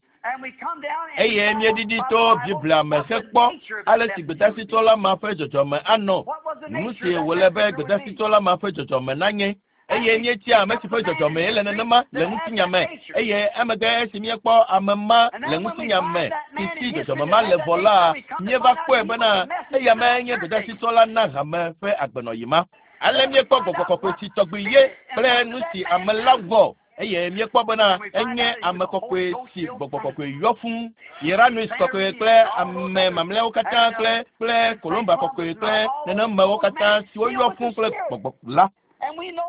Eye míeɖiɖi to Biblia me hekpɔ ale si gbedeasitsɔla ma ƒe dzɔdzɔme anɔ, nu si wòle be gbedeasitsɔla ma ƒe dzɔdzɔme nanye. Eye míetia ame si ƒe dzɔdzɔmee le nenema le ŋutinya me. Eye emegbe esi míekpɔ ame ma le ŋutinya me si si dzɔdzɔme ma le vɔ la, míeva kpɔe bena eya mae nye gbedeasitsɔla na hame ƒe agbenɔɣi ma. Ale míekpɔ gbɔgbɔ kɔkɔe si tɔgbi ye kple nu si ame la wɔ. Eye míekpɔ bena enye ame kɔkɔe si gbɔgbɔ kɔkɔe yɔ fũ. Irenaeus kɔkɔe kple ame mamlɛawo katã kple kple Columba kɔkɔe kple nenemewo katã siwo yɔ fũ kple gbɔgbɔ la.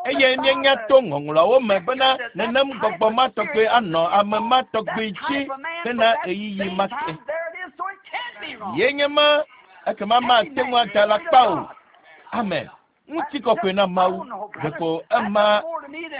Eye míenya to ŋɔŋlɔawo me bena nenem gbɔgbɔ ma tɔgbe anɔ ame ma tɔgbe dzi hena ɣeyiɣi ma ke. Ye nye ma, ekema mate ŋu ada alakpa o. Amen. Ŋutikɔkɔe na Mawu. Ɖeko ema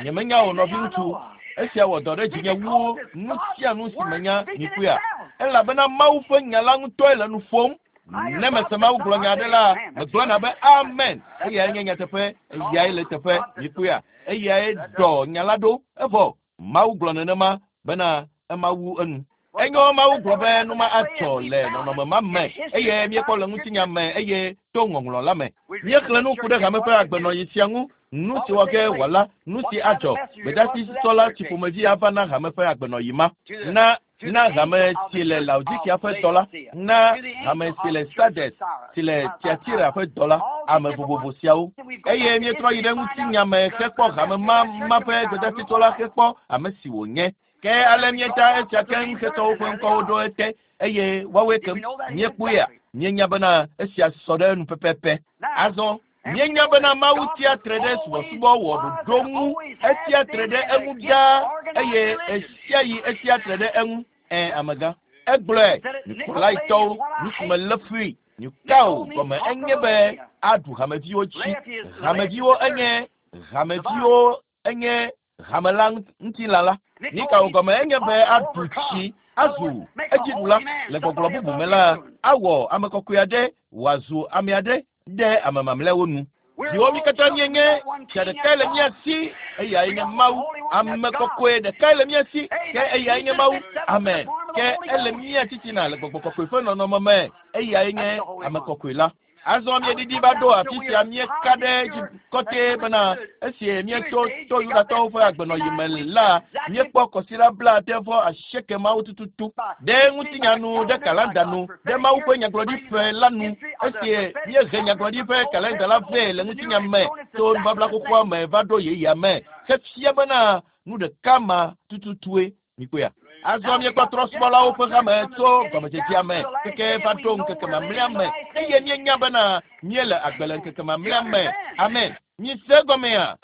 nyemenya o nɔviŋutsu. Esia wɔ dɔ ɖe dzinye wu nu sia nu si menya mikpɔea. Elabena Mawu ƒe nya la ŋutɔe le nu ƒom. Ne mese Mawu gblɔ nya aɖe la, megblɔna be amen. Eyae nye nyateƒe, eyae le teƒe, mikpɔea. Eyae ɖɔ nya la ɖo. Evɔ Mawu gblɔ nenema bena ema wu enu. Enyo Mawu gblɔ be nu ma adzɔ le nɔnɔme ma me eye míekpɔ le ŋutinya me eye to ŋɔŋlɔ la me. Míexlẽ nu ku ɖe hame ƒe agbenɔɣi sia ŋu, nu si wɔ ge wòala, nu si adzɔ, gbedeasi tsɔla si ƒomevi ava na hame ƒe agbenɔɣi ma. Na na hame si le Laodikea ƒe dɔ la, na hame si le Sardes, si le Tiatira ƒe dɔ la, ame vovovo siawo. Eye míetrɔ yi ɖe ŋutinya me hekpɔ hame ma ma ƒe gbedeasitsɔla hekpɔ ame si wònye. Ke ale míeta esia keŋ hetsɔ woƒe ŋkɔwo ɖo ete, eye woawoe kem. Míekpɔea? Míenya bena esia sɔ ɖe enu pɛpɛpɛ. Azɔ, míenya bena Mawu tsia tre ɖe subɔsubɔ wɔ ɖoɖo ŋu. Etsia tre ɖe eŋu ɖaa, eye ɣesiaɣi etsia tre ɖe eŋu. Ẽ, amegã. Egblɔe, Nikolaitɔwo, nu si melé fui, Nikao gɔme enye be aɖu hameviwo dzi. Hameviwo enye, hameviwo enye hame la ŋutilã la. Nikao gɔme enye be aɖu tsi, azu edziɖula. Le gbɔgblɔ bubu me la, awɔ ame kɔkɔe aɖe wòazu ame aɖe ɖe ame mamlɛawo nu. Viwo mí katã míenye, fia ɖekae le mía si, eyae nye Mawu. Ame kɔkɔe ɖekae le mía si, ke eyae nye Mawu. Amen. Ke ele mía titina le gbɔgbɔ kɔkɔe ƒe nɔnɔme me, eyae nye ame kɔkɔe la. Azɔ míeɖiɖi va ɖo afi sia míeka ɖe edzi kɔtɛ bena esi míetso to Yudatɔwo ƒe agbenɔɣi me la, míekpɔ kɔsiɖa blaade vɔ asieke mawo tututu ɖe ŋutinya nu, ɖe kalanda nu, ɖe Mawu ƒe nyagblɔɖi ƒe la nu. Esi míehe nyagblɔɖi ƒe kalanda la vɛ le ŋutinya me tso nubabla xoxoa me va ɖo yeyea me hefia bena nu ɖeka ma tututue Mikpɔea? Azɔ míekpɔ trɔ̃subɔlawo ƒe hame tso gɔmedzedzea me keke va ɖo ŋkeke mamlɛa me, eye míenya bena míele agbe le ŋkeke mamlɛa me. Amen. Mise egɔmea?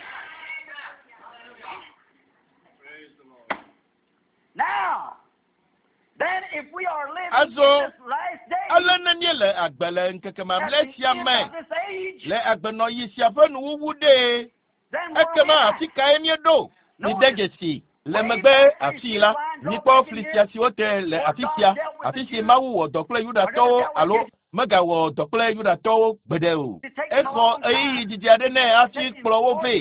Azɔ, ale ne míele agbe le ŋkeke mamlɛ sia me, le agbenɔɣi sia ƒe nuwuwu ɖee, Ekema afi kae míeɖo? Mide dzesi le megbe afii la, mikpɔ fli sia si wote le afi sia, afi si Mawu wɔ dɔ kple Yudatɔwo alo megawɔ dɔ kple Yudatɔwo gbeɖe o. Exɔ ɣeyiɣi didi aɖe nɛ hafi kplɔ wo vɛ.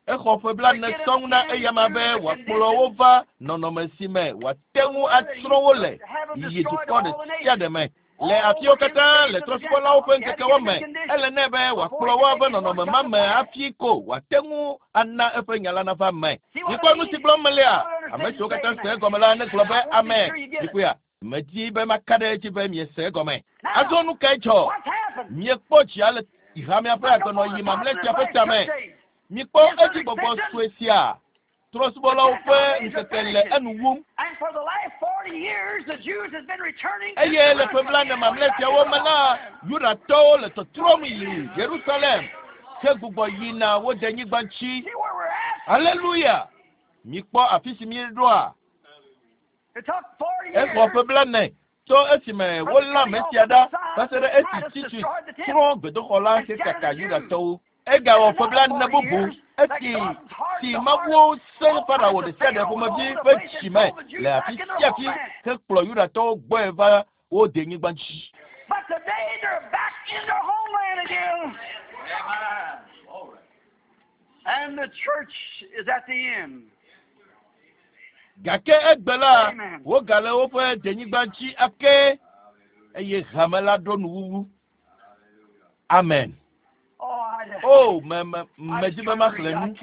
Exɔ ƒe blaene sɔŋ na eyama be wòakplɔ wo va nɔnɔme si me wòate ŋu atsrɔ̃ wo le yi dukɔ ɖe sia ɖe me. Le afiwo katã le trɔ̃subɔlawo ƒe ŋkekewo me, ele nɛ be wòakplɔ wo ava nɔnɔme ma me hafi ko wòate ŋu ana eƒe nya la nava me. Mikpɔ nu si gblɔm melea? Ame siwo katã se egɔme la negblɔ be amen. Mikpɔea? Medi be maka ɖe edzi be miese egɔme. Azɔ nu kae dzɔ? Miekpɔ dzia le hamea ƒe agbenɔɣi mamlɛ sia ƒe tame. Mikpɔ edzigbɔgbɔ sue sia. Trɔ̃subɔlawo ƒe ŋkeke le enu wum. Eye le ƒe blaene mamlɛ siawo me la, Yudatɔwo le tɔtrɔm yi Yerusalem hegbugbɔ yina wo denyigba ŋuti. Aleluya! Mikpɔ afi si míeɖoa. Exɔ ƒe blaene tso esime wolé ame sia ɖa va se ɖe esi Titus tsrɔ̃ gbedoxɔ la hekaka Yudatɔwo. Egawɔ ƒe blaene bubu esi si Mawu sẽ Farao ɖe sia ɖe ƒomevi ƒe dzi me le afi sia afi hekplɔ Yudatɔwo gbɔe va wo denyigba dzi. But today they're back in their homeland again. And the church is at the end. Gake egbe la, wogale woƒe denyigba dzi ake eye hame la ɖo nuwuwu. Amen. Oh, O, me me medi be maxlẽ nu,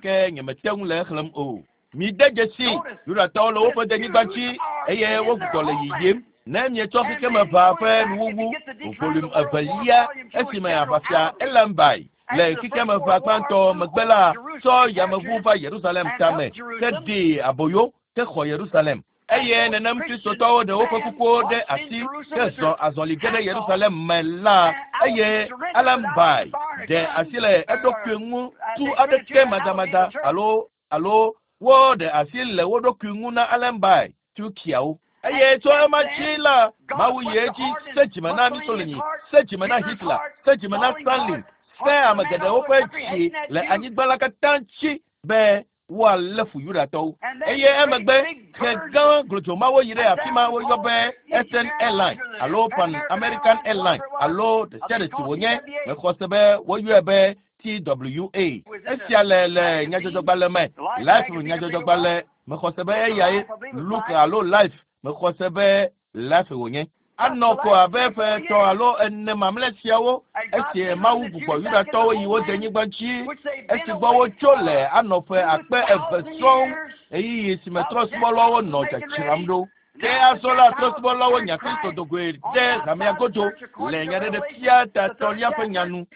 ke nyemete ŋu le exlẽm o. Mide dzesi, Yudatɔwo le woƒe denyigba dzi eye wogbugbɔ le yiyim. Ne mietsɔ xexemeʋa ƒe nuwuwu volume evelia esime aʋafia Elambai le xexemeʋa gbãtɔ megbe la tsɔ yameʋu va Yerusalem tame heɖee aboyo hexɔ Yerusalem. Eye nenem Kristotɔwo ɖe woƒe kukuwo ɖe asi hezɔ azɔli ge ɖe Yerusalem me la, eye Alambai ɖe asi le eɖokui ŋu tu aɖeke madamada alo alo woɖe asi le wo ɖokui ŋu na Alambai Turkiawo. Eye tso ema dzi la, Mawu yi edzi se dzime na Mussolini, se dzime na Hitler, se dzime na Stalin, se ame geɖewo ƒe dzi le anyigba la katã dzi be woalé fu Yudatɔwo. Eye emegbe xe gã glodzomawo yi ɖe afi ma woyɔ be Eastern Airline alo Pan American Airline alo ɖe sia ɖe si wònye. Mexɔ se be woyɔe be TWA. Esia le le nyadzɔdzɔgbalẽ me, Life nyadzɔdzɔgbalẽ. Mexɔ se be eyae Look alo Life. Mexɔ se be Life wònye. Anɔ ko abe ƒe etɔ̃ alo ene mamlɛ siawo esi Mawu gbugbɔ Yudatɔwo yi wo denyigba dzi esi gbɔ wotso le anɔ ƒe akpe eve sɔŋ ɣeyiɣi si me trɔ̃subɔlawo nɔ dzadzram ɖo. Ke azɔ la trɔ̃subɔlawo nya Kristo dogoe ɖe hamea godo le nyaɖeɖefia tatɔlia ƒe nya nu.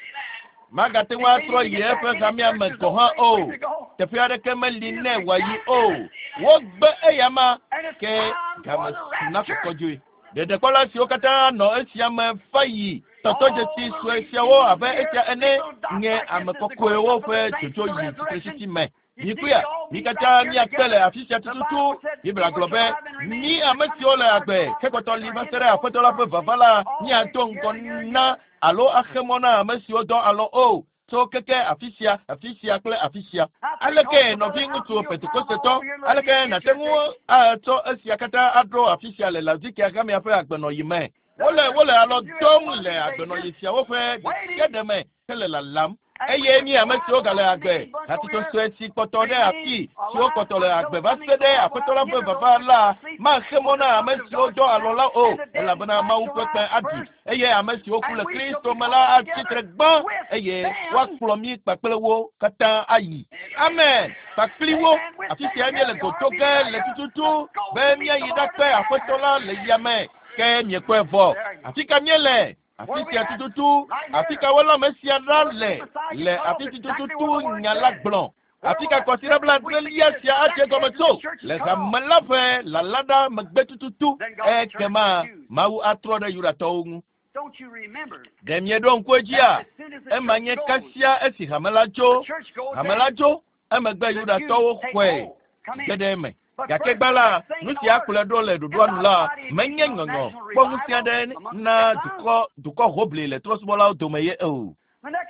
Magate ŋu atrɔ yi eƒe hamea me gɔ̃ hã o. Teƒe aɖeke meli nɛ wòayi o. Wogbe eyama ke game su na kɔkɔdzoe. Ɖeɖekpɔla siwo katã nɔ esia me va yi tɔtɔdzesi sue siawo abe esia ene nye ame kɔkɔewo ƒe dzodzo yi tsitretsitsi me. Mikpɔea, mi katã míakpe le afi sia tututu. Biblia gblɔ be, mí ame siwo le agbe hekpɔtɔ li va se ɖe Aƒetɔ la ƒe vava la, míado ŋgɔ na alo axe mɔ na ame siwo dɔ alɔ o tso keke afi sia, afi sia kple afi sia. Aleke nɔviŋutsu Pentekostetɔ, aleke nàte ŋu atsɔ esia katã aɖo afi sia le Laodikea hamea ƒe agbenɔɣi me? Wole wole alɔ dɔm le agbenɔɣi siawo ƒe ɖe sia ɖe me hele lalam. Eye mí ame siwo gale agbe, hatsotso sue si kpɔtɔ ɖe afi siwo kpɔtɔ le agbe va se ɖe Aƒetɔ la ƒe vava la maxe mɔ na ame siwo dɔ alɔ la o, elabena Mawu ƒe kpẽ aɖi eye ame siwo ku le Kristo me la atsi tre gbã eye woakplɔ mí kpakple wo katã ayi. Amen. Kpakpli wo. Afi sia míele godo ge le tututu be míayi ɖakpe Aƒetɔ la le yame. Ke miekpɔe vɔ. Afi ka míele? Afi sia tututu. Afi ka wolé ame sia ɖa le? Le afi si tututu nya la gblɔ. Afi ka kɔsiɖa blaadrelia sia adze gɔme tso? Le hame la ƒe lala ɖa megbe tututu. Ekema Mawu atrɔ ɖe Yudatɔwo ŋu. Don't you remember? Ɖe mieɖo ŋku edzia? As soon as the Ema church nye goes, kasia esi hame la tso. the church goes, Hame la then tso, emegbe the Jews Yudatɔwo take xɔe hold, come ge in. ɖe eme. But Gake first, gbã la, the thing nu in sia order kplɔe ɖo le is ɖoɖoa nu not la, mighty menye national nyɔnyɔ kpɔ ŋusẽ revival aɖe among the na Gentiles. dukɔ dukɔ hoʋli le trɔ̃subɔlawo dome ye o.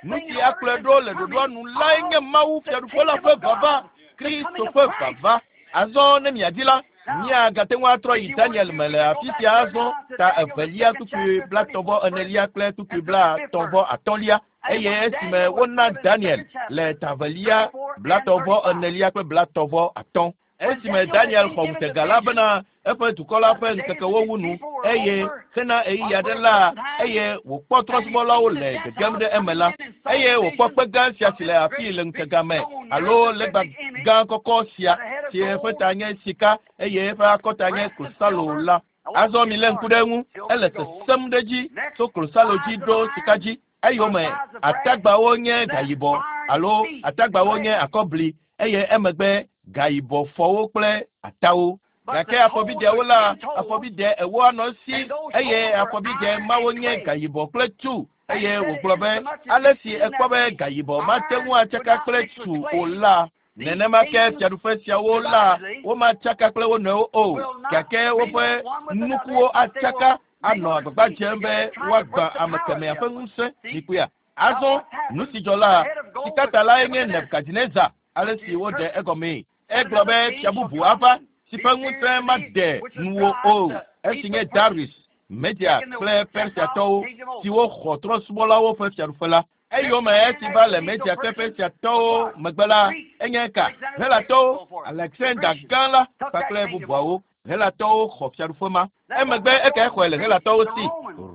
Nu si akplɔe ɖo le ɖoɖoa nu lae nye Mawu Fiaɖuƒe la ƒe vava, Kristo ƒe vava. Azɔ ne miadi la, miagate ŋu atrɔ yi Daniel me le afi sia azɔ ta evelia kpukpui 34 kple kpukpui 35 eye esime wona Daniel le ta evelia 34 kple 35. Esime Daniel xɔ ŋutega la bena eƒe dukɔ la ƒe ŋkekewo wu nu eye hena ɣeyiɣi aɖe la eye wòkpɔ trɔ̃subɔlawo le gegem ɖe eme la eye wòkpɔ kpe gã sia si le afii le ŋutega me alo legba gã kɔkɔ sia si eƒe ta nye sika eye eƒe akɔta nye klosalo la. Azɔ milé ŋku ɖe eŋu, ele sesẽm ɖe edzi tso klosalo dzi ɖo sika dzi. Eyome atagbawo nye gayibɔ alo atagbawo nye akɔbli eye emegbe gayibɔ fɔwo kple atawo. Gake afɔbideawo la, afɔbide ewo anɔ esi eye afɔbide mawo nye gayibɔ kple tu. Eye wògblɔ be ale si ekpɔ be gayibɔ mate ŋu atsaka kple tu o la, nenema ke fiaɖuƒe siawo la womatsaka kple wo nɔewo o, gake woƒe nukuwo atsaka anɔ agbagba dzem be woagbã ame kemɛa ƒe ŋusẽ. Mikpɔea? Azɔ nu si dzɔ la, sikata lae nye Nebukadnezar, ale si woɖe egɔmee. Egblɔ be fia bubu ava si ƒe ŋusẽ made nuwò o, esi nye Darius, Media kple Persiatɔwo siwo xɔ trɔ̃subɔlawo ƒe fiaɖuƒe la. Eyome esi va le Media kple Persiatɔwo megbe la, enye ka? Helatɔwo, Alexander gã la kpakple bubuawo. Helatɔwo xɔ fiaɖuƒe ma. Emegbe ekae xɔe le Helatɔwo si?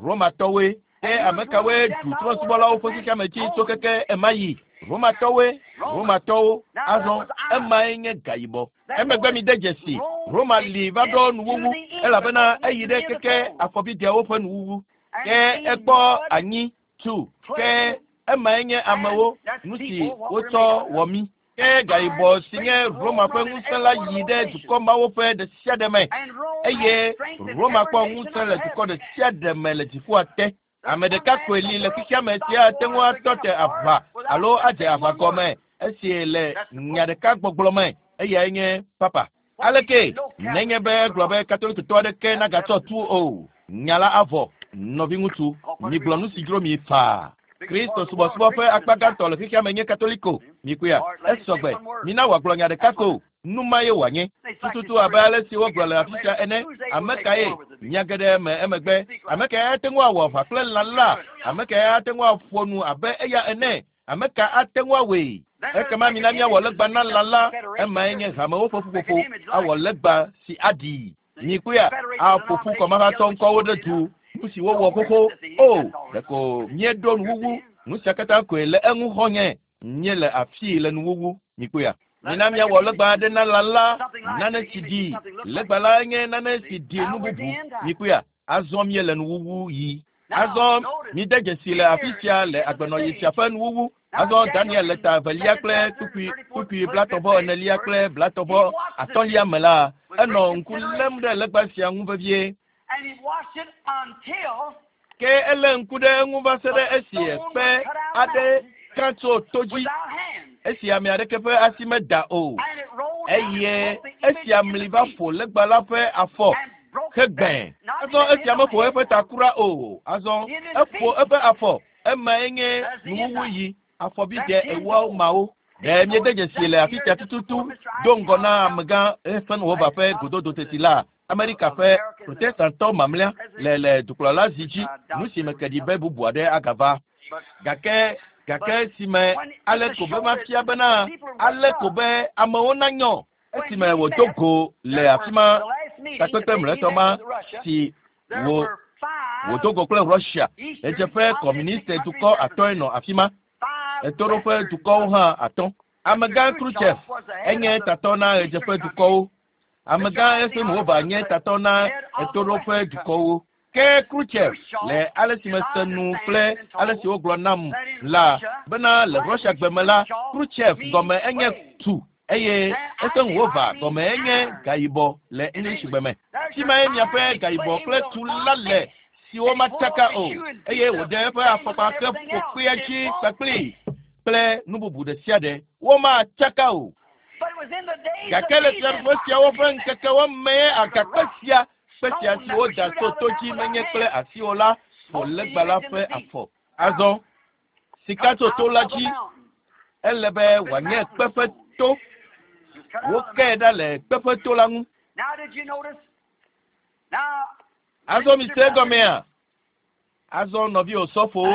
Romatɔwoe. Ke ame kawoe ɖu trɔ̃subɔlawo ƒe xexeame dzi tso keke ema yi? Romatɔwoe. Romatɔwo. Azɔ emae nye gayibɔ. Emegbe mide dzesi, Roma li va ɖo nuwuwu elabena eyi ɖe keke afɔbideawo ƒe nuwuwu. Ke ekpɔ anyi tu. Ke emae nye amewo, nu si wotsɔ wɔ mí. Ke gayibɔ si nye Roma ƒe ŋusẽ la yi ɖe dukɔ mawo ƒe ɖe sia ɖe me eye Roma kpɔ ŋusẽ le dukɔ ɖe sia ɖe me le dziƒoa te. Ame ɖeka koe li le xexeame si ate ŋu atɔ te aʋa alo adze aʋa gɔme esi le nya ɖeka gbɔgblɔ me, eyae nye papa. Aleke nenye be egblɔ be katolikitɔ aɖeke nagatsɔ tu o, nya la avɔ. Nɔviŋutsu, migblɔ nu si dzro mi faa. Kristo subɔsubɔ ƒe akpa gãtɔ le xexeame nye katoliko. Mikpɔea? Esɔgbe. Mina wòagblɔ nya ɖeka ko. Nu ma ye wòanye. Tututu abe ale si wogblɔ le afi sia ene. Ame kae? Nya geɖe me emegbe. Ame kae ate ŋu awɔ aʋa kple lã la? Ame kae ate ŋu aƒo nu abe eya ene? Ame ka ate ŋu awɔe? Ekema mina míawɔ legba na lã la. Emae nye hamewo ƒe ƒuƒoƒo. Awɔ legba si aɖii. Mikpɔea? Aƒo ƒu kɔmahatsɔ ŋkɔwo ɖe du. Nu si wowɔ xoxo. O, ɖeko míeɖo nuwuwu. Nu sia katã koe le eŋu xɔnye. Míele afii le nuwuwu. Mikpɔea? Mina míawɔ legba aɖe na lã la, nane si ɖi. Legba la nye nane si ɖi nu bubu. Mikpɔea? Azɔ míele nuwuwu yi. Azɔ mide dzesi le afi sia le agbenɔɣi sia ƒe nuwuwu. Azɔ Daniel le ta evelia kple kpukpui kpukpui 34 kple 35 me la, enɔ ŋku lém ɖe legba sia ŋu vevie. Ke elé ŋku ɖe eŋu va se ɖe esi kpe aɖe ka tso to dzi, esi ame aɖeke ƒe asi meda o. Eye esia mli va ƒo legba la ƒe afɔ hegbẽ. Azɔ esia meƒo eƒe ta kura o. Azɔ eƒo eƒe afɔ. Emae nye nuwuwu yi afɔbidɛ ewoawo mawo. Ɖe míede dzesi le afi sia tututu do ŋgɔ na amegã Eisenhower ƒe gododo teti la, Amerika ƒe protestantɔ mamlɛa le le dukplɔla zi dzi, nu si me ke ɖi be bubu aɖe agava. Gake gake si me ale ko be mafia bena ale ko be amewo nanyɔ esime wòdo go le afi ma takpekpe mlɔetɔ ma si wò wòdo go kple Russia ɣedzeƒe kɔmuniste dukɔ atɔ̃e nɔ afi ma. Ɣetoɖoƒe dukɔwo hã atɔ̃. Amegã Khrushchev enye tatɔ na ɣedzeƒe dukɔwo. Amegã Eisenhower nye tatɔ na ɣetoɖoƒe dukɔwo. Ke Khrushchev le ale si mese nu kple ale si wogblɔ nam la bena le Russia gbe me la, Khrushchev gɔme enye tu eye Eisenhower gɔme enye gayibɔ le English gbe me. Fi mae miaƒe gayibɔ kple tu la le siwo matsaka o eye wòɖe eƒe afɔkpa ke ƒo kpea dzi kpakpli kple nu bubu ɖe sia ɖe. Womatsaka o. Gake le fiaɖuƒe siawo ƒe ŋkekewo mee agakpe sia kpe sia si woda tso to dzi menye kple asi o la ƒo legba la ƒe afɔ. Azɔ Sika tso to la dzi. Ele be wòanye kpeƒe to. Wokee ɖa le kpeƒe to la ŋu. Azɔ mi se egɔmea? Azɔ nɔvi osɔfowo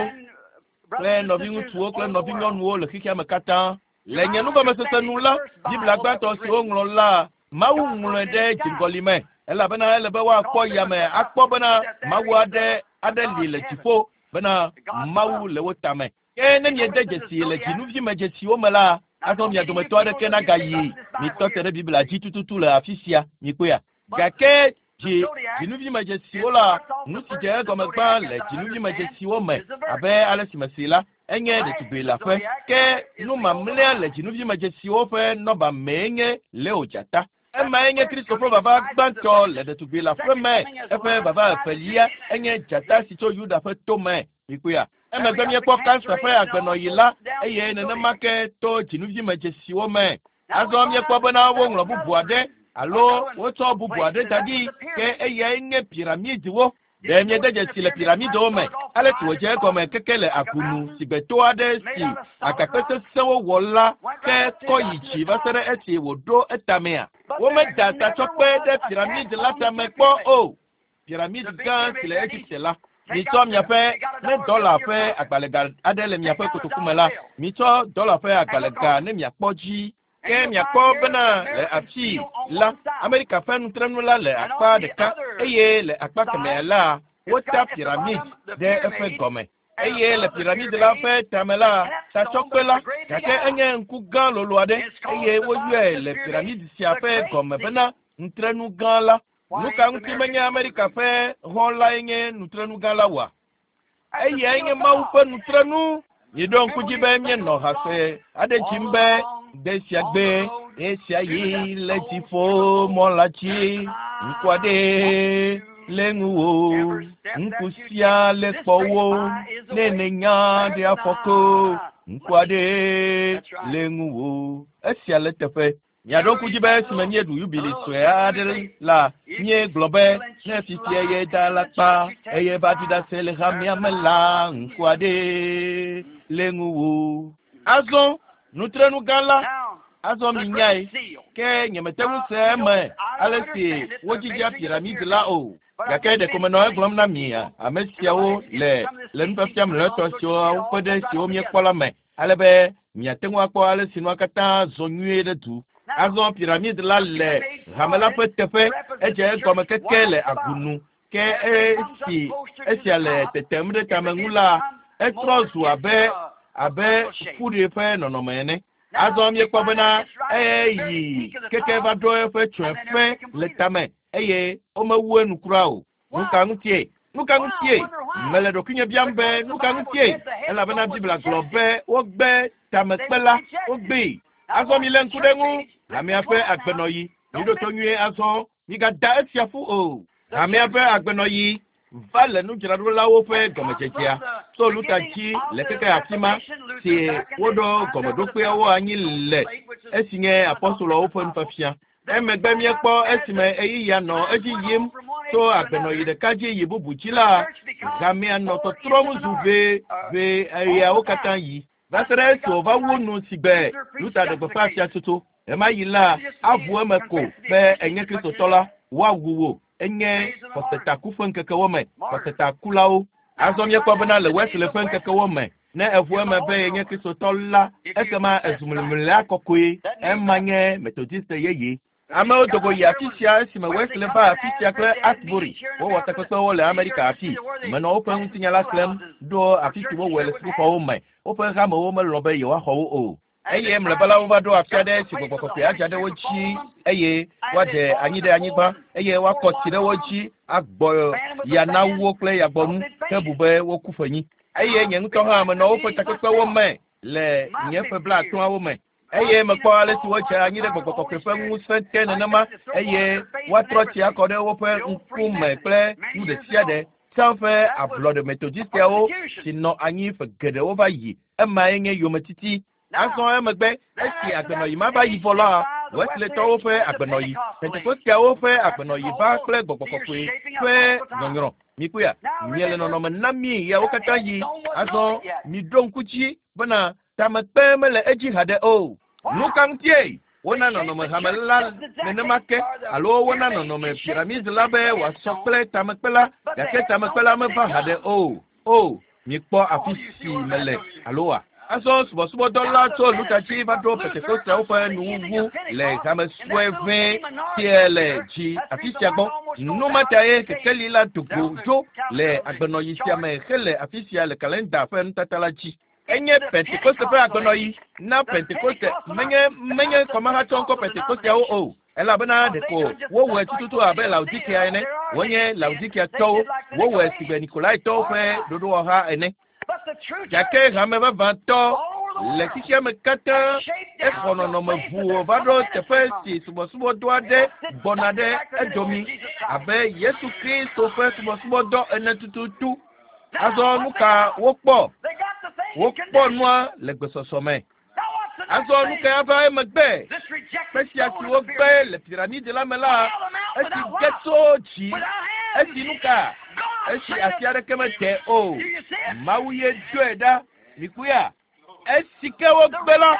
kple nɔviŋutsuwo kple nɔvinyɔnuwo le xexea me katã. Le nye nugɔmesese nu la, Biblia gbãtɔ si woŋlɔ la, Mawu ŋlɔe ɖe dziŋgɔli me elabena ele be woakpɔ yame akpɔ bena Mawu aɖe aɖe li le dziƒo bena Mawu le wo tame. Ke ne miede dzesi le dzinuvi me dzesiwo me la, azɔ mia dometɔ aɖeke nagayi. Mitɔ te ɖe Biblia dzi tututu le afi sia, mikpɔea. Gake dzi dzinuvi me dzesiwo la, nu si dze egɔme gbã le dzinuvi me dzesiwo me abe ale si mesi la, enye ɖetugbui leaƒe. Ke nu mamlɛa le dzinuvi me dzesiwo ƒe nɔba mee nye Leo dzata. Emae nye Kristo ƒe vava gbãtɔ le ɖetugbui leaƒe me. Eƒe vava evelia enye dzata si tso Yuda ƒe to me. Mikpɔea? Emegbe míekpɔ kansa ƒe agbenɔɣi la eye nenema ke to dzinuvi me dzesiwo me. Azɔ míekpɔ bena woŋlɔ bubu aɖe alo wotsɔ bubu aɖe da ɖi ke eyae nye piramidiwo. Ɖe miede dzesi le piramidiwo me ale si wòdze egɔme keke le agunu si gbe to aɖe si agakpe sesẽwo wɔ la ke kɔ yi dzi va se ɖe esi wòɖo etamea? Womeda tatsɔkpe ɖe piramidi la tame kpɔ o. Piramidi gã si le Egipte la. Mitsɔ miaƒe ne dɔla ƒe agbalẽga aɖe le miaƒe kotoku me la, mitsɔ dɔla ƒe agbalẽga ne miakpɔ dzi. Ke miakpɔ bena le afi la, Amerika ƒe nutrenu la le akpa ɖeka eye le akpa kemɛa la, wota piramid ɖe eƒe gɔme. Eye le piramid la ƒe tame la, tatsɔkpe la, gake enye ŋku gã lolo aɖe eye woyɔe le piramid sia ƒe gɔme bena nutrenu gã la. Nu ka ŋuti menye Amerika ƒe hɔn lae nye nutrenu gã la oa? Eyae nye Mawu ƒe nutrenu. Miɖo ŋku dzi be míenɔ hase aɖe dzim be gbe sia gbe esia yi le dziƒo mɔ la dzi. Ŋku aɖe le ŋuwò, ŋku sia le kpɔwò, ne nènya ɖe afɔko. Ŋku aɖe le ŋuwò. Esia le teƒe. Miaɖo ŋku dzi be esime míeɖu yubili sue aɖe la, míegblɔ be ne fifia ye da alakpa eye va ɖi ɖase le hamea me la, ŋku aɖe le ŋuwò. Azɔ nutrenu gã la, azɔ minyae, ke nyemete ŋu se eme ale si wodzidzea piramidi la o. Gake ɖeko menɔ egblɔm na mi ame siawo le le nufiafia mlɔetɔ siwo ƒe ɖe siwo míekpɔ la me ale be miate ŋu akpɔ ale si nua katã zɔ nyuie ɖe du. Azɔ piramidi la le hame la ƒe teƒe, edze egɔme keke le agunu ke esi esia le tetem ɖe tame ŋu la, etrɔ zu abe abe fuɖi ƒe nɔnɔme ene. Azɔ míekpɔ bena eyi keke va ɖo eƒe tsɔeƒe le tame eye womewu enu kura o. Nu ka ŋutie? Nu ka ŋutie? Mele ɖokuinye biam be nu ka ŋutie? Elabena Biblia gblɔ be wogbe tamekpe la, wogbee. Azɔ milé ŋku ɖe ŋu. Hamea ƒe agbenɔɣi. Miɖo to nyuie azɔ. Migada esia ƒu o. Hamea ƒe agbenɔɣi va le nudzraɖolawo ƒe gɔmedzedzea tso Luta dzi le keke afi ma si woɖo gɔmeɖokpeawo anyi le esi nye apɔstoloawo ƒe nufiafia. Emegbe míekpɔ esime ɣeyiɣia nɔ edzi yim tso agbenɔɣi ɖeka dzi yi bubu dzi la, hamea nɔ tɔtrɔm zu ʋe ʋe ɣeawo katã yi. Va se ɖe esi wòva wu nu si gbe Luta ɖe gbeƒã fiatsotso. Ɣemaɣi la, aʋu eme ko be enye Kristotɔ la, woawu wò. Enye xɔsetaku ƒe ŋkekewo me, xɔsetakulawo. Azɔ míekpɔ bena le Wesley ƒe ŋkekewo me, ne eʋu eme be yenye Kristotɔ la, ekema ezu mlimlia kɔkɔe. Ema nye Metodiste yeye. Amewo do go yi afi sia esime Wesley va afi sia kple Asbury. Wowɔ takpekpewo le Amerika afi. Menɔ woƒe ŋutinya la xlẽm ɖo afi si wowɔe le sukuxɔwo me. Woƒe hamewo melɔ̃ be yewoaxɔ wo o. Eye mlɔeba la wova ɖo afi aɖe si gbɔgbɔ kɔkɔe adza ɖe wo dzi eye woaɖe anyi ɖe anyigba eye woakɔ tsi ɖe wo dzi agbɔ ya na wo kple yagbɔnu ke bu be woku ƒenyi. Eye nye ŋutɔ hã menɔ woƒe takpekpewo me le nye ƒe blaatɔ̃awo me. Eye mekpɔ ale si wodze anyi ɖe gbɔgbɔ kɔkɔe ƒe ŋusẽ te nenema eye woatrɔ tsi akɔ ɖe woƒe ŋkume kple nu ɖe sia ɖe. Tsã ƒe ablɔɖe metodistiawo si nɔ anyi ƒe geɖewo va yi. Emae nye yometiti. Azɔ emegbe esi agbenɔɣi ma va yi vɔ la, Wesleytɔwo ƒe agbenɔɣi, Pentekosteawo ƒe agbenɔɣi va kple gbɔgbɔ kɔkɔe ƒe nyɔnyrɔ. Mikpɔea, miele nɔnɔme na mi yawo katã yi. Azɔ miɖo ŋku dzi bena tamekpe mele edzi haɖe o. Nu ka ŋutie wona nɔnɔme hame la nenema ke alo wona nɔnɔme piramidi la be wòasɔ kple tamekpe la gake tamekpe la meva haɖe o. O, mikpɔ afi si mele alo wa. Azɔ subɔsubɔdɔ la tso Luta dzi va ɖo Pentekosteawo ƒe nuwuwu le hame sue ʋɛ sie le dzi afi sia gbɔ. Nu ma tae kekeli la do go dzo le agbenɔyi sia me hele afi sia le kalenda ƒe nutata la dzi. Enye Pentekoste ƒe agbenɔyi na Pentekoste menye menye kɔmahatsɔ ŋkɔ Pentekosteawo o. Elabena ɖeko wowɔe tututu abe Laodikea ene. Wonye Laodikeatɔwo. Wowɔe si gbe Nikolaitɔwo ƒe ɖoɖowɔha ene. Gake hame vavãtɔ le xexea me katã exɔ nɔnɔme ʋu va ɖo teƒe si subɔsubɔdɔ aɖe gbɔna ɖe edomi abe Yesu Kristo ƒe subɔsubɔdɔ ene tututu. Azɔ nu ka wokpɔ? Wokpɔ nua le gbesɔsɔ me. Azɔ nu ka ava emegbe? Kpe sia si wogbe le piramidi la me la, esi ge tso dzi. Esi nu ka? Esi asi aɖeke mete o. Mawu ye doe ɖa. Mikpɔea? Esi ke wogbe la,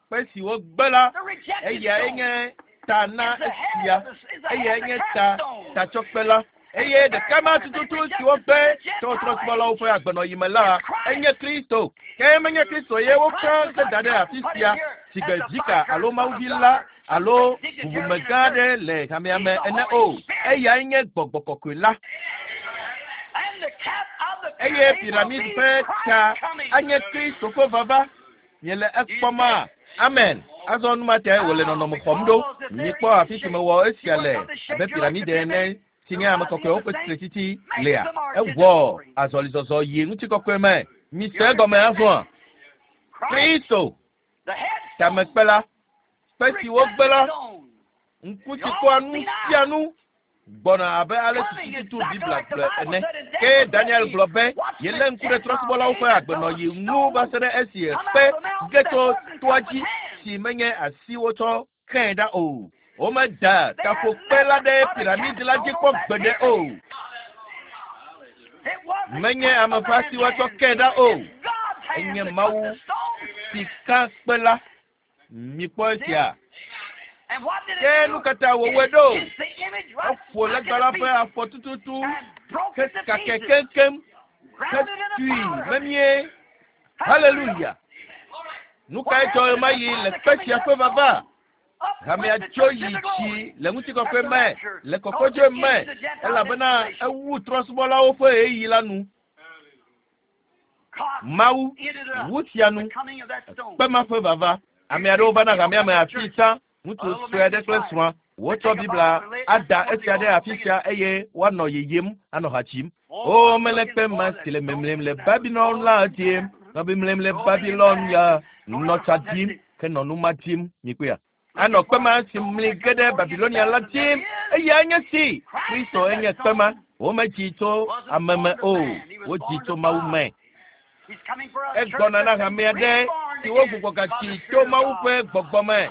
kpe si wogbe la, eyae nye ta na esia. Eyae nye ta tatsɔkpe la. Eye ɖeka ma tututu si wogbe tso trɔ̃subɔlawo ƒe agbenɔyi me la, enye Kristo. Ke menye Kristo ye woka heda ɖe afi sia si gbe vika alo mawuvi la alo bubumegã aɖe le hamea me ene o. Eyae nye gbɔgbɔ kɔkɔe la. Eye piramidi ƒe ta anye Kristo ƒe vava. Miele ekpɔma? Amen. Azɔ nu ma tae wòle nɔnɔme xɔm ɖo. Mikpɔ afi si mewɔ esia le abe piramidi ene si nye ame kɔkɔewo ƒe tsitretsitsi lea. Ewɔ azɔlizɔzɔ yi ŋutikɔkɔe me. Mise egɔme azɔa? Kristo, tamekpe la, kpe si wogbe la, ŋku si kpɔa nu sia nu gbɔna abe ale si tututu Biblia gblɔe ene. Ke Daniel gblɔ be yelé ŋku ɖe trɔ̃subɔlawo ƒe agbenɔyi ŋu va se ɖe esi kpe ge tso toa dzi si menye asi wotsɔ xee ɖa o. Womeda taƒokpe la ɖe piramidi la dzi kpɔ gbeɖe o. Menye ame ƒe asi woatsɔ kee ɖa o. Enye Mawu si ka kpe la. Mikpɔ esia. Ke nu ka ta wòwɔe ɖo? Eƒo legba la ƒe afɔ tututu hekakɛ keŋkeŋ hetui memie. Haleluya! Nu kae dzɔ ɣemaɣi le kpe sia ƒe vava? Hamea tso yi dzi le ŋutikɔkɔe me, le kɔkɔdzoe me, elabena ewu trɔ̃subɔlawo ƒe ɣeyiɣi la nu. Mawu wu sia nu kpe ma ƒe vava. Ame aɖewo va na hamea me afi tsã, ŋutsu sue aɖe kple srɔ̃a. Wotsɔ Biblia ada esia ɖe afi sia eye woanɔ yeyem anɔ ha dzim. O, mele kpe ma si le memlem le Babilon la dim, nɔ memlem le Babilon ya, nɔ tsa dim, ke nɔ nu ma dim. Mikpɔea? Anɔ kpe ma si mli ge ɖe Babilonia la dim. Eyae nye si. Kristo enye kpe ma. Womedzi tso ame me o, wodzi tso Mawu me. Egbɔna na hamea ɖe si wogbugbɔ gatsi tso Mawu ƒe gbɔgbɔ me.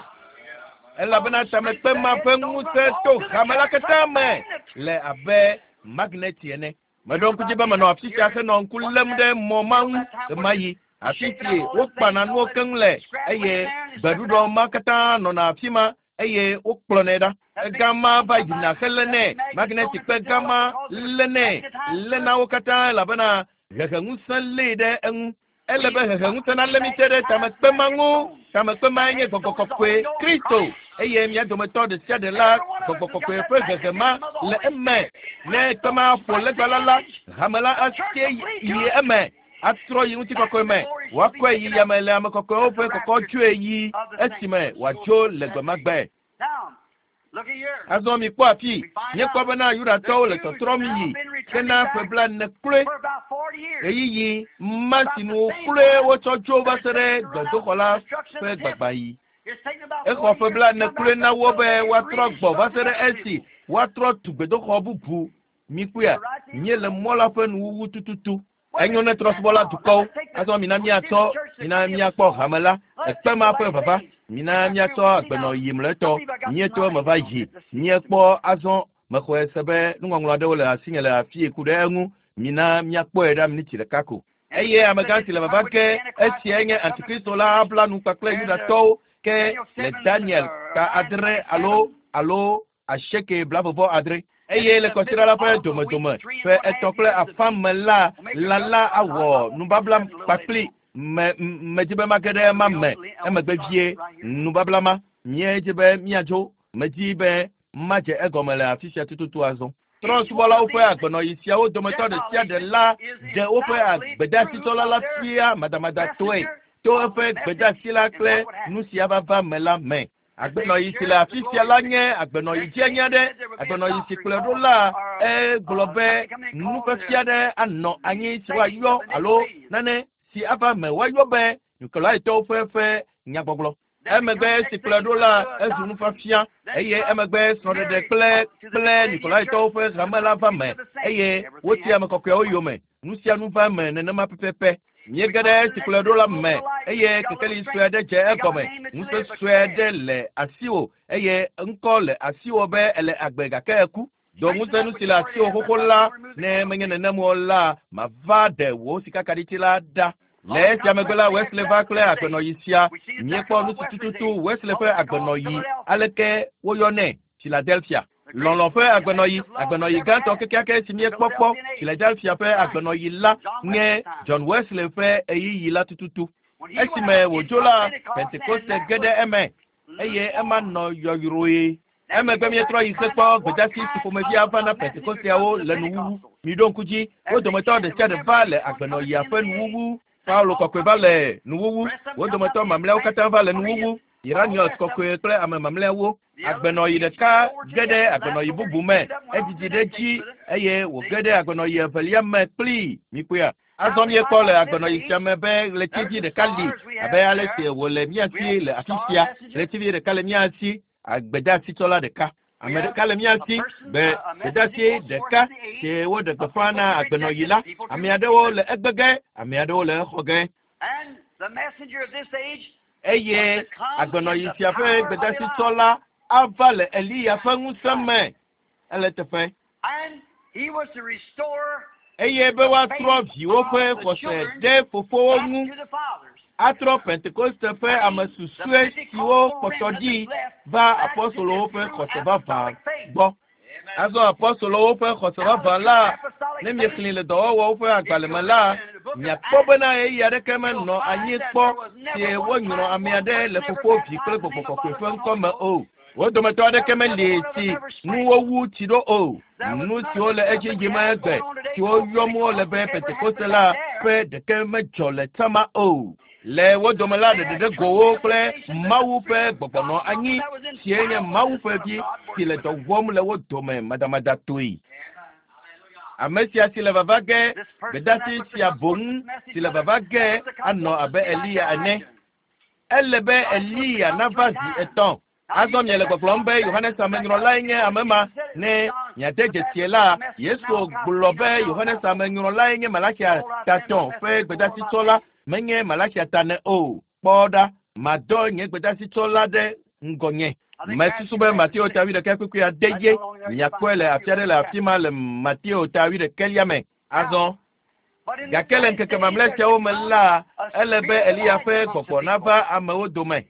Elabena tamekpe ma ƒe ŋusẽ to hame la katã me le abe magneti ene. Meɖo ŋku dzi be menɔ afi sia henɔ ŋku lém ɖe mɔ ma ŋu ɣemaɣi, afi si wokpana nuwo keŋ le eye gbeɖuɖɔ ma katã nɔna afi ma eye wokplɔnɛ ɖa. Egama va yina helénɛ, magnetikpe gama lénɛ, léna wo katã elabena heheŋusẽ lée ɖe eŋu. Ele be heheŋusẽ nalé mí te ɖe tamekpe ma ŋu. Tamekpe mae nye gbɔgbɔ kɔkɔe, Kristo. Eye mía dometɔ ɖe sia ɖe la, gbɔgbɔ kɔkɔe ƒe hehe ma le eme. Ne kpe ma ƒo legba la la, hame la asie yi eme, atrɔ yi ŋutikɔkɔe me. Woakɔe yi yame le ame kɔkɔewo ƒe kɔkɔdzoe yi esime wòadzo le gbe ma gbe. Azɔ mikpɔ afi, míekpɔ bena Yudatɔwo le tɔtrɔm yi hena ƒe blaene kloe. Ɣeyiɣi ma si nu kloe wotsɔ dzo va se ɖe gbedoxɔ la ƒe gbagbãɣi. Exɔ ƒe blaene kloe na wo be woatrɔ gbɔ va se ɖe esi woatrɔ tu gbedoxɔ bubu. Mikpɔea, míele mɔ la ƒe nuwuwu tututu. Enyo ne trɔ̃subɔla dukɔwo. Azɔ mina míatsɔ, mina míakpɔ hame la, ekpe ma ƒe vava. Mina míatsɔ agbenɔɣi mlɔetɔ. Míeto eme va yi. Míekpɔ azɔ. Mexɔe se be nuŋɔŋlɔ aɖewo le asinye le afii ku ɖe eŋu. Mina míakpɔe ɖa miniti ɖeka ko. Eye amegã si le vava ge, esiae nye Antikristo la abla nu kpakple Yudatɔwo ke le Daniel ta 8 alo 89. Eye le kɔsiɖa la ƒe domedome ƒe 3.5 me la, lã la awɔ nubabla kpakpli medzi be mage ɖe ema me emegbe vie. Nubabla ma míedzi be míadzo, medzi be madze egɔme le afi sia tututu azɔ. Trɔ̃subɔlawo ƒe agbenɔɣi siawo dometɔ ɖe sia ɖe la ɖe woƒe agbedasitsɔla la fia madamadatɔe to eƒe gbedasi la kple nu sia vava me la me. Agbenɔɣi si le afi sia la nye agbenɔɣi dzianya aɖe. Agbenɔɣi si kplɔe ɖo la egblɔ be nufiafia aɖe anɔ anyi si woayɔ alo nane si ava me woayɔ be Nikolaitɔwo ƒe nyagbɔgblɔ. Emegbe si kplɔe ɖo la ezu nufiafia eye emegbe srɔ̃ɖeɖe kple Nikolaitɔwo ƒe hame la va me eye woti ame kɔkɔewo yome. Nu sia nu va me nenema pɛpɛpɛ. Míege ɖe si kplɔe ɖo la me eye kekeli sue aɖe dze egɔme. Ŋusẽ sue aɖe le asiwò eye ŋkɔ le asiwò be ele agbe gake eku. Do ŋusẽ nu si le asiwò xoxo la, ne menye nenem o la, mava ɖe wò sikakaɖiti la ɖa. Le esia megbe la, Wesley va kple agbenɔɣi sia. Míekpɔ nu si tututu Wesley ƒe agbenɔɣi aleke woyɔnɛ Philadelphia. Lɔlɔ̃ ƒe agbenɔɣi, agbenɔɣi gãtɔ kekeake si míekpɔ kpɔ Philadelphia ƒe agbenɔɣi la nye John Wesley ƒe ɣeyiɣi la tututu. Esime wòdzo la, Pentekoste ge ɖe eme eye ema nɔ yɔyrɔe. Emegbe míetrɔ yi hekpɔ gbedasi si ƒomevi ava na Pentekosteawo le nuwuwu. Miɖo ŋku dzi, wo dometɔ ɖe sia ɖe va le agbenɔɣia ƒe nuwuwu. Paulo kɔkɔe va le nuwuwu, wo dometɔ mamlɛawo katã va le nuwuwu. Irenaeus kɔkɔe kple ame mamlɛawo. Agbenɔɣi ɖeka ge ɖe agbenɔɣi bubu me, edzidzi ɖe dzi eye wòge ɖe agbenɔɣi evelia me kplii. Mikpɔea? Azɔ míekpɔ le agbenɔɣi sia me be ɣletivi ɖeka li abe ale si wòle mía si le afi sia. Ɣletivi ɖeka le mía si, agbedasitsɔla ɖeka. Ame ɖeka le mía si, be gbedasi ɖeka si woɖe gbeƒã na agbenɔɣi la. Ame aɖewo le egbe ge, ame aɖewo le exɔ ge. Eye agbenɔɣi sia ƒe gbedasitsɔla ava le Eliya ƒe ŋusẽ me. Ele teƒe. Eye be woatrɔ viwo ƒe xɔse ɖe fofowo ŋu, atrɔ Pentekoste ƒe ame susɔe siwo kpɔtɔ ɖi va apostolowo ƒe xɔse vavã gbɔ. Azɔ apostolowo ƒe xɔse vavã la, ne miexlẽ le dɔwɔwɔwo ƒe agbalẽ me la, miakpɔ bena ɣeyiɣi aɖeke menɔ anyi kpɔ si wonyrɔ ame aɖe le fofo, vi kple gbɔgbɔ kɔkɔe ƒe ŋkɔ me o. Wo dometɔ aɖeke meli si nu wowu tsi ɖo o. Nu siwo le edzi yim egbe siwo yɔm wole be Pentekoste la ƒe ɖeke medzɔ le tsama o. Le wo dome la ɖeɖeɖe gowo kple Mawu ƒe gbɔgbɔ nɔ anyi sie nye Mawu ƒe vi si le dɔ wɔm le wo dome madamadatɔe. Ame sia si le vava ge, gbedasi sia boŋ si le vava ge anɔ abe Eliya ene. Ele be Eliya nava zi 3. Azɔ miele gbɔgblɔm be Yohanes Amenyrɔlae nye ame ma. Ne miade dzesie la, Yesu gblɔ be Yohanes Amenyrɔlae nye Malakia ta 3 ƒe gbedasitsɔla, menye Malakia ta 4 o. Kpɔ ɖa, madɔ nye gbedasitsɔla ɖe ŋgɔnye. Mesusu be Mateo ta 8 kpukpui ade ye. Miakpɔe le afi aɖe le afi ma le Mateo ta 8 me. Azɔ, gake le ŋkeke mamlɛ siawo me la, ele be Eliya ƒe gbɔgbɔ nava amewo dome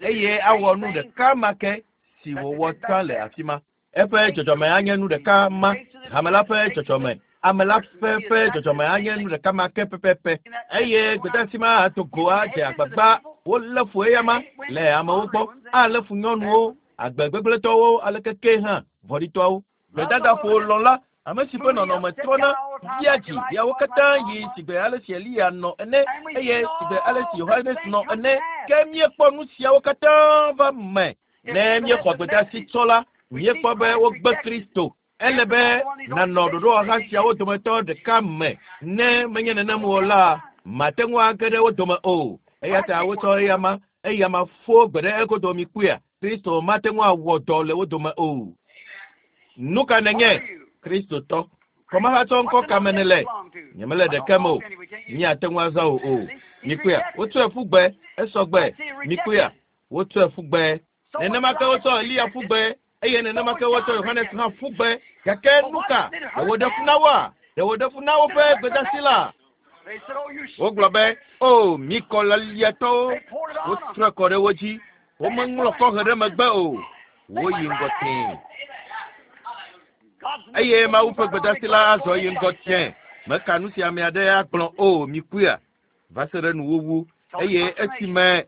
eye awɔ nu ɖeka ma ke si wòwɔ tsã le afi ma. Eƒe dzɔdzɔme anye nu ɖeka ma, hame la ƒe dzɔdzɔme, ame la ƒe dzɔdzɔme anye nu ɖeka ma ke pɛpɛpɛ. Eye gbedasi ma ato go adze agbagba wolé fu eya ma le amewo gbɔ, alé fu nyɔnuwo, agbegbegblẽtɔwo, alekeke hã vɔ̃ɖitɔawo. Gbedadaƒo lɔ̃la, ame si ƒe nɔnɔme trɔna, via dzi viawo katã yi sigbe ale si Eliya nɔ ene eye sigbe ale si Yohanes nɔ ene. Ke míekpɔ nu siawo katã va me. Ne míexɔ gbedasi tsɔ la, míekpɔ be wogbe Kristo. Ele be nànɔ ɖoɖowɔha siawo dometɔ ɖeka me. Ne menye nenem o la, mate ŋu age ɖe wo dome o. Eya ta wotsɔ eyama fo gbe ɖe egodo mi kpuia. Kristo mate ŋu awɔ dɔ le wo dome o. Nu ka nenye Kristotɔ? Kɔmahatsɔ ŋkɔ ka me nèle? Nyemele ɖeke me o. Míate ŋu azã wò o. Mikpɔea, wotsɔe ƒu gbe, esɔ gbe. Mikpɔea, wotsɔe ƒu gbe. Nenema ke wotsɔ Eliya ƒu gbe. Eye nenema ke wotsɔ Yohanes hã ƒu gbe. Gake nu ka? Ɖe wòɖe fu na woa? Ɖe wòɖe fu na woƒe gbedeasi la? Wogblɔ be, "O, mi kɔlaliatɔwo!" Wotrɔe kɔ ɖe wo dzi. Womeŋlɔ kɔhe ɖe megbe o. Woyi ŋgɔ tẽe. Eye Mawu ƒe gbedeasi la azɔ yi ŋgɔ tẽe. Meka nu si ame aɖe agblɔ o, mikpɔea, va se ɖe nuwuwu. Eye esime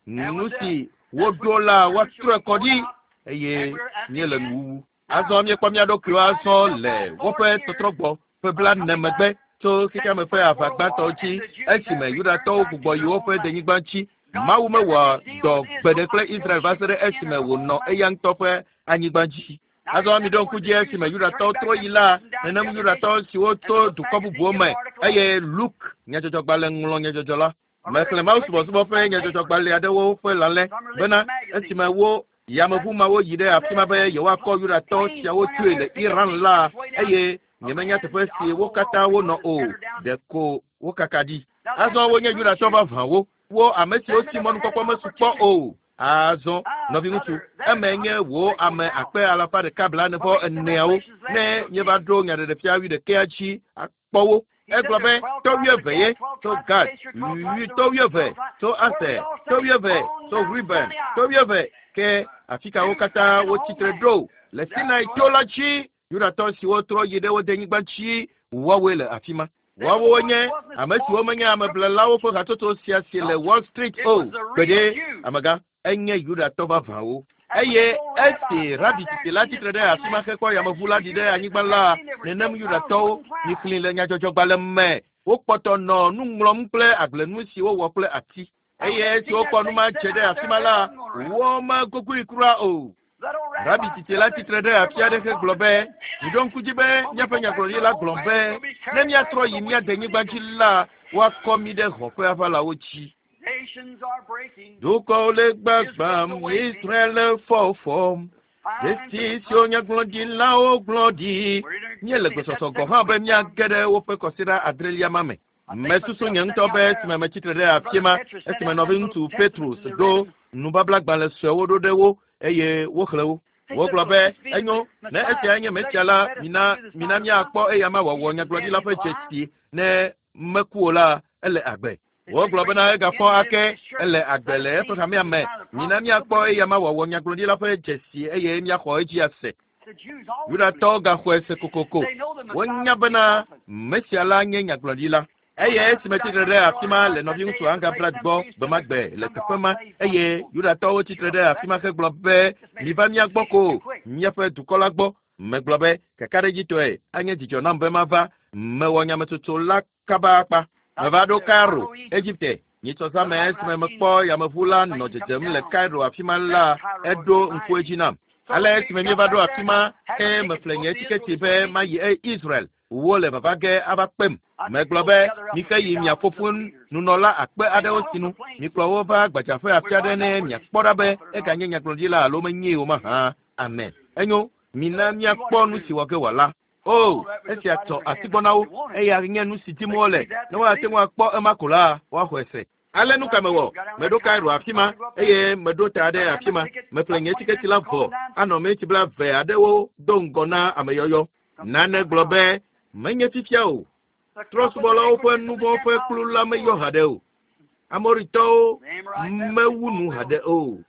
nu si woɖo la woatrɔe kɔ ɖi eye míele nuwuwu. Azɔ míekpɔ mía ɖokuiwo azɔ le woƒe tɔtrɔgbɔ ƒe 40 megbe tso xexeame ƒe aʋa gbãtɔ dzi esime Yudatɔwo gbugbɔ yi woƒe denyigba dzi. Mawu mewɔ dɔ gbe ɖe kple Israel va se ɖe esime wònɔ eya ŋutɔ ƒe anyigba dzi. Azɔ miɖo ŋku dzi esime Yudatɔwo trɔ yi la, nenem Yudatɔ siwo tso dukɔ bubuwo me eye Luke nyadzɔdzɔgbalẽ ŋlɔ nyadzɔdzɔ la. Mexlẽ Mawu subɔsubɔ ƒe nyadzɔdzɔgbalẽ aɖewo ƒe lalẽ bena esime wo yameʋu mawo yi ɖe afi ma be yewoakɔ Yudatɔ siawo tsoe le Iran la, eye nyemenya teƒe si wo katã wonɔ o, ɖeko wokaka ɖi. Azɔ wonye Yudatɔ vavãwo, wo ame siwo si mɔnukpɔkpɔ mesu kpɔ o. Azɔ, nɔviŋutsu, eme nye wò ame akpe alafa ɖeka 44wo ne míeva ɖo nyaɖeɖefia 81 dzi akpɔ wo. Egblɔ be tɔ 20 ye tso Gad, tɔ 20 tso Aser, tɔ 20 tso Ruben, tɔ 20 ke afi ka wo katã wotsitre ɖo le Sinai to la dzi. Yudatɔ siwo trɔ yi ɖe wo denyigba dzi woawoe le afi ma. Woawo nye ame siwo menye ameblelawo ƒe hatsotso sia si le Wall Street o. Gbeɖe, amegã, enye Yudatɔ vavãwo. Eye esi rabi tsitsi la tsitre ɖe afi ma hekpɔ yameʋu la ɖi ɖe anyigba la, nenem Yudatɔwo mixlẽ le nyadzɔdzɔgbalẽ me. Wokpɔtɔ nɔ nu ŋlɔm kple agblenu si wowɔ kple ati. Eye esi wokpɔ nu ma dze ɖe afi ma la, womegogoe kura o. Rabi tsitsi la tsitre ɖe afi aɖe hegblɔ be, miɖo ŋku dzi be míaƒe nyagblɔɖi la gblɔ be ne míatrɔ yi mía denyigba dzi la, woakɔ mí ɖe xɔ ƒe aʋalawo dzi. Dukɔwo le gbagbam, Israel le fɔfɔm. Dzesi siwo nyagblɔɖilawo gblɔ ɖi. Míele gbesɔsɔ gɔ̃ hã be míage ɖe woƒe kɔsiɖa adrelia ma me. Mesusu nye ŋutɔ be esime metsitre ɖe afi ma, esime nɔviŋutsu Petrus ɖo nubablagbalẽ suewo ɖo ɖe wo eye woxlẽ wo. Wogblɔ be, enyo, ne esia nye Mesia la, mina mina míakpɔ eya ma wòawɔ nyagblɔɖila ƒe dzesi ne meku o la, ele agbe. Wogblɔ bena egafɔ ake, ele agbe le eƒe hamea me. Mina míakpɔ eya ma wòawɔ nyagblɔɖila ƒe dzesi eye míaxɔ edzi ase. Yudatɔwo gaxɔe se kokoko. Wonya bena Mesia la nye nyagblɔɖila. Eye esime tsitre ɖe afi ma le nɔviŋutsu Angabrat gbɔ gbe ma gbe le teƒe ma, eye Yudatɔwo tsitre ɖe afi ma hegblɔ be, miva mía gbɔ ko, míaƒe dukɔ la gbɔ. Megblɔ be, kakaɖedzitɔe, anye dzidzɔ nam be mava. Mewɔ nyametsotso la kaba akpa. Meva ɖo Cairo, Egipte. Nyitsɔ zã me esime mekpɔ yameʋu la nɔ dzedzem le Cairo afi ma la, eɖo ŋku edzi nam. Ale esime míeva ɖo afi ma, ke meƒle nye tiketi be mayi Israel. Wole vava ge ava kpem. Megblɔ be, mixe yi mia fofo nunɔla akpe aɖewo sinu. Mikplɔ wo va gbadzaƒe afi aɖe ne miakpɔ ɖa be eganye nyagblɔɖila alo menyee o mahã. Amen. Enyo, mina míakpɔ nu si wɔ ge wòala. O, esia tɔ asi gbɔ na wo. Eya nye nu si dim wole. Ne woate ŋu akpɔ ema ko la, woaxɔe se. Ale nu ka mewɔ? Meɖo Cairo afi ma eye meɖo ta ɖe afi ma. Meƒle nye tiketi la vɔ anɔ miniti 20 aɖewo do ŋgɔ na ameyɔyɔ. Nane gblɔ be, menye fifia o. Trɔ̃subɔlawo ƒe nu vɔ̃ ƒe kplu la meyɔ haɖe o. Amoritɔwo mewu nu haɖe o.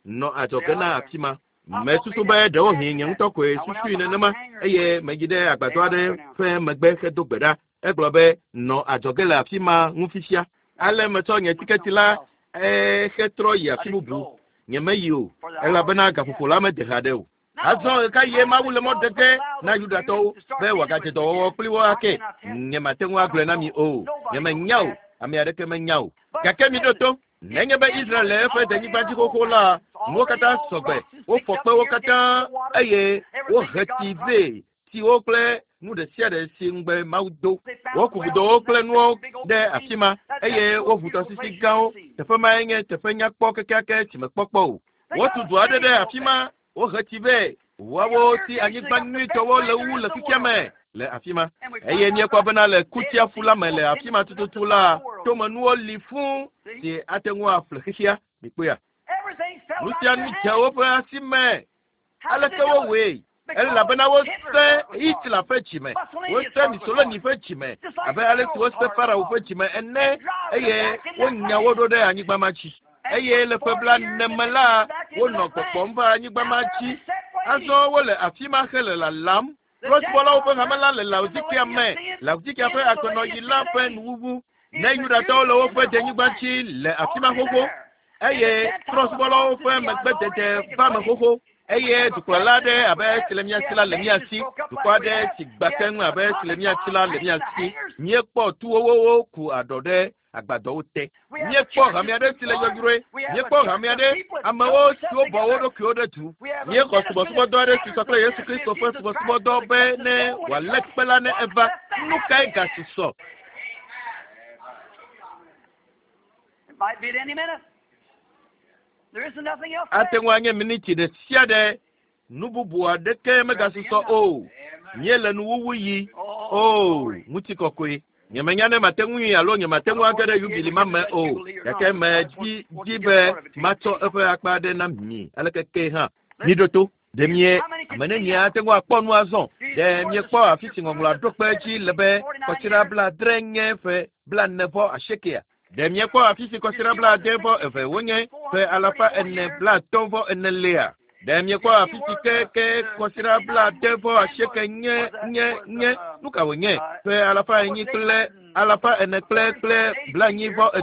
Nɔ adzɔge na afi ma. Mesusu be ɖewohĩ nye ŋutɔ koe susui nenema eye meyi ɖe agbadɔ aɖe ƒe megbe hedo gbe ɖa. Egblɔ be, nɔ adzɔge le afi ma ŋu fifia. Ale metsɔ nye tiketi la hetrɔ yi afi bubu. Nyemeyi o, elabena gaƒoƒo la mede haɖe o. Azɔ ɣekaɣie Mawu le mɔ ɖe ge na Yudatɔwo be wòagadze dɔwɔwɔ kpli wo ake? Nyemate ŋu agblɔe na mi o. Nyemenya o. Ame aɖeke menya o. Gake miɖo to. Nenye be Israel le eƒe denyigba dzi xoxo la, nuwo katã sɔgbe. Wofɔ kpewo katã eye wohe tsi vɛ, tsiwo kple nu ɖe sia ɖe si ŋugbe Mawu do. Woku vudowo kple nuwo ɖe afi ma eye woʋu tɔsisi gãwo. Teƒe mae nye teƒe nyakpɔ kekeake si mekpɔ kpɔ o. Wotu du aɖe ɖe afi ma, wohe tsi vɛ, woawo si anyigba nyuitɔwo le wu le xexea me le afi ma. Eye míekpɔ bena le Kutiaƒu la me le afi ma tututu la, tomenuwo li fũu si ate ŋu aƒle xexea. Mikpɔea? Nu sia nu dze woƒe asi me. Aleke wowɔe? Elabena wose Hitler ƒe dzime, wose Mussolini ƒe dzime abe ale si wose Farao ƒe dzime ene eye wonya wo ɖo ɖe anyigba ma dzi. Eye le ƒe 40 me la, wonɔ gbɔgbɔm va anyigba ma dzi. Azɔ wole afi ma hele lalam. Trɔ̃subɔlawo ƒe hame la le Laodikea me, Laodikea ƒe agbenɔɣi la ƒe nuwuwu. Ne Yudatɔwo le woƒe denyigba dzi le afi ma xoxo, eye trɔ̃subɔlawo ƒe megbedede va me xoxo, eye dukplɔla aɖe abe esi le mía si la le mía si, dukɔ aɖe si gbã keŋ abe esi le mía si la le mía si. Míekpɔ tuwowo ku aɖɔ ɖe agbadɔwo te. Míekpɔ hame aɖe si le yɔyrɔe. Míekpɔ hame aɖe, amewo siwo bɔ wo ɖokuiwo ɖe du. Míexɔ subɔsubɔdɔ aɖe si sɔ kple Yesu Kristo ƒe subɔsubɔdɔ be ne wòalé kpe la ne eva. Nu kae gasusɔ? It might be at any minute. There isn't nothing else. Ate ŋu anye miniti ɖe sia ɖe. Nu bubu aɖeke megasusɔ o. Míele nuwuwu yi. O, ŋutikɔkɔe. Nyemenya ne mate ŋui alo nyemate ŋu age ɖe yubili ma me o, gake medzi dzi be matsɔ eƒe akpa aɖe na mi aleke ke hã. Miɖo to. Ɖe mie ame nenie ate ŋu akpɔ nu azɔ? Ɖe miekpɔ afi si ŋɔŋlɔa ɖo kpe edzi le be kɔsiɖa 70 nye ƒe 48? Ɖe miekpɔ afi si kɔsiɖa 72 wonye ƒe 434 lea? Ɖe miekpɔ afi si ke kɔsiɖa 78 nye nye nye nu ka wònye ƒe 400 kple 400 kple 43 ƒe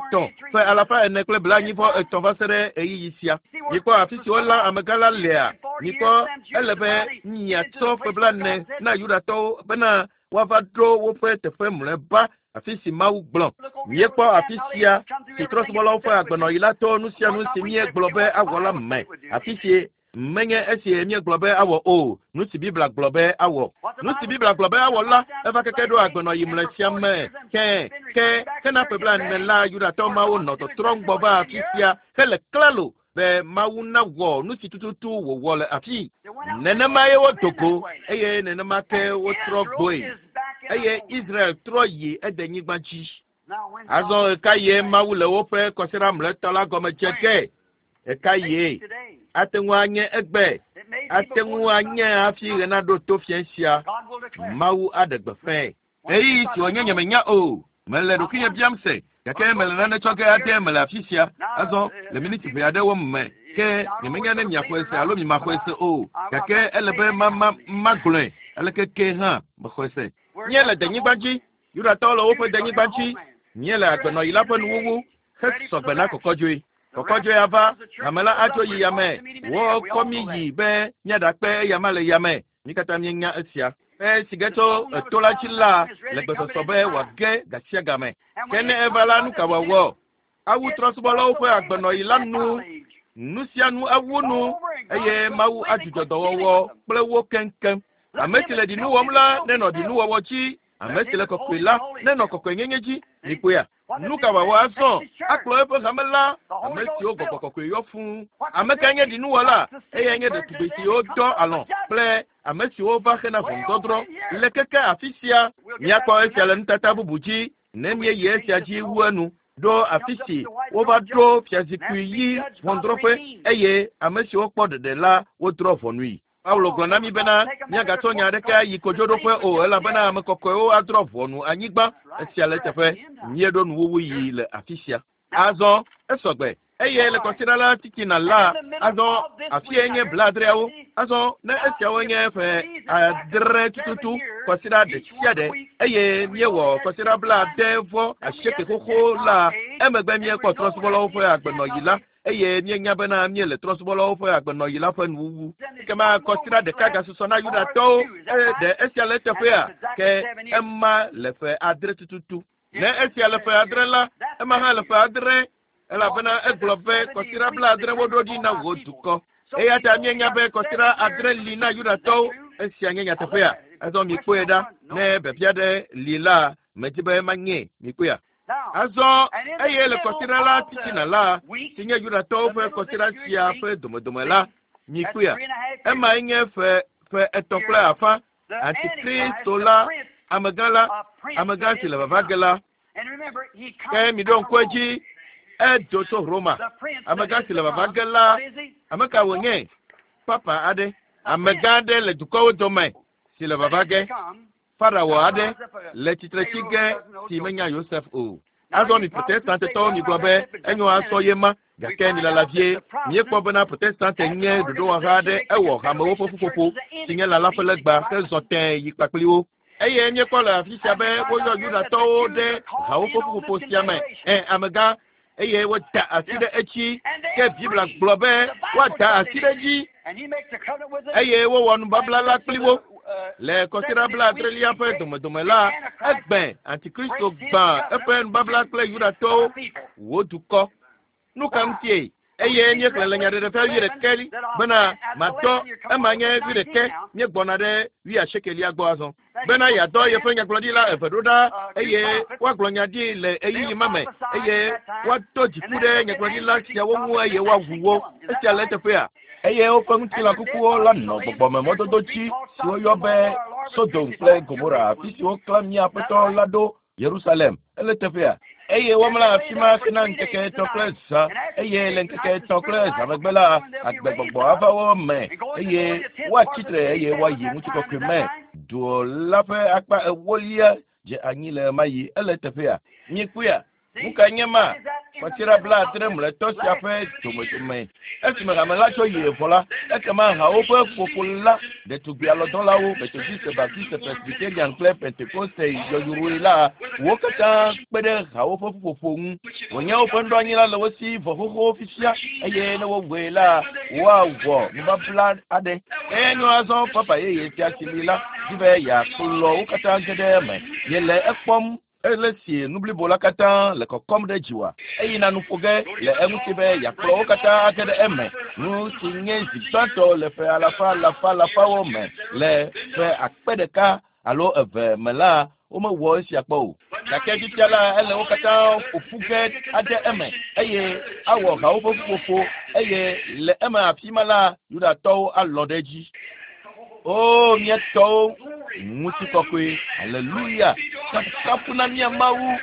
400 kple 43 va se ɖe ɣeyiɣi sia. Mikpɔ afi si wolã amegã la lea? Mikpɔ ele be miatsɔ ƒe 40 na Yudatɔwo bena woava ɖo woƒe teƒe mlɔeba afi si Mawu gblɔ. Míekpɔ afi sia si trɔ̃subɔlawo ƒe agbenɔɣi la to nu sia nu si míegblɔ be awɔ la me. Afi si menye esi míegblɔ be awɔ o, nu si Biblia gblɔ be awɔ. Nu si Biblia gblɔ be awɔ la, eva keke ɖo agbenɔɣi mlɔe sia me. Ke ke hena ƒe 40 la, Yudatɔ mawo nɔ tɔtrɔm gbɔ va afi sia hele klalo be Mawu nawɔ nu si tututu wòwɔ le afi. Nenema ye wodo go eye nenema ke wotrɔ gbɔe. Eye Israel trɔ yi edenyigba dzi. Azɔ ɣekaɣie Mawu le woƒe kɔsiɖa mlɔetɔ la gɔme dze ge? Ɣekaɣie? Ate ŋu anye egbe. Ate ŋu anye hafi ɣe naɖo to fiẽ sia. Mawu aɖe gbeƒãe. Ɣeyiɣi si wònye nyemenya o. Mele ɖokuinye biam se, gake mele nane tsɔ ge ade me le afi sia. Azɔ, le miniti ʋɛ aɖewo me, ke nyemenya ne miaxɔe se alo mimaxɔe se o, gake ele be ma magblɔe aleke ke hã mexɔe se. Míele denyigba dzi. Yudatɔwo le woƒe denyigba dzi. Míele agbenɔɣi la ƒe nuwuwu hesɔgbe na kɔkɔdzoe. Kɔkɔdzoe ava, hame la adzo yi yame. Wokɔ mí yi be míaɖakpe eyama le yame. Mí katã míenya esia. Esi ge tso eto la dzi la le gbesɔsɔ be wòage gasiagame. Ke ne eva la, nu ka wòawɔ? Awu trɔ̃subɔlawo ƒe agbenɔɣi la nu. Nu sia nu awu nu eye Mawu adzudzɔ dɔwɔwɔ kple wo keŋkeŋ. Ame si le ɖinu wɔm la nenɔ ɖinuwɔwɔ dzi. Ame si le kɔkɔe la nenɔ kɔkɔenyenye dzi. Mikpɔea? Nu ka wòawɔ azɔ? Akplɔ eƒe hame la, ame siwo gbɔgbɔ kɔkɔe yɔ fũu. Ame kae nye ɖinuwɔla? Eyae nye ɖetugbi siwo dɔ alɔ̃ kple ame siwo va hena ʋɔnudɔdrɔ̃ le keke afi sia. Míakpɔ esia le nutata bubu dzi ne míeyi esia dzi wu enu ɖo afi si wova ɖo fiazikpui yi ʋɔnudrɔ̃ƒe eye ame siwo kpɔ ɖeɖe la wodrɔ̃ ʋɔnui. Paulo gblɔ na mí bena míagatsɔ nya aɖeke ayi kodzoɖoƒe o elabena ame kɔkɔewo adrɔ̃ ʋɔnu anyigba. Esia le eteƒe. Míeɖo nuwuwu yi le afi sia. Azɔ esɔgbe eye le kɔsiɖa la titina la, azɔ afie nye 70. Azɔ ne esiawo nye ƒe 7 tututu kɔsiɖa ɖe sia ɖe eye míewɔ kɔsiɖa 78 xoxo la, emegbe míekpɔ trɔ̃subɔlawo ƒe agbenɔɣi la eye míenya bena míele trɔ̃subɔlawo ƒe agbenɔɣi la ƒe nuwuwu. Ekema kɔsiɖa ɖeka gasusɔ na Yudatɔwo. Ɖe esia le eteƒea? Ke ema le ƒe 7 tututu. Ne esia le ƒe 7 la, ema hã le ƒe 7, elabena egblɔ be kɔsiɖa 70 woɖo ɖi na wò dukɔ. Eya ta míenya be kɔsiɖa 7 li na Yudatɔwo. Esia nye nyateƒea. Azɔ mikpɔe ɖa. Ne biabia ɖe li la, medi be manye. Mikpɔea? Azɔ eye le kɔsiɖa la titina la, si nye Yudatɔwo ƒe kɔsiɖa sia ƒe domedome la, mikpɔea? Emae nye ƒe 3.5. Antikristo la, amegã la, amegã si le vava ge la. Ke miɖo ŋku edzi, edo tso Roma. Amegã si le vava ge la, ame ka wònye? Papa aɖe. Amegã aɖe le dukɔwo dome si le vava ge. Farao aɖe le tsitre tsi ge si menya Yosef o. Azɔ mi Protestantetɔwo migblɔ be enyo asɔ ye ma gake milala vie. Míekpɔ bena Protestante nye ɖoɖowɔha aɖe ewɔ hamewo ƒe ƒuƒoƒo si nye lala ƒe legba hezɔ tẽe yi kpakpli wo. Eye míekpɔ le afi sia be woyɔ Yudatɔwo ɖe hawo ƒe ƒuƒoƒo sia me. Ẽ, amegã, eye woda asi ɖe edzi. Ke Biblia gblɔ be woada asi ɖe edzi eye wowɔ nubabla la kpli wo. Le kɔsiɖa blaadrelia ƒe domedome la, egbe Antikristo gbã eƒe nubabla kple Yudatɔwo, wo dukɔ. Nu ka ŋutie? Eye míexlẽ le Nyaɖeɖefia wuiɖekɛ bena matɔ ema nye wuiɖekɛ míegbɔna ɖe wuiasiekelia gbɔ azɔ. Bena yeadɔ yeƒe nyagblɔɖila eve ɖo ɖa eye woagblɔ nya ɖi le ɣeyiɣi ma me eye woado dziku ɖe nyagblɔɖila siawo ŋu eye woawu wo. Esia le eteƒea? Eye woƒe ŋutilã kukuwo la nɔ gbɔgbɔme mɔdodo dzi si woyɔ be Sodom kple Gomora, afi si woklã mía Aƒetɔ la ɖo Yerusalem. Ele teƒea? Eye womlɔ afi ma hena ŋkeke etɔ̃ kple zã eye le ŋkeke etɔ̃ kple zã megbe la agbegbɔgbɔ ava wo me eye woatsi tre eye woayi ŋutikɔkɔe me. Du la ƒe akpa ewolia dze anyi le ɣemaɣi. Ele teƒea? Mikpɔea? Nu kae nye ma? Kɔsiɖa blaadre mlɔetɔ sia ƒe domedome. Esime hame la tso yi vɔ la, ekema hawo ƒe ƒoƒo la, ɖetugbi alɔdɔlawo, Methodiste, Baptiste, Presbyterian kple Pentekoste yɔyroe la, wo katã kpe ɖe hawo ƒe ƒuƒoƒo ŋu. Wònye woƒe nuɖoanyi la le wo si vɔ xoxo fifia eye ne wowɔe la, woawɔ nubabla aɖe. Enyo azɔ papa yeye sia si li la di be yeakplɔ wo katã ge ɖe eme. Miele ekpɔm ele si nu blibo la katã le kɔkɔm ɖe dziwòa? Eyina nu ƒo ge le eŋuti be yeakplɔ wo katã age ɖe eme. Nu si nye zi gbãtɔ le ƒe alafa alafa alafawo me le ƒe akpe ɖeka alo eve me la, womewɔ esia kpɔ o. Gake fifia la, ele wo katã ƒo ƒu ge ade eme eye awɔ hawo ƒe ƒuƒoƒo eye le eme afi ma la, Yudatɔwo alɔ̃ ɖe edzi. O, mía tɔwo, ŋutikɔkɔe, aleluya, kafukafu na mía Mawu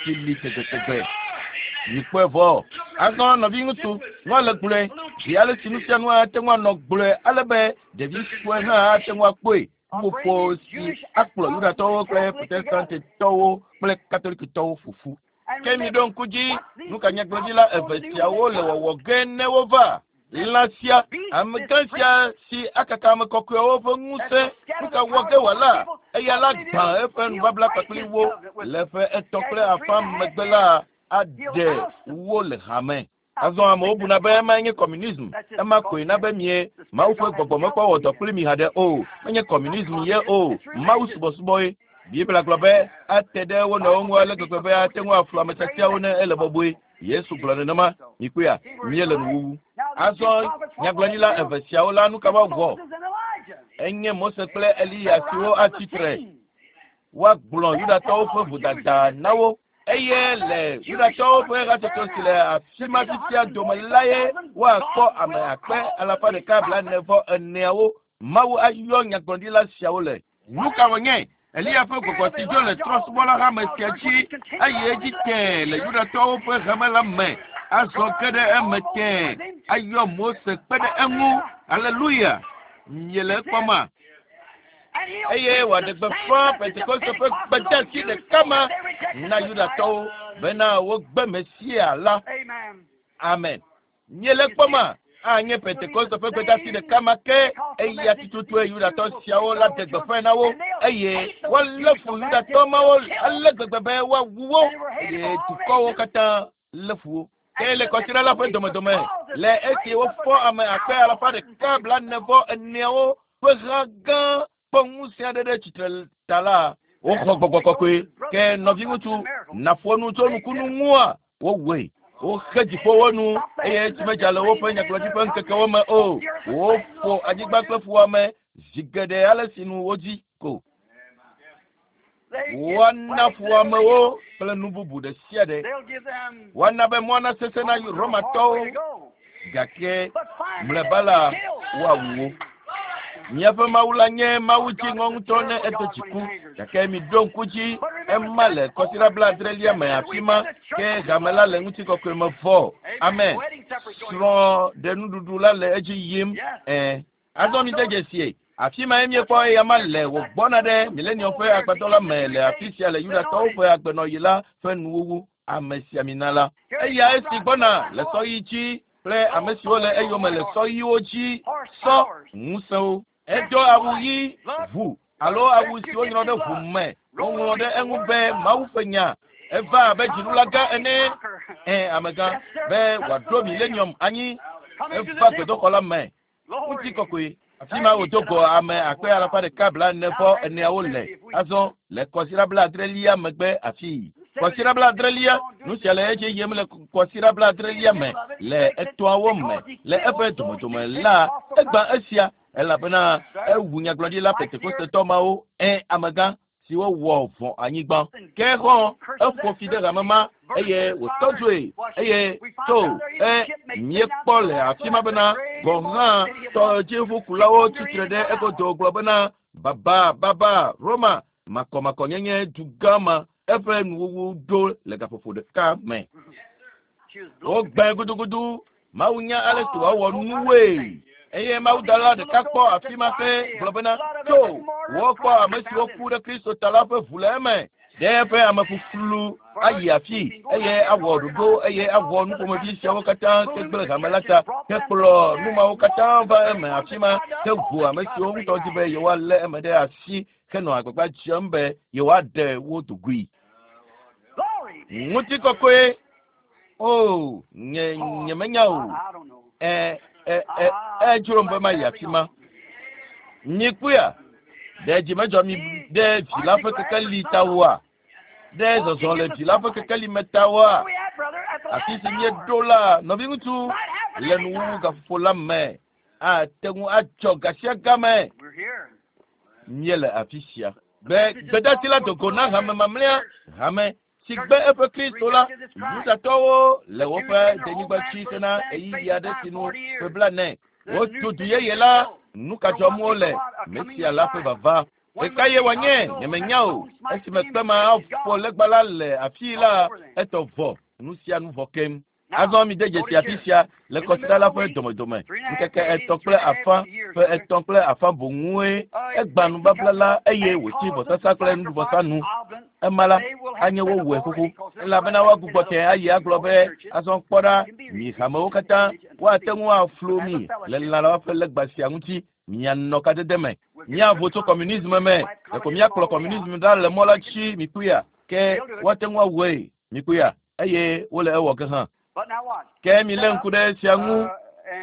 si li tegbetegbe. Mikpɔe vɔ. Azɔ nɔviŋutsu, nua le gblɔe zi ale si nu sia nu ate ŋu anɔ gblɔe ale be ɖevi sue hã ate ŋu akpɔe. Ƒuƒoƒo si akplɔ Yudatɔwo kple Protestantetɔwo kple Katolikitɔwo ƒo ƒu. Ke miɖo ŋku dzi, nu ka nyagblɔɖila eve siawo le wɔwɔ ge ne wova? Lã sia, amegã sia si akaka ame kɔkɔewo ƒe ŋusẽ, nu ka wɔ ge wòala? Eya la gbã eƒe nubabla kpakple wo le ƒe etɔ̃ kple afã megbe la aɖe wo le hame. Azɔ amewo buna be ema nye communism. Ema koe na be mie Mawu ƒe gbɔgbɔ mekpɔ wɔ dɔ kpli mi haɖe o. Menye communism ye o, Mawu subɔsubɔe. Biblia gblɔ be ate ɖe wo nɔewo ŋu ale gbegbe be ate ŋu aflu ame tiatiawo ne ele bɔbɔe. Yesu gblɔ nenema. Mikpɔea? Míele nuwuwu. Azɔ nyagblɔɖila eve siawo la nu ka woawɔ? Enye Mose kple Eliya siwo atsi tre. Woagblɔ Yudatɔwo ƒe vodada na wo. Eye le Yudatɔwo ƒe hatsotso si le afi ma fifia dome la ye woakpɔ ame akpe alafa ɖeka blaene vɔ eneawo. Mawu ayɔ nyagblɔɖila siawo le. Nu ka wònye? Eliya ƒe gbɔgbɔ si dzo le trɔ̃subɔla hame sia dzi eye edzi tẽe le Yudatɔwo ƒe hame la me azɔ ge ɖe eme tẽe ayɔ Mose kpe ɖe eŋu. Aleluya! Miele ekpɔma? Eye wòaɖe gbeƒã Pentekoste ƒe gbedeasi ɖeka ma na Yudatɔwo bena wogbe Mesia la. Amen. Miele ekpɔma? Anye Pentekoste ƒe gbedeasi ɖeka ma ke eya tututue Yudatɔ siawo la ɖe gbeƒãe na wo eye woalé fu Yudatɔ mawo ale gbegbe be woawu wo eye dukɔwo katã lé fu wo. Ke le kɔsiɖa la ƒe domedome le esi wofɔ ame akpe alafa ɖeka blaene vɔ eneawo ƒe ha gã kpɔ ŋusẽ aɖe ɖe tsitre ta la, woxɔ gbɔgbɔ kɔkɔe. Ke nɔviŋutsu, nàƒo nu tso nukunu ŋua, wowɔe. Woxe dziƒowo nu eye tsi medza le woƒe nyagblɔɖi ƒe ŋkekewo me o. Woƒo anyigba kple fuwɔame zi geɖe ale si nu wodzi ko. Woana fuwɔamewo kple nu bubu ɖe sia ɖe. Woana be mɔa nasesẽ na Romatɔwo gake mlɔeba la woawu wo. Míaƒe Mawu la nye Mawu dziŋɔ ŋutɔ ne edo dziku gake miɖo ŋku dzi ema le kɔsiɖa blaadrelia me afi ma ke hame la le ŋutikɔkɔe me vɔ. Amen. Srɔ̃ ɖe nuɖuɖu la le edzi yim. Ẽ. Azɔ mi de dzesie. Afi mae míekpɔ eyama le wògbɔna ɖe milenium ƒe agbadɔ la me le afi sia le Yudatɔwo ƒe agbenɔɣi la ƒe nuwuwu, amesiamina la. Eya esi gbɔna le sɔ ɣi dzi kple ame siwo le eyome le sɔ ɣiwo dzi, sɔ ŋusẽwo. Edo awu ɣi, ʋu alo awu si wonyrɔ ɖe ʋu me. Woŋlɔ ɖe eŋu be Mawu ƒe nya. Eva abe dziɖula gã ene, ẽ, amegã, be wòaɖo milenium anyi. Eva gbedoxɔ la me. Ŋutikɔkɔe. Afi ma wòdo go ame akpe alafa ɖeka 64ewo le. Azɔ le kɔsiɖa 70lia megbe afii. Kɔsiɖa 70lia, nu sia le edzi yim le kɔsiɖa 70lia me le etɔ̃awo me le eƒe domedome la, egbã esia elabena ewu nyagblɔɖila Pentekostetɔ mawo, ẽ, amegã, siwo wɔ vɔ̃ anyigba. Ke hã eƒo fi ɖe hame ma eye wòtɔ dzoe eye to e míekpɔ le afi ma bena gɔ̃ hã tɔdziʋukulawo tsitre ɖe egodo gblɔ bena baba baba Roma makɔmakɔnyenye dugã ma eƒe nuwuwu ɖo le gaƒoƒo ɖeka me. Wogbẽ gudugudu. Mawu nya ale si wòawɔ nuwoe. Eye mawudɔla ɖeka kpɔ afi ma ke gblɔ bena, tso, wokpɔ ame siwo ku ɖe Kristo ta la ƒe ʋu le eme. Ɖe eƒe amefuflu ayi afi eye awɔ ɖoɖo eye awɔ nuƒomevi siawo katã ke gblẽ hame la ta, ke kplɔ nu mawo katã va eme afi ma, ke ʋu ame siwo ŋutɔ di be yewoalé eme ɖe asi henɔ agbagba dzem be yewoaɖe wo dogoe. Ŋutikɔkɔe. O, nye nyemenya o. Ɛ ɛ ɛ edzrom be mayi afi ma. Mikpɔea? Ɖe dzi medzɔ mi ɖe vi la ƒe kekeli ta oa? Ɖe zɔzɔ le vi la ƒe kekeli me ta oa? Afi si míeɖo la, nɔviŋutsu, le nuwuwu gaƒoƒo la me, ate ŋu adzɔ gasiagame. Míele afi sia. Be gbedasi la do go na hame mamlɛa, hame si gbe eƒe Kristo la, Yudatɔwo le woƒe denyigba dzi hena ɣeyiɣi aɖe si nu ƒe 40. Wotu du yeye la, nu ka dzɔm wole? Mesia la ƒe vava. Ɣekaɣie wòanye? Nyemenya o. Esime kpe ma aƒo legba la le afii la, etɔ vɔ, nu sia nu vɔ keŋ. Azɔ mide dzesi afi sia le kɔsiɖa la ƒe domedome. Ŋkeke 3.5, ƒe 3.5 boŋue egbã nubabla la eye wòtsi vɔsasa kple nuɖuvɔsa nu. Ema la, anye wowɔe xoxo elabena woagbugbɔ tẽ ayi agblɔ be, azɔ kpɔ ɖa, mi hamewo katã, woate ŋu aflu mi le lã la ƒe legba sia ŋuti, mianɔ kadede me. Míavo tso kɔmunisme me, ɖeko míakplɔ kɔmunisme ɖa le mɔ la dzi, mikpɔea, ke woate ŋu awɔe, mikpɔea, eye wole ewɔ ke hã. Ke milé ŋku ɖe esia ŋu,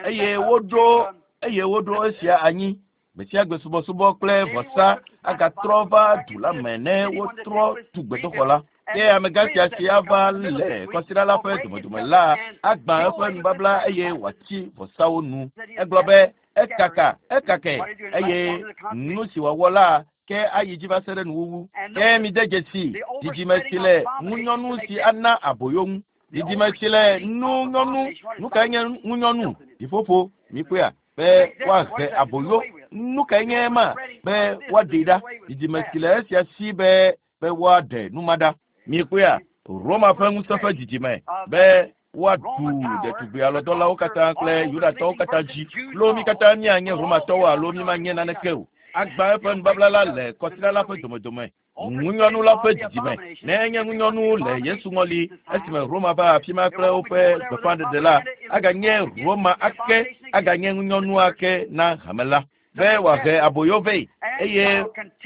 eye woɖo eye woɖo esia anyi. Gbesiagbe subɔsubɔ kple vɔsa agatrɔ va du la me ne wotrɔ tu gbedoxɔ la. Ke amegã sia si ava le kɔsiɖa la ƒe domedome la agbã eƒe nubabla eye wòatsi vɔsawo nu. Egblɔ be ekaka, ekake, eye nu si wòawɔ la ke ayi dzi va se ɖe nuwuwu. Ke mide dzesi dzidzime si le ŋunyɔnu si ana aboyo ŋu. Dzidzime si le ŋunyɔnu, nu kae nye ŋunyɔnu? Ɖiƒoƒo, mikpɔea, be woahe aboyo. Nu kae nye ema? Be woaɖee ɖa. Dzidzime si le esia si be be woaɖe nu ma ɖa. Mikpɔea, Roma ƒe ŋusẽ ƒe dzidzime be woaɖu ɖetugbui alɔdɔlawo katã kple Yudatɔwo katã dzi. Lo mi katã míanye Romatɔwo alo mímanye naneke o. Agbã eƒe nubabla la le kɔsiɖa la ƒe domedome. Ŋunyɔnu la ƒe dzidzime. Ne enye ŋunyɔnu le Yesu ŋɔli esime Roma va afi ma kple woƒe gbeƒãɖeɖe la, aganye Roma ake, aganye ŋunyɔnu ake na hame la. Be wòahe aboyo vɛ eye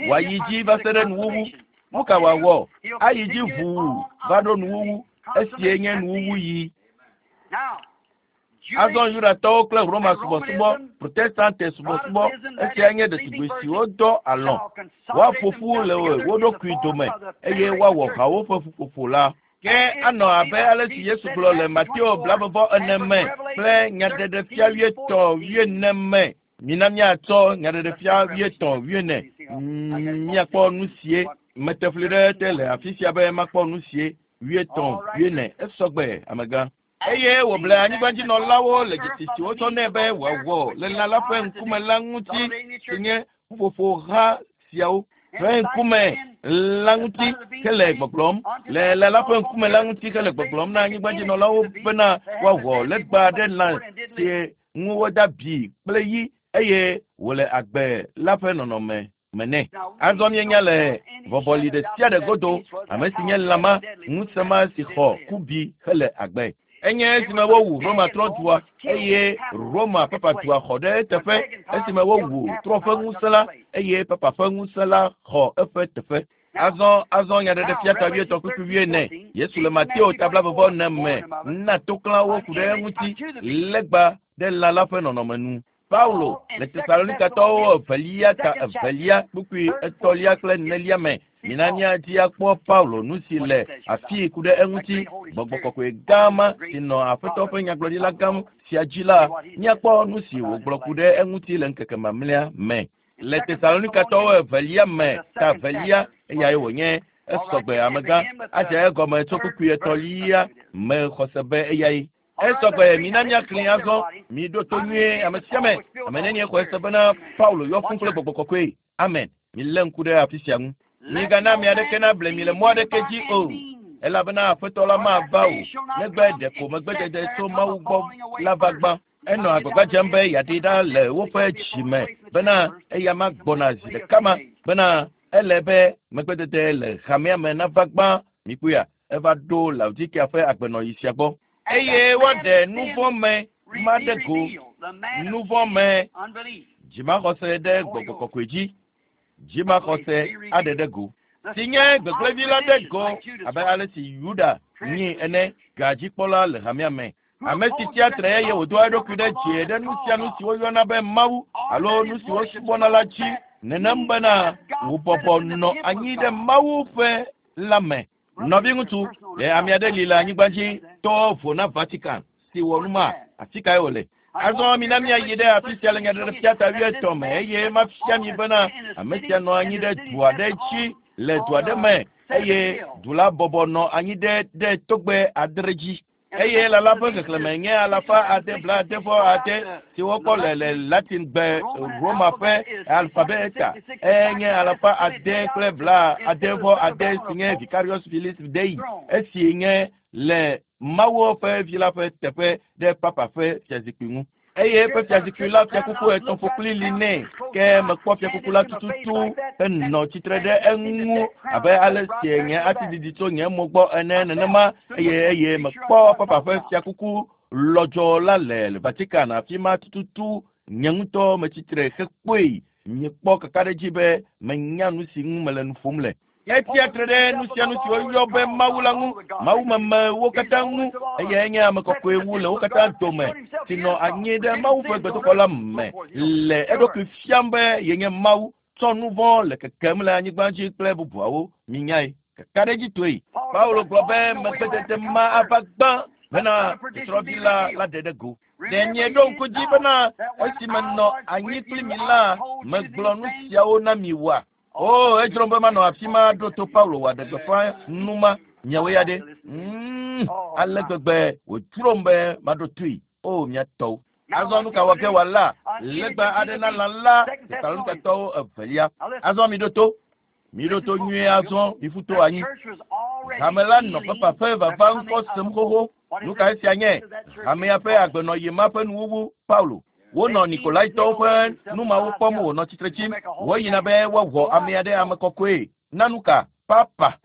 wòayi dzi va se ɖe nuwuwu. Nu ka wòawɔ? Ayi dzi ʋuu va ɖo nuwuwu. Esie nye nuwuwu yi. Azɔ Yudatɔwo kple Roma subɔsubɔ, Protestante subɔsubɔ, esia nye ɖetugbui siwo dɔ alɔ̃. Woaƒo ƒu le wo ɖokui dome eye woawɔ hawo ƒe ƒuƒoƒo la. Ke anɔ abe ale si Yesu gblɔ le Mateo 24 me kple nyaɖeɖefia 80 40 me. Mina míatsɔ nyaɖeɖefia 80 40 míakpɔ nu sie. Mete fli ɖe te le afi sia be makpɔ nu sie 80 40. Esɔgbe, amegã. Eye wòble anyigbadzinɔlawo le dzesi si wotsɔ nɛ be wòawɔ le lã la ƒe ŋkume la ŋuti, si nye ƒuƒoƒo ha siawo ƒe ŋkume la ŋuti hele gbɔgblɔm le lã la ƒe ŋkume la ŋuti hele gbɔgblɔm na anyigbadzinɔlawo bena woawɔ legba ɖe lã si ŋu woda bi kple yi. eye wòle agbe la ƒe nɔnɔme me nɛ. Azɔ míenya le vɔvɔli ɖe sia ɖe godo ame si nye lãma ŋusẽ ma si xɔ kubi hele agbe. Enye esime wowu Roma trɔ̃dua eye Roma papadua xɔ ɖe eteƒe esime wowu trɔ̃ ƒe ŋusẽ la eye papa ƒe ŋusẽ la xɔ eƒe teƒe. Azɔ nyaɖeɖefia ta 80 kpukpui 40. Yesu le Mateo ta 24 me na toklãwo ku ɖe eŋuti legba ɖe lã la ƒe nɔnɔme nu. Paulo le Tesalonikatɔwo 2 ta 2 kpukpui 3 kple 4 me. Mina míadi akpɔ Paulo nu si le afii ku ɖe eŋuti. Gbɔgbɔ kɔkɔe gã ma si nɔ Aƒetɔ ƒe nyagblɔɖila gã sia dzi la, míakpɔ nu si wògblɔ ku ɖe eŋuti le ŋkeke mamlɛa me. Le Tesalonikatɔwo 2 me ta 2 eyae wònye esɔgbe amegã adze egɔme tso kpukpui 3 me xɔse be eyae. Esɔgbe mina míaxlẽ azɔ miɖo to nyuie ame sia ame. Ame nenie xɔe se bena Paulo yɔ fũ kple gbɔgbɔ kɔkɔe. Amen. Milé ŋku ɖe afi sia ŋu. Migana ame aɖeke nable mi le mɔ aɖeke dzi o, elabena Aƒetɔ la mava o, negbe ɖeko megbedede tso Mawu gbɔ la va gbã. Enɔ agbagba dzem be yeaɖi ɖa le woƒe dzime bena eya ma gbɔna zi ɖeka ma bena ele be megbedede le hamea me nava gbã. Mikpɔea, eva ɖo Laodikea ƒe agbenɔɣi sia gbɔ. Eye woaɖe nu vɔ̃ me ma ɖe go, nu vɔ̃ me dzimaxɔse ɖe gbɔgbɔ kɔkɔe dzi, dzimaxɔse aɖe ɖe go, si nye gbegblẽvi la ɖe go abe ale si Yuda nyi ene, gadzikpɔla le hamea me. Ame si tsia tre eye wòdoa eɖokui ɖe dzi ɖe nu sia nu si woyɔna be Mawu alo nu si wosubɔna la dzi, nenem bena wòbɔbɔ nɔ anyi ɖe Mawu ƒe la me. Nɔviŋutsu, ɖe ame aɖe li le anyigba dzi to vo na Vatican si wɔ nu ma, afi kae wòle? Azɔ mina míayi ɖe afi sia le nyaɖeɖefia ta 80 me eye mafia mi bena ame sia nɔ anyi ɖe du aɖe dzi le du aɖe me eye du la bɔbɔ nɔ anyi ɖe togbɛ 7 dzi. Eye lã la ƒe xexlẽme nye 786 si wokpɔ le Latin gbe Roma ƒe alfabeta. Enye 786 si nye Vicarius Filii Dei, esi nye le Mawu ƒe vi la ƒe teƒe ɖe papa ƒe fiazikpui ŋu. Eye eƒe fiazikpui la fiakuku 3 ƒokpli li nɛ, ke mekpɔ fiakuku la tututu henɔ tsitre ɖe eŋu abe ale si nye ati didi tso nye mo gbɔ ene nenema, eye mekpɔ papa ƒe fiakuku lɔdzɔ la le Vatican afi ma tututu. Nye ŋutɔ metsitre hekpɔe. Miekpɔ kakaɖedzi be menya nu si ŋu mele nu ƒom le. Etsia tre ɖe nu sia nu si woyɔ be Mawu la ŋu, mawumemewo katã ŋu, eye enye ame kɔkɔe wu le wo katã dome, si nɔ anyi ɖe Mawu ƒe gbedoxɔ la me le eɖokui fiam be yenye Mawu, tsɔ nu vɔ̃ le kekem le anyigba dzi kple bubuawo. Minyae, kakaɖedzitɔe. Paulo gblɔ be megbedede ma ava gbã bena tsɔtsrɔ̃vi la la ɖe ɖe go. Ɖe mieɖo ŋku dzi bena esime nɔ anyi kpli mi la, megblɔ nu siawo na mi oa? O, edzrom be manɔ afi ma ɖo to Paulo wòaɖe gbeƒã nu ma. Miawoe ya ɖe? Ale gbegbe wòdzrom be maɖo toe. O, mia tɔwo. Azɔ nu ka wɔ ke wòala legba aɖe na lã la Tesalonikatɔwo 2. Azɔ miɖo to. Miɖo to nyuie azɔ, miƒu to anyi. Hame la nɔ papa ƒe vava ŋkɔ sem xoxo. Nu ka esia nye? Hamea ƒe agbenɔɣi ma ƒe nuwuwu, Paulo. Wonɔ Nikolaitɔwo ƒe numawo kpɔm wònɔ tsitre tsim. Woyina be woawɔ ame aɖe ame kɔkɔe. Na nu ka? Papa.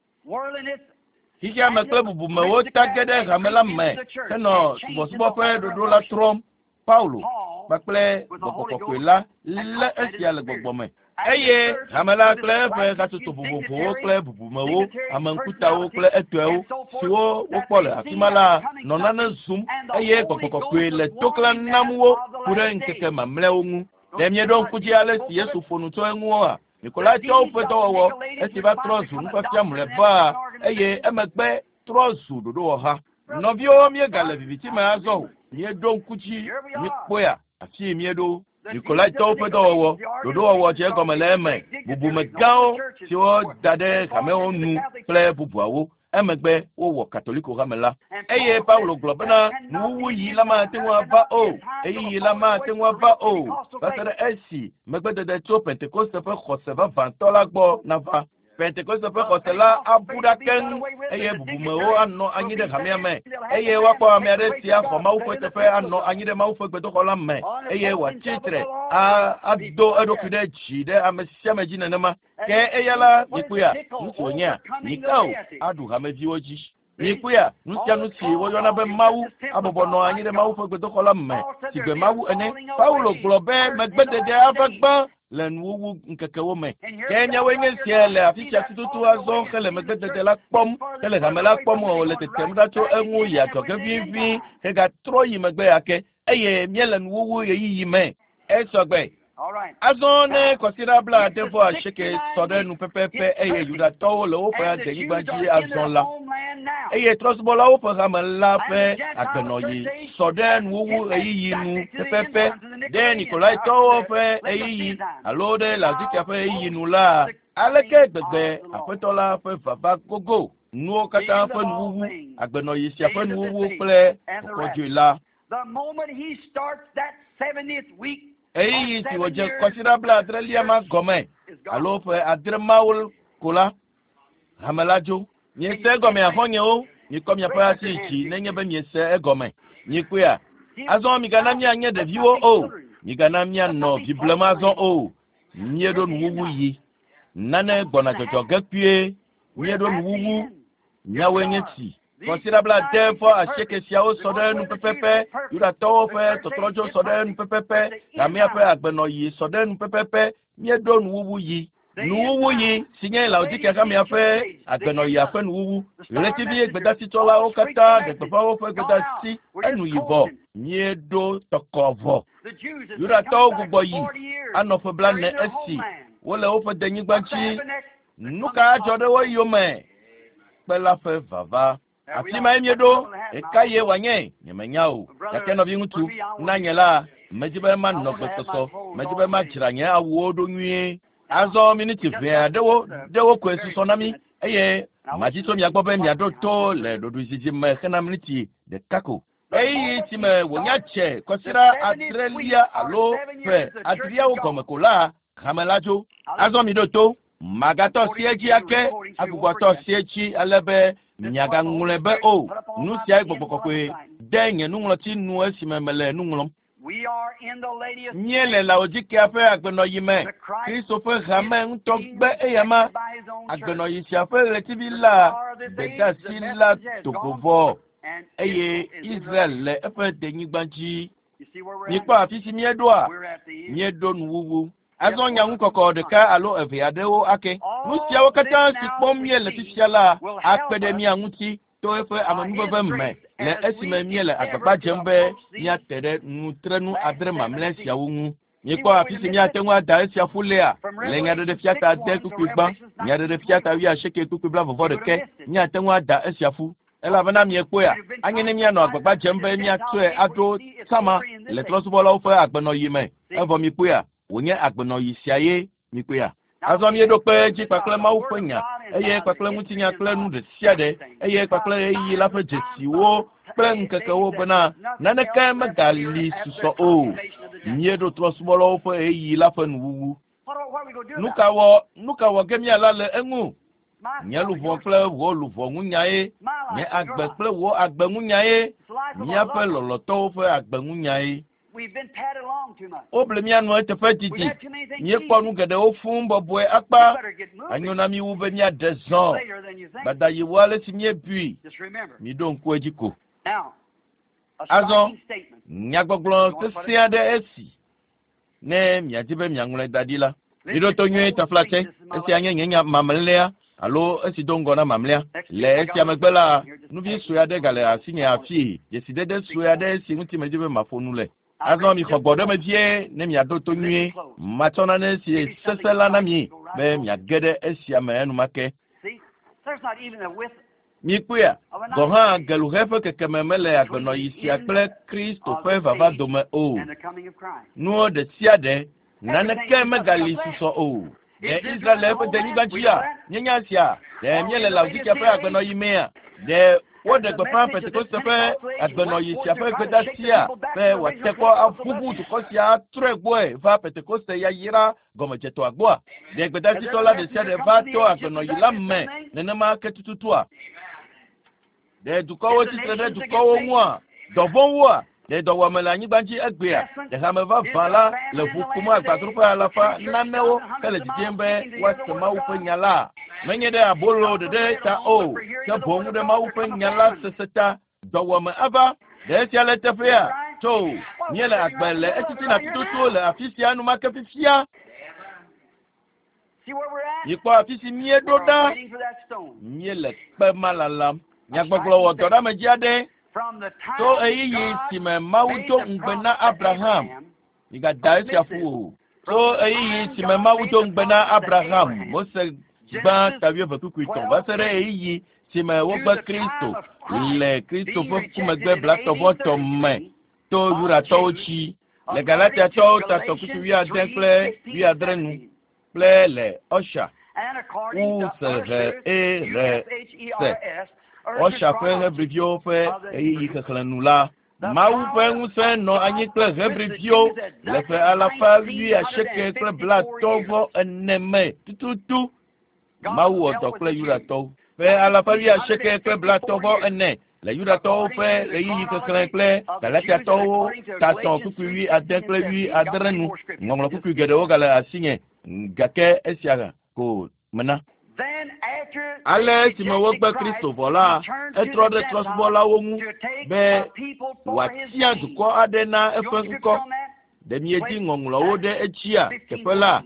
Xexea me kple bubumewo ta ge ɖe hame la me henɔ subɔsubɔ ƒe ɖoɖo la trɔm. Paulo kpakple gbɔgbɔ kɔkɔe la lé esia le gbɔgbɔ me. Eye hame la kple eƒe hatsotso vovovowo kple bubumewo, ame ŋkutawo kple etɔewo siwo wokpɔ le afi ma la nɔ nane zum eye gbɔgbɔ kɔkɔe le toklã nam wo ku ɖe ŋkeke mamlɛawo ŋu. Ɖe mieɖo ŋku dzi ale si Yesu ƒo nu tso eŋua? Nikolaitɔwo ƒe dɔwɔwɔ esi va trɔ zu nufiafia mlɔeba eye emegbe trɔ zu ɖoɖowɔha. Nɔviwo, míegale viviti me azɔ o. Míeɖo ŋku dzi, míekpɔea afi míeɖo. Nikolaitɔwo ƒe dɔwɔwɔ, ɖoɖowɔwɔ dze egɔme le eme, bubumegãwo siwo da ɖe hamewo nu kple bubuawo. Emegbe wowɔ Katoliko hame la. Eye Paulo gblɔ bena nuwuwuɣi la mate ŋu ava o, ɣeyiɣi la mate ŋu ava o, va se ɖe esi megbedede tso Pentekoste ƒe xɔse vavãtɔ la gbɔ nava. Pentekoste ƒe xɔse la abu ɖa keŋ eye bubumewo anɔ anyi ɖe hamea me eye woakpɔ ame aɖe si axɔ Mawu ƒe teƒe anɔ anyi ɖe Mawu ƒe gbedoxɔ la me eye wòatsi tre ado eɖokui ɖe dzi ɖe ame sia ame dzi nenema. Ke eya la, mikpɔea, nu si wònyea, nyika o, aɖu hameviwo dzi. Mikpɔea, nu sia nu si woyɔna be Mawu abɔbɔ nɔ anyi ɖe Mawu ƒe gbedoxɔ la me si gbe Mawu ene. Paulo gblɔ be megbedede ava gbã le nuwuwu ŋkekewo me. Ke míawoe nye sia le afi sia tututu azɔ hele megbedede la kpɔm, hele hame la kpɔm wòle tetem ɖa tso eŋu yi adzɔge vivi hegatrɔ yi megbe ake eye míele nuwuwu ɣeyiɣi me. Esɔgbe. Azɔ ne kɔsiɖa 89 sɔ ɖe nu pɛpɛpɛ eye Yudatɔwo le woƒe denyigba dzi azɔ la, eye trɔ̃subɔlawo ƒe hame la ƒe agbenɔɣi sɔ ɖe nuwuwu ɣeyiɣi nu pɛpɛpɛ ɖe Nikolaitɔwo ƒe ɣeyiɣi alo ɖe Laodikea ƒe ɣeyiɣi nu la, aleke gbegbe Aƒetɔ la ƒe vava gogo nuwo katã ƒe nuwuwu, agbenɔɣi sia ƒe nuwuwu kple kɔkɔdzoe la. Ɣeyiɣi si wòdze kɔsiɖa 70 ma gɔme alo ƒe 7 mawo ko la, hame la dzo. Miese egɔme axɔnyewo, mikɔ miaƒe asi dzi nenye be miese egɔme. Mikpɔea? Azɔ migana míanye ɖeviwo o, migana míanɔ viblem azɔ o. Míeɖo nuwuwu yi. Nane gbɔna dzɔdzɔ ge kpuie. Míeɖo nuwuwu. Míawoe nye si. Kɔsiɖa 88 siawo sɔ ɖe nu pɛpɛpɛ, Yudatɔwo ƒe tɔtrɔdzo sɔ ɖe nu pɛpɛpɛ, hamea ƒe agbenɔɣi sɔ ɖe nu pɛpɛpɛ. Míeɖo nuwuwu yi. Nuwuwu yi si nye Laodikea hamea ƒe agbenɔɣia ƒe nuwuwu. Ɣletivi gbedasitsɔlawo katã ɖe gbeƒã woƒe gbedasi enu yi vɔ. Míeɖo tɔkɔ vɔ. Yudatɔwo gbugbɔ yi anɔ ƒe 40 esi wole woƒe denyigba dzi. Nu ka adzɔ ɖe wo yome? Kpe la ƒe vava. Afi mae míeɖo. Ɣeka ye wòanye? Nyemenya o. Gake nɔviŋutsu, na nye la, medzi be manɔ gbesɔsɔ. Medzi be madzra nye awuwo ɖo nyuie. Azɔ miniti ʋɛ aɖewo ɖewo koe susɔ na mí eye madzi tso mia gbɔ be miaɖo to le ɖoɖoezizi me hena miniti ɖeka ko. Ɣeyiɣi si me wònya dze kɔsiɖa 7 alo ƒe 7 gɔme ko la, hame la dzo. Azɔ miɖo to. Magatɔ si edzi ake, agbugbɔtɔ si edzi ale be miagaŋlɔe be o. Nu siae Gbɔgbɔ Kɔkɔe de nye nuŋlɔti nu esime mele nu ŋlɔm. Míele Laodikea ƒe agbenɔɣi me. Kristo ƒe hame ŋutɔ gbe eyama. Agbenɔɣi sia ƒe ɣletivi la gbedeasi la do go vɔ eye Israel le eƒe denyigba dzi. Mikpɔ afi si míeɖoa? Míeɖo nuwuwu. Azɔ nyaŋukɔkɔ ɖeka alo eve aɖewo ake. Nu siawo katã si kpɔm míele fifia la akpe ɖe mía ŋuti to eƒe amenuveve me le esime míele agbagba dzem be míate ɖe nutrenu 7 mamlɛ siawo ŋu. Mikpɔ afi si míate ŋu ada esia ƒu lea le Nyaɖeɖefia ta 8 kpukpui gbã, Nyaɖeɖefia ta 81 kpukpui 40 míate ŋu ada esia ƒu. Elabena miekpɔea, anye ne míanɔ agbagba dzem be míatsɔe aɖo sama le trɔ̃subɔlawo ƒe agbenɔɣi me. Evɔ mikpɔea, wònye agbenɔɣi sia ye mikpɔea. Azɔ míeɖo kpe edzi kpakple Mawu ƒe nya, eye kpakple ŋutinya kple nu ɖe sia ɖe, eye kpakple ɣeyiɣi la ƒe dzesiwo kple ŋkekewo bena naneke megali susɔ o. Míeɖo trɔ̃subɔlawo ƒe ɣeyiɣi la ƒe nuwuwu. Nu ka wɔ ge míala le eŋu? Nye luʋɔ kple wò luʋɔ ŋunyae, nye agbe kple wò agbe ŋunyae, míaƒe lɔlɔ̃tɔwo ƒe agbe ŋunyae. Woble mía nu eteƒe didi. Míekpɔ nu geɖewo fũu bɔbɔe akpa. Anyo na mí wu be míaɖe zɔ. Gbadayi wu ale si míebui. Miɖo ŋku edzi ko. Azɔ, nyagbɔgblɔ sesẽ aɖe esi ne miadi be miaŋlɔe da ɖi la. Miɖo to nyuie taflatse. Esia nye nye nya mamlɛa alo esi do ŋgɔ na mamlɛa. Le esia megbe la, nuvi sue aɖe gale asinye afii, dzesidede sue aɖe si ŋuti medzi be maƒo nu le. Azɔ mixɔ gbɔ ɖe me vie ne miaɖo to nyuie. Matsɔ nane si sesẽ la na mi be miage ɖe esia me enumake. Mikpɔea, gɔ̃ hã geluhe ƒe kekeme mele agbenɔɣi sia kple Kristo ƒe vava dome o. Nuwo ɖe sia ɖe, naneke megali susɔ o. Ɖe Israel le eƒe denyigba dzia? Míenya esia. Ɖe míele Laodikea ƒe agbenɔɣi mea? Ɖe Woɖe gbeƒã Pentekoste ƒe agbenɔɣi sia ƒe gbedeasia be wòate kpɔ aʋuʋu dukɔ sia atrɔe gbɔe va Pentekoste yayra gɔmedzetɔa gbɔa. Ɖe gbedasitɔ la ɖe sia ɖe va to agbenɔɣi la me nenema ke tututua? Ɖe dukɔwo tsitre ɖe dukɔwo ŋua? Dɔvɔ̃woa? Ɖe dɔwɔame le anyigba dzi egbea? Ɖe hame vavã la le ʋu kum agbadroƒe alafa nanewo hele didim be woase Mawu ƒe nya la? Menye ɖe abolo ɖeɖe ta o, ke boŋ ɖe Mawu ƒe nya la sese ta. Dɔwɔame ava. Ɖe esia le teƒea? Tso, míele agbe le etitina tututu le afi sia enumake fifia. Mikpɔ afi si míeɖo ɖa. Míele kpe ma lalam. Nyagbɔgblɔ wɔ dɔ ɖe ame dzi aɖe tso ɣeyiɣi si me Mawu do ŋugbe na Abraham. Migada esia ƒu o. Tso ɣeyiɣi si me Mawu do ŋugbe na Abraham, Mose gbã ta wuieve kpukpui etɔ̃ va se ɖe ɣeyiɣi si me wogbe Kristo le Kristo ƒe ku megbe blatɔ̃-vɔ-etɔ̃ me to Yudatɔwo dzi le Galatiatɔwo ta tɔ̃ kpukpui wuiade kple wuiadre nu kple le Usher U S H E R S Usher ƒe Hebriviwo ƒe ɣeyiɣi xexlẽ nu la, Mawu ƒe ŋusẽ nɔ anyi kple Hebriviwo le ƒe alafa wuiasieke kple blatɔ̃ vɔ ene me tututu. Mawu wɔ dɔ kple Yudatɔwo. Ƒe alafa wuiasieke kple blatɔ̃ vɔ ene le Yudatɔwo ƒe ɣeyiɣi xexlẽ kple Galatiatɔwo ta tɔ̃ kpukpui wuiade kple wuiadre nu. Ŋɔŋlɔ kpukpui geɖewo gale asinye gake esia ko mena. Ale esime wogbe Kristo vɔ la, etrɔ ɖe trɔ̃subɔlawo ŋu be wòatia dukɔ aɖe na eƒe ŋkɔ. Ɖe miedi ŋɔŋlɔwo ɖe edzia teƒe la,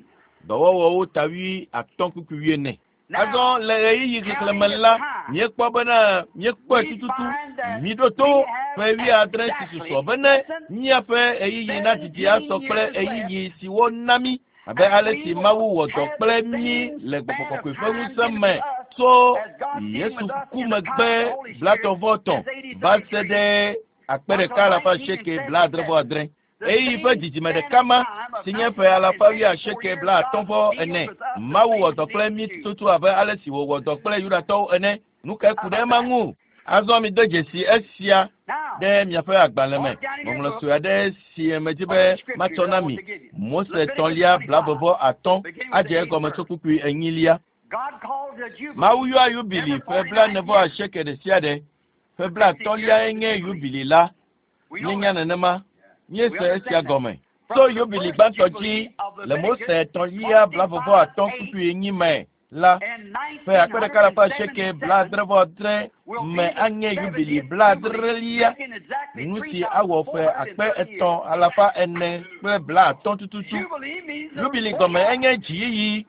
dɔwɔwɔwo ta wuiatɔ̃ kpukpui wuiene. Azɔ le ɣeyiɣi xexlẽme la, míekpɔ bena míekpɔe tututu. Miɖo to ƒe wuiadre si susɔ bene míaƒe ɣeyiɣi nadidi asɔ kple ɣeyiɣi si wona mí abe ale si Mawu wɔ dɔ kple mí le Gbɔgbɔ Kɔkɔe ƒe ŋusẽ me tso Yesu ku megbe blatɔ̃-vɔ-etɔ̃ va se ɖe akpe ɖeka alafa asieke blaadre vɔ adre. Ɣeyiɣi ƒe dzidzime ɖeka ma si nye ƒe alafa wuiasieke blaatɔ̃ vɔ ene. Mawu wɔ dɔ kple mí tututu abe ale si wòwɔ dɔ kple Yudatɔwo ene. Nu kae ku ɖe ema ŋu? Azɔ mide dzesi esia ɖe miaƒe agbalẽ me. Ŋɔŋlɔ sue aɖe si medi be matsɔ na mi. Mose tɔ̃lia blaeve vɔ atɔ̃ adze egɔme tso kpukpui enyilia. Mawu yɔa yubili ƒe blaene vɔ asieke ɖe sia ɖe. Ƒe blaatɔ̃liae nye yubili la. Míenya nenema. Míese esia gɔme. Tso yubili gbãtɔ dzi le Mose tɔ̃lia blaeve vɔ atɔ̃ kpukpui enyi me la, ƒe akpe ɖeka alafa asieke blaadre vɔ adre me anye yubili blaadrelia, nu si awɔ ƒe akpe etɔ̃ alafa ene kple blaatɔ̃ tututu. Yubili gɔme enye dziyiyi,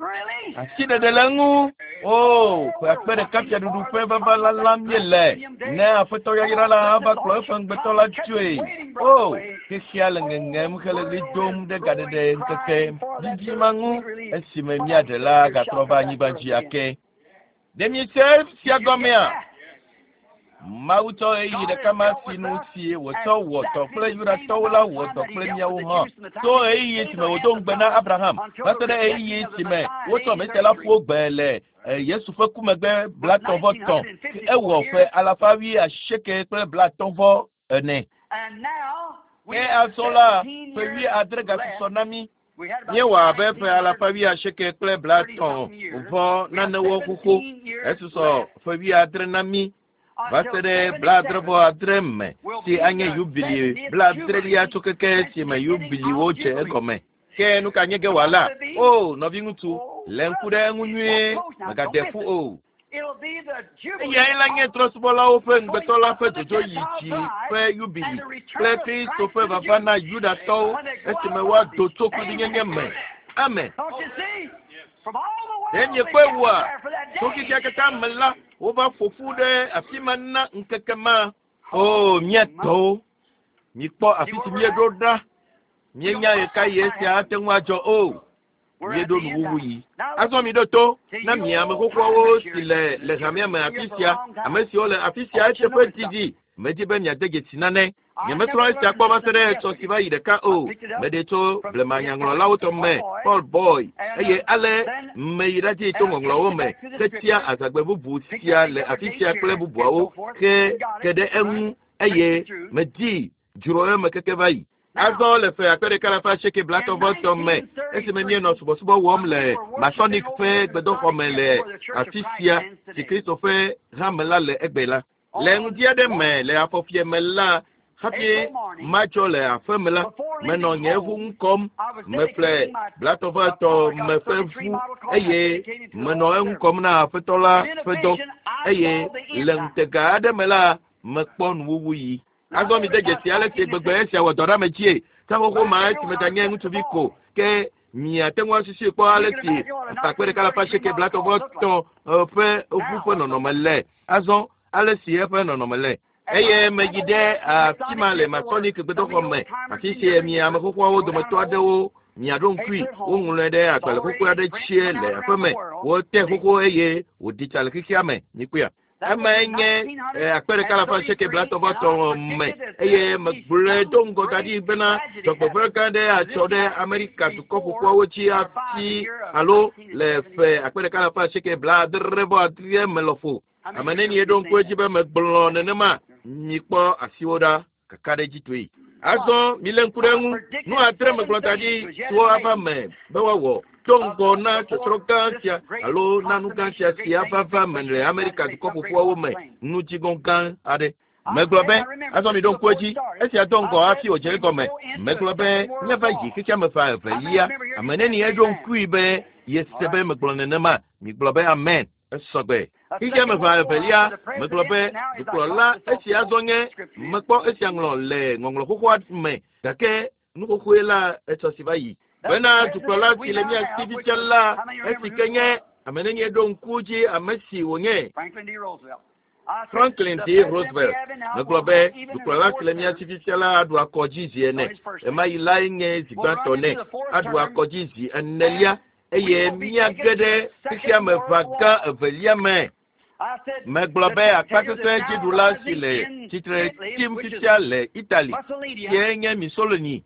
asiɖeɖe le eŋu. O, ƒe akpe ɖeka fiaɖuɖu ƒe vava lalam míele ne Aƒetɔ yayra la ava kplɔ eƒe ŋugbetɔ la tsoe. O, xexea le ŋeŋem hele ɣli dom ɖe gaɖeɖe ŋkeke didi ma ŋu esime míaɖe la gatrɔ va anyigba dzi ake. Ɖe miese esia gɔmea? Mawu tsɔ ɣeyiɣi ɖeka ma si nu si wòtsɔ wɔ dɔ kple Yudatɔwo la wɔ dɔ kple míawo hã. Tso ɣeyiɣi si me wòdo ŋugbe na Abraham va se ɖe ɣeyiɣi si me wotsɔ Mesia la ƒu gbe le Yesu ƒe ku megbe blatɔ̃ vɔ tɔ̃, ewɔ ƒe alafa wuiasieke kple blatɔ̃ vɔ ene. Ke azɔ la, ƒe wuiadre gasusɔ na mí. Míewɔ abe ƒe alafa wuiasieke kple blatɔ̃ vɔ nanewo xoxo. Esusɔ ƒe wuiadre na mí va se ɖe blaadre vɔ adre me si anye yubili blaadrelia tso keke si me yubiliwo dze egɔme. Ke nu ka nye ge wòala? O, nɔviŋutsu, lé ŋku ɖe eŋu nyuie, mègade ƒu o. Eyae la nye trɔ̃subɔlawo ƒe ŋugbetɔ la ƒe dzodzo yi dzi ƒe yubili kple Kristo ƒe vava na Yudatɔwo esime woado tso kluvinyenye me. Amen. Ɖe miekpɔe wua? Tso xexea katã me la, wova ƒo ƒu ɖe afi ma na ŋkeke ma. O, mía tɔwo, mikpɔ afi si míeɖo ɖa. Míenya ɣekaɣi esia ate ŋu adzɔ o. Míeɖo nuwuwu yi. Azɔ miɖo to na mi ame xoxoawo si le le hamea me afi sia, ame siwo le afi sia eteƒe didi. Medi be miade dzesi nane. Nyemesrɔ̃ esia kpɔ va se ɖe etsɔ si va yi ɖeka o. Meɖe tso blemanyaŋlɔlawo tɔ me, Paul Boy, eye ale meyi ɖadzi to ŋɔŋlɔwo me hetia azãgbe bubu sia le afi sia kple bubuawo ke ke ɖe eŋu eye medi dzro eme keke va yi. Azɔ le ƒe 1833 me, esime míenɔ subɔsubɔ wɔm le Masonic ƒe gbedoxɔ me le afi sia si Kristo ƒe hame la le egbe la. Le ŋdi aɖe me le afɔfie me la, hafi matsɔ le aƒe me la, menɔ nye ʋu ŋu kɔm, meƒle 33 me ƒe ʋu eye menɔ eŋu kɔm na aƒetɔ la ƒe dɔ eye le ŋutega aɖe me la, mekpɔ nuwuwu yi. Azɔ mi de dzesi ale si gbegbe esia wɔ dɔ ɖe ame dzie. Seƒoƒo ma esime ganye ŋutsuvi ko ke miate ŋu asusui kpɔ ale si 1833 ƒe ʋu ƒe nɔnɔme le. Azɔ ale si eƒe nɔnɔme le. Eye meyi ɖe afi ma le Masonic gbedoxɔ me, afi si mi ame xoxoawo dometɔ aɖewo miaɖo ŋkui, woŋlɔe ɖe agbalẽ xoxo aɖe tsie le aƒe me, wote xoxo eye wòɖi tsa le xexea me. Mikpɔea? Emae nye 1833 me eye megblɔe do ŋgɔ da ɖi bena dzɔgbevɔ̃e gã aɖe atsɔ ɖe Amerika dukɔ ƒoƒuawo dzi hafi alo le ƒe 1878 me lɔƒo. Ame nenie ɖo ŋku edzi be megblɔ nenema? Mikpɔ asiwo ɖa kakaɖedzitɔe. Azɔ milé ŋku ɖe eŋu. Nu adre megblɔ da ɖi siwo ava me be woawɔ do ŋgɔ na tsɔtsrɔ̃ gã sia alo na nu gã sia si ava va me le Amerika dukɔ ƒoƒuawo me nudziŋɔ gã aɖe. Megblɔ be, azɔ miɖo ŋku edzi, esia do ŋgɔ hafi wòdze egɔme. Megblɔ be míava yi xexeame ƒe evelia. Ame nenie ɖo ŋkui be yese be megblɔ nenema? Migblɔ be amen. Esɔgbe. Xexeame ƒe evelia, megblɔ be dukplɔla esia azɔ nye mekpɔ esia ŋlɔ le ŋɔŋlɔ xoxoa me gake nu xoxoe la etsɔ si va yi. Bena dukplɔla si le mía si fifia la, esi ke nye ame nenie ɖo ŋku dzi ame si wònye. Franklin D. Roosevelt. Megblɔ be dukplɔla si le mía si fifia la aɖu akɔ dzi zi ene. Ɣemaɣi lae nye zi gbãtɔ nɛ. Aɖu akɔ dzi zi enelia eye míage ɖe xexeame ʋa gã evelia me. Megblɔ be akpasesẽ dziɖula si le tsitre tsim fifia le Italy, sie nye Mussolini,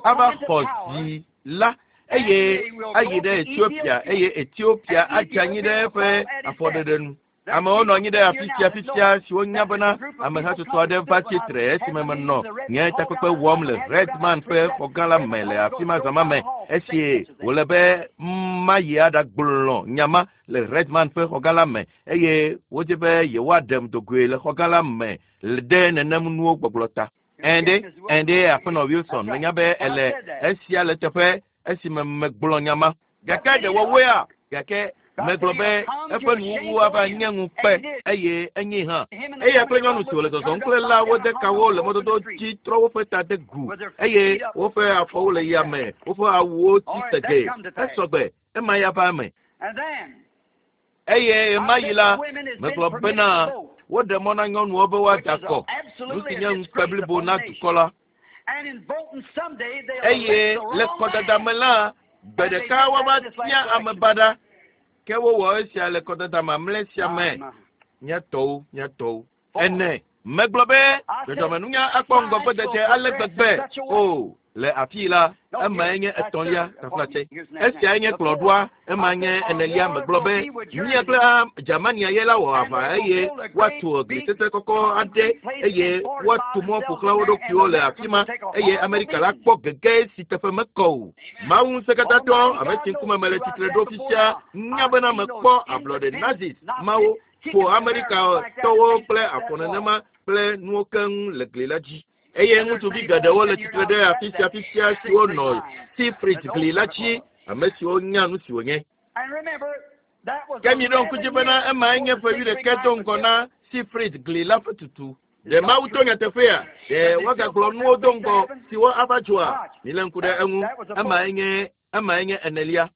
ava xɔ zi la eye ayi ɖe Ethiopia eye Ethiopia adze anyi ɖe eƒe afɔɖeɖe nu. Amewo nɔ anyi ɖe afi sia fifia siwo nya bena amehatsotso aɖe va tsitre esime menɔ nye takpekpe wɔm le Redman ƒe xɔgã la me le afi ma zã ma me esi wòle be mayi aɖagblɔ nya ma le Redman ƒe xɔgã la me eye wodzi be yewoaɖem dogoe le xɔgã la me ɖe nenem nuwo gbɔgblɔ ta. Ɛnde, ɛnde aƒenɔ Wilson, menya be ele esia le teƒe esime megblɔ nya ma. Gake ɖe wɔwɔea? Gake megblɔ be eƒe nuwuwu ava nye ŋukpe eye enye hã. Eya kple nyɔnu si wòle zɔzɔm kple la wode kawo le mɔdodo dzi trɔ woƒe ta de gu eye woƒe afɔwo le yame, woƒe awuwo tsi segee. Esɔgbe, ema ya va eme. Eye ɣemaɣi la, megblɔ bena woɖe mɔ na nyɔnuwo be woada akɔ, nu si nye ŋukpe blibo na dukɔ la. Eye le kɔdada me la, gbe ɖeka woava tia ame baɖa. Ke wowɔ esia le kɔdada mamlɛ sia me. Mía tɔwo, mía tɔwo. Ene, megblɔ be dzɔdzɔmenunya akpɔ ŋgɔgbedede ale gbegbe o. Le afii la, emae nye etɔ̃lia taflatse. Esiae nye kplɔ̃ɖoa, ema nye enelia. Megblɔ be mía kple Germania ye la wɔ aʋa eye woatu gli sesẽ kɔkɔ aɖe eye woatu mɔ ƒo xlã wo ɖokuiwo le afi ma eye Amerika la kpɔ gege si teƒe mekɔ o. Mawu ŋusẽkatãtɔ, ame si ŋkume mele tsitre ɖo fifia, nya bena mekpɔ ablɔɖe Nazis mawo ƒo Amerikatɔwo kple afɔ nenema kple nuwo keŋ le gli la dzi. Eye ŋutsuvi geɖewo le tsitre ɖe afi sia fifia siwo nɔ Siegfried gli la dzi, ame siwo nya nu si wònye. Ke miɖo ŋku dzi bena emae nye ƒe wuiɖekɛ do ŋgɔ na Siegfried gli la ƒe tutu. Ɖe Mawu to nyateƒea? Ɖe woagagblɔ nuwo do ŋgɔ siwo ava dzɔa? Milé ŋku ɖe eŋu. Emae nye emae nye enelia.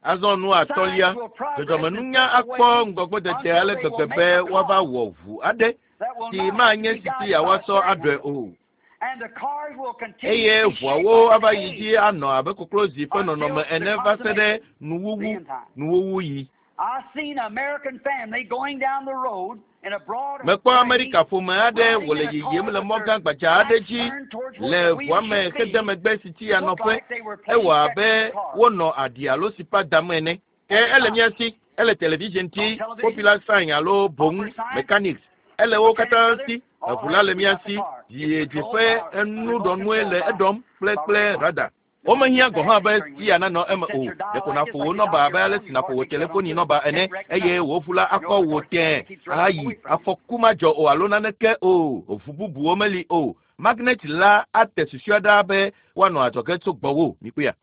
Azɔ nu atɔ̃lia, dzɔdzɔmenunya akpɔ ŋgɔgbedede ale gbegbe be woava wɔ ʋu aɖe si manye sisi yeawoasɔ aɖɔe o. Eye ʋuawo ava yi dzi anɔ abe koklozi ƒe nɔnɔme ene va se ɖe nuwuwu nuwuwu yi. Mekpɔ Amerika ƒome aɖe wòle yiyim le mɔ gã gbadza aɖe dzi le ʋua me hede megbe si tsi yanɔƒe. Ewɔ abe wonɔ aɖi alo sipa dam ene. Ke ele mía si, ele television dzi, popular sign alo boŋ mechanics. Ele wo katã si, eʋu la le mía si, dziedzi ƒe enuɖɔnue le eɖɔm kple kple radar. Womehiã gɔ̃ hã be sia nanɔ eme o. Ɖeko nàƒo wò nɔba abe ale si nàƒo wò telefoni nɔba ene eye wò ʋu la akɔ wò tẽe ahayi. Afɔku madzɔ o alo naneke o. Ʋu bubuwo meli o. Magnet la ate susua ɖa be woanɔ adzɔge tso gbɔwò. Mikpɔea?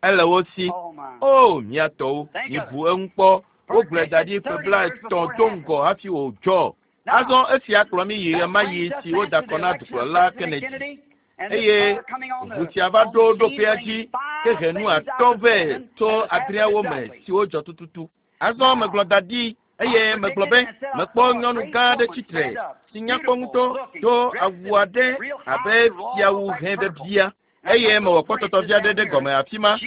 Ele wo si. O, mía tɔwo, mibu eŋu kpɔ. Wogblɔe da ɖi ƒe 30 do ŋgɔ hafi wòdzɔ. Azɔ esia kplɔ mí yi ɣemaɣi si woda kɔ na dukplɔla Kennedy. Eye ʋu sia va ɖo ɖoƒea dzi ke he nu 5 vɛ tso 6 me siwo dzɔ tututu. Azɔ megblɔ da ɖi eye megblɔ be mekpɔ nyɔnu gã aɖe tsitre si nyakpɔ ŋutɔ do awu aɖe abe fiawu hẽ vevia eye mewɔ kpɔtɔtɔ vi aɖe ɖe gɔme afi ma.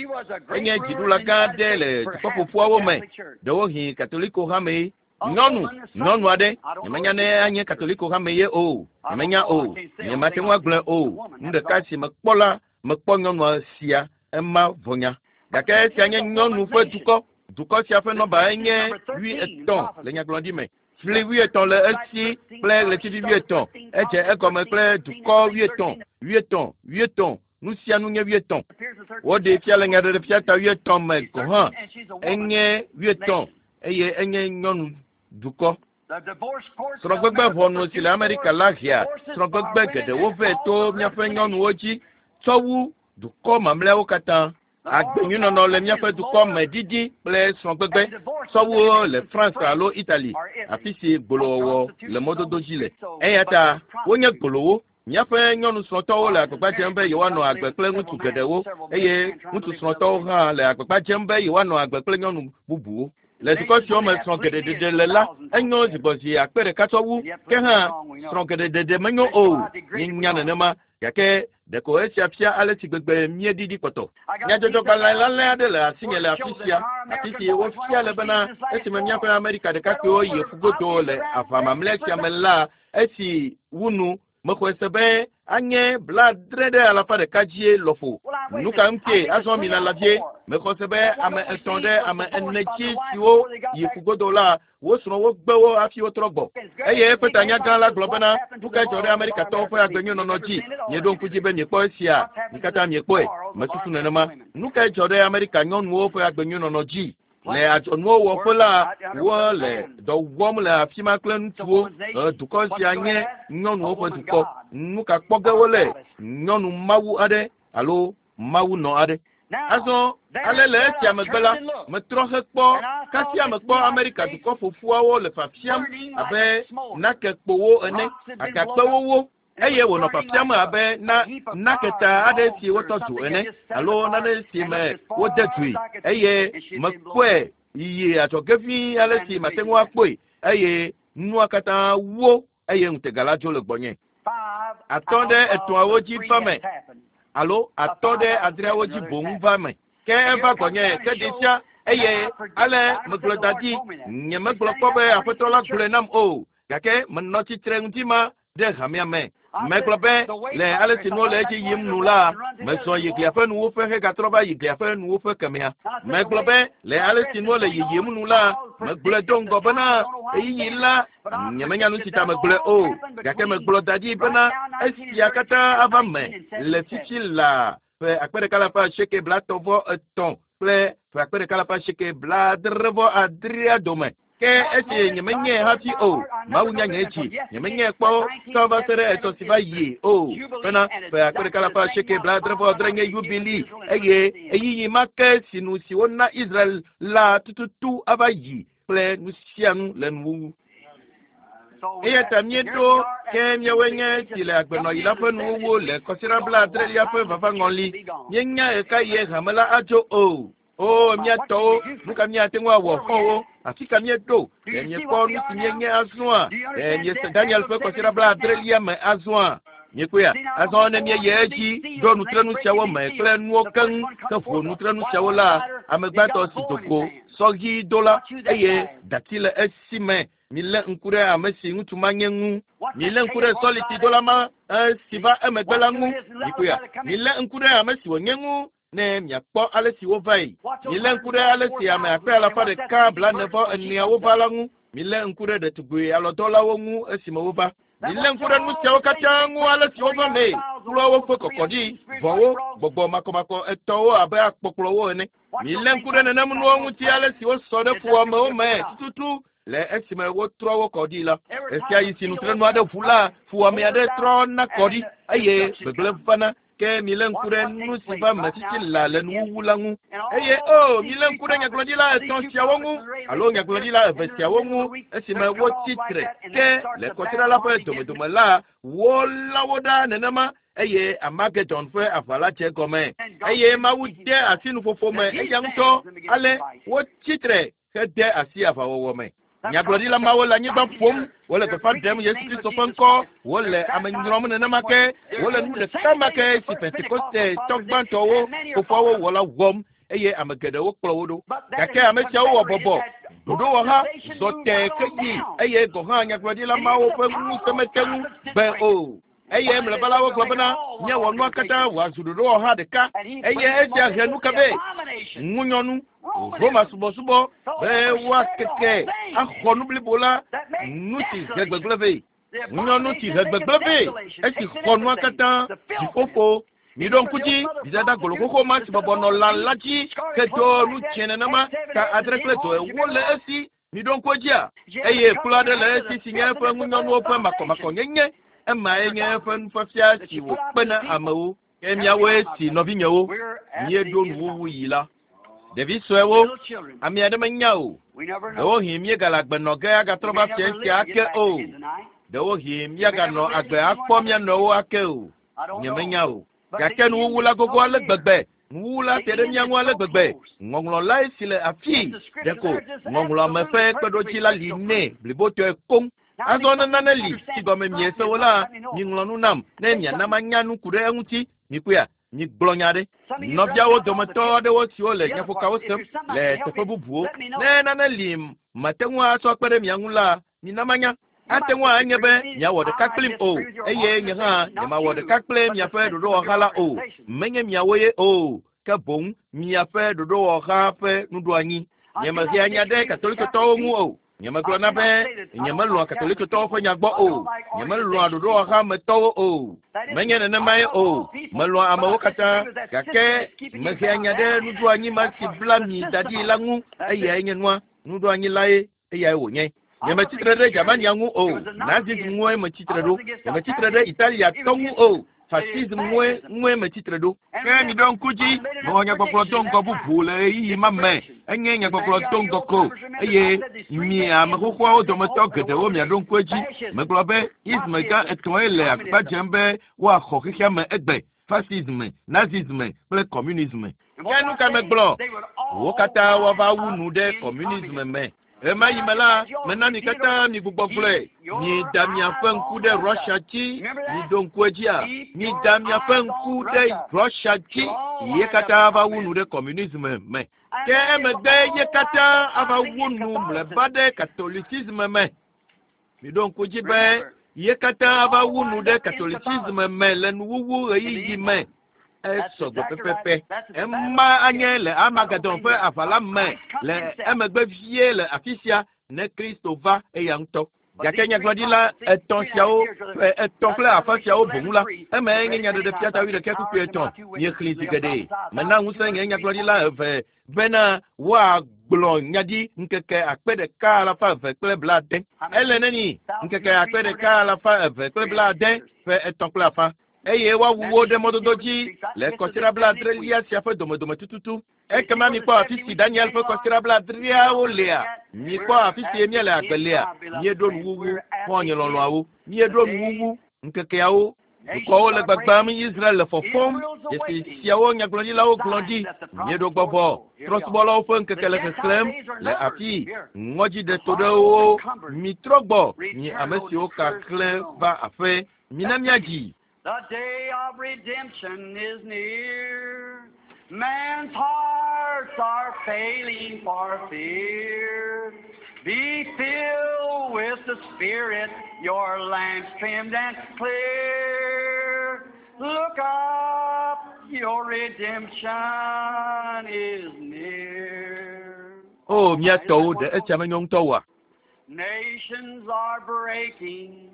Enye dziɖula gã aɖe le dukɔƒoƒuawo me, ɖewohĩ Katoliko hame. Nyɔnu aɖe, nyemenya ne anye Katoliko hame ye o, nyemenya o, nyemate ŋu agblɔe o. Nu ɖeka si mekpɔ la, mekpɔ nyɔnua sia, ema vɔnya. Gake esia nye nyɔnu ƒe dukɔ. Dukɔ sia ƒe nɔba enye 80 le nyagblɔɖi me. Fli 80 le esi kple ɣletivi 80. Edze egɔme kple dukɔ 80, 80, 80. Nu sia nu nye 80. Woɖee fia le nyaɖeɖefia ta 80 me gɔ̃ hã. Enye 80 eye enye nyɔnu dukɔ. Srɔ̃gbegbe ʋɔnu si le Amerika la hea srɔ̃gbegbe geɖewo vɛ to míaƒe nyɔnuwo dzi tsɔ wu dukɔ mamlɛawo katã. Agbenyuinɔnɔ le míaƒe dukɔ me didi kple srɔ̃gbegbe tsɔ wu le France alo Italy, afi si gbolowɔwɔ le mɔdodo dzi le. Eya ta wonye gbolowo. Míaƒe nyɔnu srɔ̃tɔwo le agbagba dzem be yewoanɔ agbe kple ŋutsu geɖewo eye ŋutsu srɔ̃tɔwo hã le agbagba dzem be yewoanɔ agbe kple nyɔnu bubuwo. Le dukɔ siwo me srɔ̃ geɖe ɖeɖe le la, enyo zigbɔzi 100 tsɔ wu. Ke hã srɔ̃ geɖe ɖeɖe menyo o. Míenya nenema. Gake ɖeko esia fia ale si gbegbe míeɖiɖi kpɔtɔ. Nyadzɔdzɔgbalẽ lalẽ aɖe le asinye le afi sia, afi si wofia le bena esime míaƒe Amerika ɖekakpuiwo yi ƒugodo le aʋa mamlɛ sia me la, esi wu nu, mexɔe se be anye 70% dzie lɔƒo. Nu ka ŋutie azɔ mi lala vie? Mexɔ se be ame 3 ɖe ame 4 dzi siwo yi ƒugodo la, wo srɔ̃wo gbe wo hafi wotrɔ gbɔ. Eye eƒe tanyagã la gblɔ bena, nu kae dzɔ ɖe Amerikatɔwo ƒe agbenyuinɔnɔ dzi? Mieɖo ŋku dzi be miekpɔ esia? Mi katã miekpɔe. Mesusu nenema. Nu kae dzɔ ɖe Amerika nyɔnuwo ƒe agbenyuinɔnɔ dzi? Le adzɔnuwo wɔƒe la, wole dɔ wɔm le afi ma kple ŋutsuwo. Dukɔ sia nye nyɔnuwo ƒe dukɔ. Nu ka kpɔ ge wole? Nyɔnu mawu aɖe alo mawu nɔ aɖe. Azɔ ale le esia megbe la, metrɔ hekpɔ kasia mekpɔ Amerika dukɔ ƒoƒuawo le fafiam abe nakekpowo ene, agakpewo wo. Eye wònɔ fafiam abe na naketa aɖe si wotɔ dzo ene alo nane si me wode dzoe. Eye mekpɔe yiyi adzɔge vi ale si mate ŋu akpɔe eye nua katã wo eye ŋutega la dzo le gbɔnye. 5 ɖe 3 dzi va me alo 5 ɖe 6 dzi boŋ va me. Ke eva gbɔnye ke ɖi sia eye ale megblɔ da ɖi. Nyemegblɔ kpɔ be aƒetɔ la gblɔe nam o. Gake menɔ tsitre ŋuti ma ɖe hamea me. Megblɔ be le ale si nuwo le edzi yim nu la, mezɔ yi glia ƒe nuwuƒe hegatrɔ va yi glia ƒe nuwuƒe kemea. Megblɔ be le ale si nuwo le yiyim nu la, megblɔe do ŋgɔ bena ɣeyiɣi la nyemenya nu si ta megblɔe o. Gake megblɔ da ɖi bena esia katã ava me le fifi la ƒe 1983 kple ƒe 1986 dome. Ke esi nyemenyae hafi o, Mawu nya nye dzi, nyemenyae kpɔ tsɔ va se ɖe etɔ si va yi o. Bena ƒe 1988 nye yubili eye ɣeyiɣi ma ke si nu si wona Israel la tututu ava yi kple nu sia nu le nuwuwu. Eya ta míeɖo ke míawoe nye si le agbenɔɣi la ƒe nuwuwu le kɔsiɖa 70lia ƒe vavaŋɔli. Míenya ɣekaɣie hame la adzo o. O, mía tɔwo, nu ka míate ŋu awɔ xɔwo? Afi ka míeɖo? Ɖe miekpɔ nu si míenye azɔa? Ɖe miese Daniel ƒe kɔsiɖa 70lia me azɔa? Miekpɔea? Azɔ ne míeyi edzi ɖo nutrenu siawo me kple nuwo keŋ ke ʋu nutrenu siawo la, Ame gbãtɔ si do go sɔɣi do la eye dati le esi me. Milé ŋku ɖe ame si ŋutsu ma nye ŋu. Milé ŋku ɖe sɔliti dola ma si va emegbe la ŋu. Mikpɔea? Milé ŋku ɖe ame si wònye ŋu ne miakpɔ ale si wova yi. Milé ŋku ɖe ale si ame akpe alafa ɖeka blaene-vɔ-eneawo va la ŋu. Milé ŋku ɖe ɖetugbi alɔdɔlawo ŋu esime wova. Milé ŋku ɖe nu siawo katã ŋu ale si wova mee. Kplɔawo ƒe kɔkɔɖi, vɔ̃wo, gbɔgbɔ makɔmakɔ etɔwo abe akpɔkplɔwo ene. Milé ŋku ɖe nenem nuwo ŋuti ale si wosɔ ɖe fuwɔamewo me tututu le esime wotrɔ wo kɔ ɖi la. Esia yi si nutrenu aɖe ʋu la, fuwɔame aɖe trɔ na kɔ ɖi eye gbegblẽ vana. Ke milé ŋku ɖe nu si va me titi la le nuwuwu la ŋu. Eye o, milé ŋku ɖe nyagblɔɖila etɔ̃ siawo ŋu alo nyagblɔɖila eve siawo ŋu esime wotsi tre. Ke le kɔsiɖa la ƒe domedome la, wolã wo ɖa nenema eye Armageddon ƒe aʋa la dze gɔme. Eye Mawu de asi nuƒoƒo me eya ŋutɔ ale wotsi tre hede asi aʋawɔwɔ me. Nyagblɔɖila mawo le anyigba ƒom, wole gbeƒã ɖem Yesu Kristo ƒe ŋkɔ, wole ame nyrɔm nenema ke, wole nu ɖeka ma ke si Pentekoste tɔ gbãtɔwo fofoawo wɔ la wɔm eye ame geɖewo kplɔ wo ɖo. Gake ame siawo wɔ bɔbɔ, ɖoɖowɔha zɔ tẽ ke yi eye gɔ̃ hã nyagblɔɖila mawo ƒe ŋusẽ mete ŋu gbe o. Eye mlɔeba la wogblɔ bena míawɔ nua katã wòazu ɖoɖowɔha ɖeka eye esia he nu ka vɛ? Ŋunyɔnu, Roma subɔsubɔ be woakeke axɔ nu blibo la, nu si he gbegblẽ vɛ. Ŋunyɔnu si he gbegblẽ vɛ esi xɔ nua katã, dziƒoƒo. Miɖo ŋku dzi, vidada golo xoxo ma si bɔbɔ nɔ lã la dzi ke do nu dzẽ nenema, ta adre kple dɔ ewo le esi. Miɖo ŋku edzia? Eye kplu aɖe le esi si nye eƒe ŋunyɔnuwo ƒe makɔmakɔnyenye. Emae nye eƒe nufiafia si wòkpe na amewo. Ke miawoe si nɔvinyewo, míeɖo nuwuwu yi la. Ɖevi suewo, ame aɖe menya o. Ɖewohĩ míegale agbe nɔ ge agatrɔ va fia sia ake o. Ɖewohĩ míaganɔ agbe akpɔ mía nɔewo ake o. Nyemenya o. Gake nuwuwu la gogo ale gbegbe. Nuwuwu la te ɖe mía ŋu ale gbegbe. Ŋɔŋlɔ lae si le afii. Ɖeko ŋɔŋlɔame ƒe kpeɖodzi la li nɛ blibotɔe koŋ. Azɔ ne nane li si gɔme miese o la, miŋlɔ nu nam ne miana manya nu ku ɖe eŋuti. Mikpɔea? Migblɔ nya ɖe. Nɔviawo dometɔ aɖewo siwo le nyaƒokawo sem le teƒe bubuwo. Ne nane li mate ŋu atsɔ kpe ɖe mia ŋu la, mina manya. Ate ŋu anye be miawɔ ɖeka kplim o eye nye hã nyemawɔ ɖeka kple miaƒe ɖoɖowɔha la o. Menye miawo ye o, ke boŋ miaƒe ɖoɖowɔha ƒe nuɖoanyi. Nyemehea nya ɖe katolikotɔwo ŋu o. Nyemegblɔna be nyemelɔ̃a katolikotɔwo ƒe nya gbɔ o. Nyemelɔ̃a ɖoɖowɔha me tɔwo o. Menye nenemae o. Melɔ̃a amewo katã gake mehea nya ɖe nuɖoanyi ma si bla mi da ɖi la ŋu. Eyae nye nua. Nuɖoanyi lae eyae wònye. Nyemetsitre ɖe Germania ŋu o. Nazism ŋue metsitre ɖo. Nyemetsitre ɖe Italiatɔ ŋu o. Fascism ŋue ŋue metsitre ɖo. Ke miɖo ŋku dzi, mewɔ nyagbɔgblɔ do ŋgɔ bubu le ɣeyiɣi ma me. Enye nyagbɔgblɔ do ŋgɔ ko eye mi ame xoxoawo dometɔ geɖewo miaɖo ŋku edzi. Megblɔ be ism gã etɔ̃e le agbagba dzem be woaxɔ xexea me egbe. Fascism, Nazism kple communism. Ke nu ka megblɔ? Wo katã woava wu nu ɖe communism me. Ɣema yi me la, mena mi katã mi gbugbɔ gblɔe. Mida miaƒe ŋku ɖe Russia dzi. Miɖo ŋku edzia? Mida miaƒe ŋku ɖe Russia dzi. Ye katã ava wu nu ɖe communism me. Ke emegbe ye katã ava wu nu mlɔeba ɖe Catholicism me. Miɖo ŋku dzi be ye katã ava wu nu ɖe Catholicism me le nuwuwu ɣeyiɣi me. Esɔ gbɔ pɛpɛpɛ. Ema anye le Armageddon ƒe aʋa la me le emegbe vie le afi sia ne Kristo va eya ŋutɔ. Gake nyagblɔɖila etɔ̃ siawo ƒe etɔ̃ kple afã siawo boŋ la, emae nye nyaɖeɖefia ta wuiɖekɛ kpukpui etɔ̃. Miexlẽ zi geɖe. Mena ŋusẽ nye nyagblɔɖila eve bena woagblɔ nya ɖi ŋkeke akpe ɖeka alafa eve kple blaade. Ele neni ŋkeke akpe ɖeka alafa eve kple blaade ƒe etɔ̃ kple afã. Eye woawu wo ɖe mɔdodo dzi le kɔsiɖa blaadrelia sia ƒe domedome tututu. Ekema mikpɔ afi si Daniel ƒe kɔsiɖa blaadreawo lea. Mikpɔ afi si míele agbe lea. Míeɖo nuwuwu, xɔ̃nye lɔlɔ̃awo. Míeɖo nuwuwu ŋkekeawo. Dukɔwo le gbagbam, Israel le fɔfɔm. Dzesi siawo nyagblɔɖilawo gblɔ ɖi. Míeɖo gbɔ vɔ. Trɔ̃subɔlawo ƒe ŋkeke le xexlẽm le afii. Ŋɔdzi ɖe to ɖe wo. Mitrɔ gbɔ, mi ame siwo ka xlẽ va aƒe. Mina míadzi. The day of redemption is near. Man's heart hearts are failing for fear. Be filled with the Spirit, your lamps trimmed and clear. Look up, your redemption is near. O mía tɔwo ɖe esia menyo ŋutɔ oa? Nations are breaking,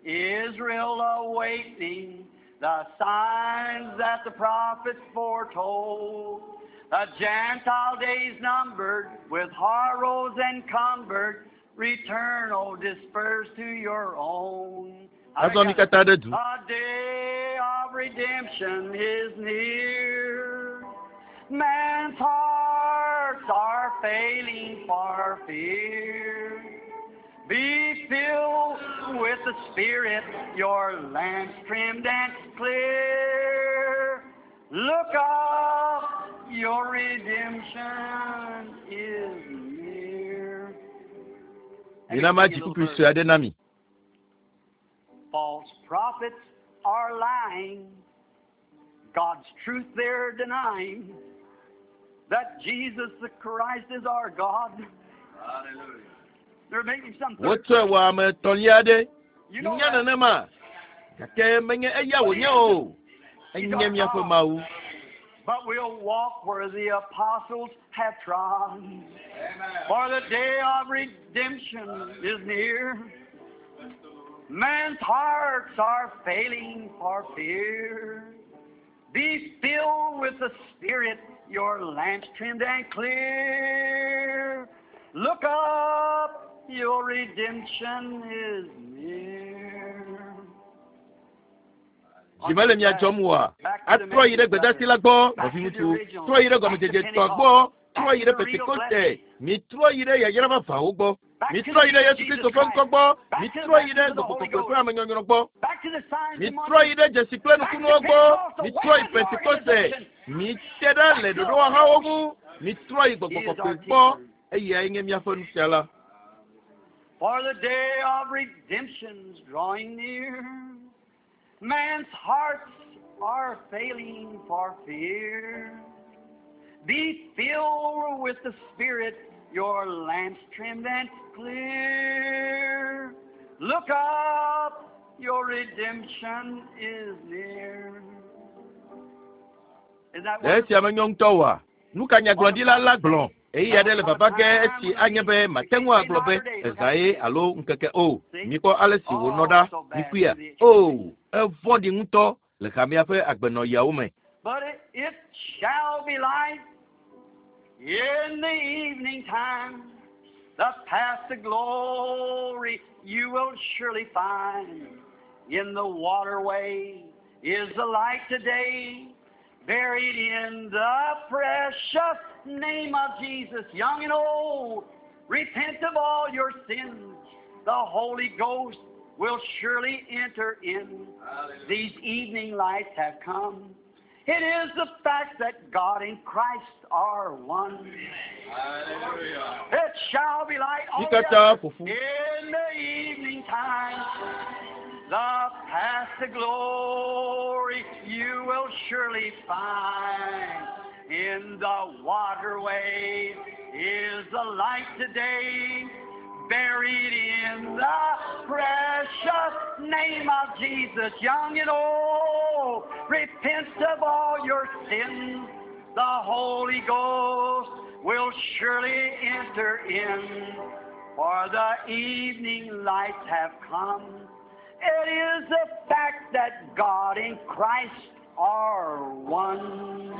Israel awaiting the signs that the prophets foretold. The Gentile days numbered, with horrors encumbered, return, O dispersed to your own. Azɔ mi katã ɖe du. The day of redemption is near. Man's hearts are failing for fear. Be filled with the Spirit, your lamps trimmed and clear. Look up, your redemption is near. Mina madzi kpukpui sue aɖe na mi. False prophets are lying. God's truth they're denying. That Jesus the Christ is our God. Hallelujah. They're making some third Wotsɔe wɔ ame etɔ̃lia aɖe. You know Nya that. nenema. Gake menye eya wònye o. Enye míaƒe Mawu. But we'll walk where the apostles have trod. Amen. For the day of redemption is near. Man's hearts are failing for fear. Be filled with the Spirit, your lamps trimmed and clear. Look up, your redemption is near. Dzi mele mia dzɔm oa? Atrɔ yi ɖe gbedasi la gbɔ, nɔviŋutsu. Trɔ yi ɖe gɔmedzedze tɔ gbɔ. Trɔ yi ɖe Pentekoste. Mitrɔ yi ɖe yayra vavãwo gbɔ. Mitrɔ yi ɖe Yesu Kristo ƒe ŋkɔ gbɔ. Mitrɔ yi ɖe Gbɔgbɔ Kɔkɔe ƒe amenyɔnyrɔ gbɔ. Back to the signs and Mitrɔ yi ɖe dzesi kple nukunuwo gbɔ. Mitrɔ yi Pentekoste. Mite ɖa le ɖoɖowɔhawo ŋu. Mitrɔ yi Gbɔgbɔ Kɔkɔe gbɔ. Eyae nye míaƒe nufiala. For the day of redemption's drawing near. Man's hearts are failing for fear. Be filled with the Spirit, your lamps trimmed and clear. Look up, your redemption is near. Is that Ɖe esia menyo ŋutɔ oa? Nu ka nyagblɔɖila la gblɔ? Ɣeyiɣi aɖe le vava ge esi anye be mate ŋu agblɔ be ezã ye alo ŋkeke o. Mikpɔ ale si wònɔ ɖa. Mikpɔea? O, evɔ̃ɖi ŋutɔ le hamea ƒe agbenɔɣiawo me. But it shall be light in the evening time. The path to glory you will surely find. In the waterway is the light today. Buried in the precious name of Jesus, young and old, repent of all your sins. The Holy Ghost will surely enter in. Hallelujah. These evening lights have come. It is the fact that God and Christ are one. Hallelujah. It shall be light Mi on katã the ƒo ƒu. in the evening time. The path to glory you will surely find. In the waterway is the light today, buried in the precious name of Jesus, young and old. Repent of all your sins. The Holy Ghost will surely enter in, for the evening lights have come. It is the fact that God and Christ are one.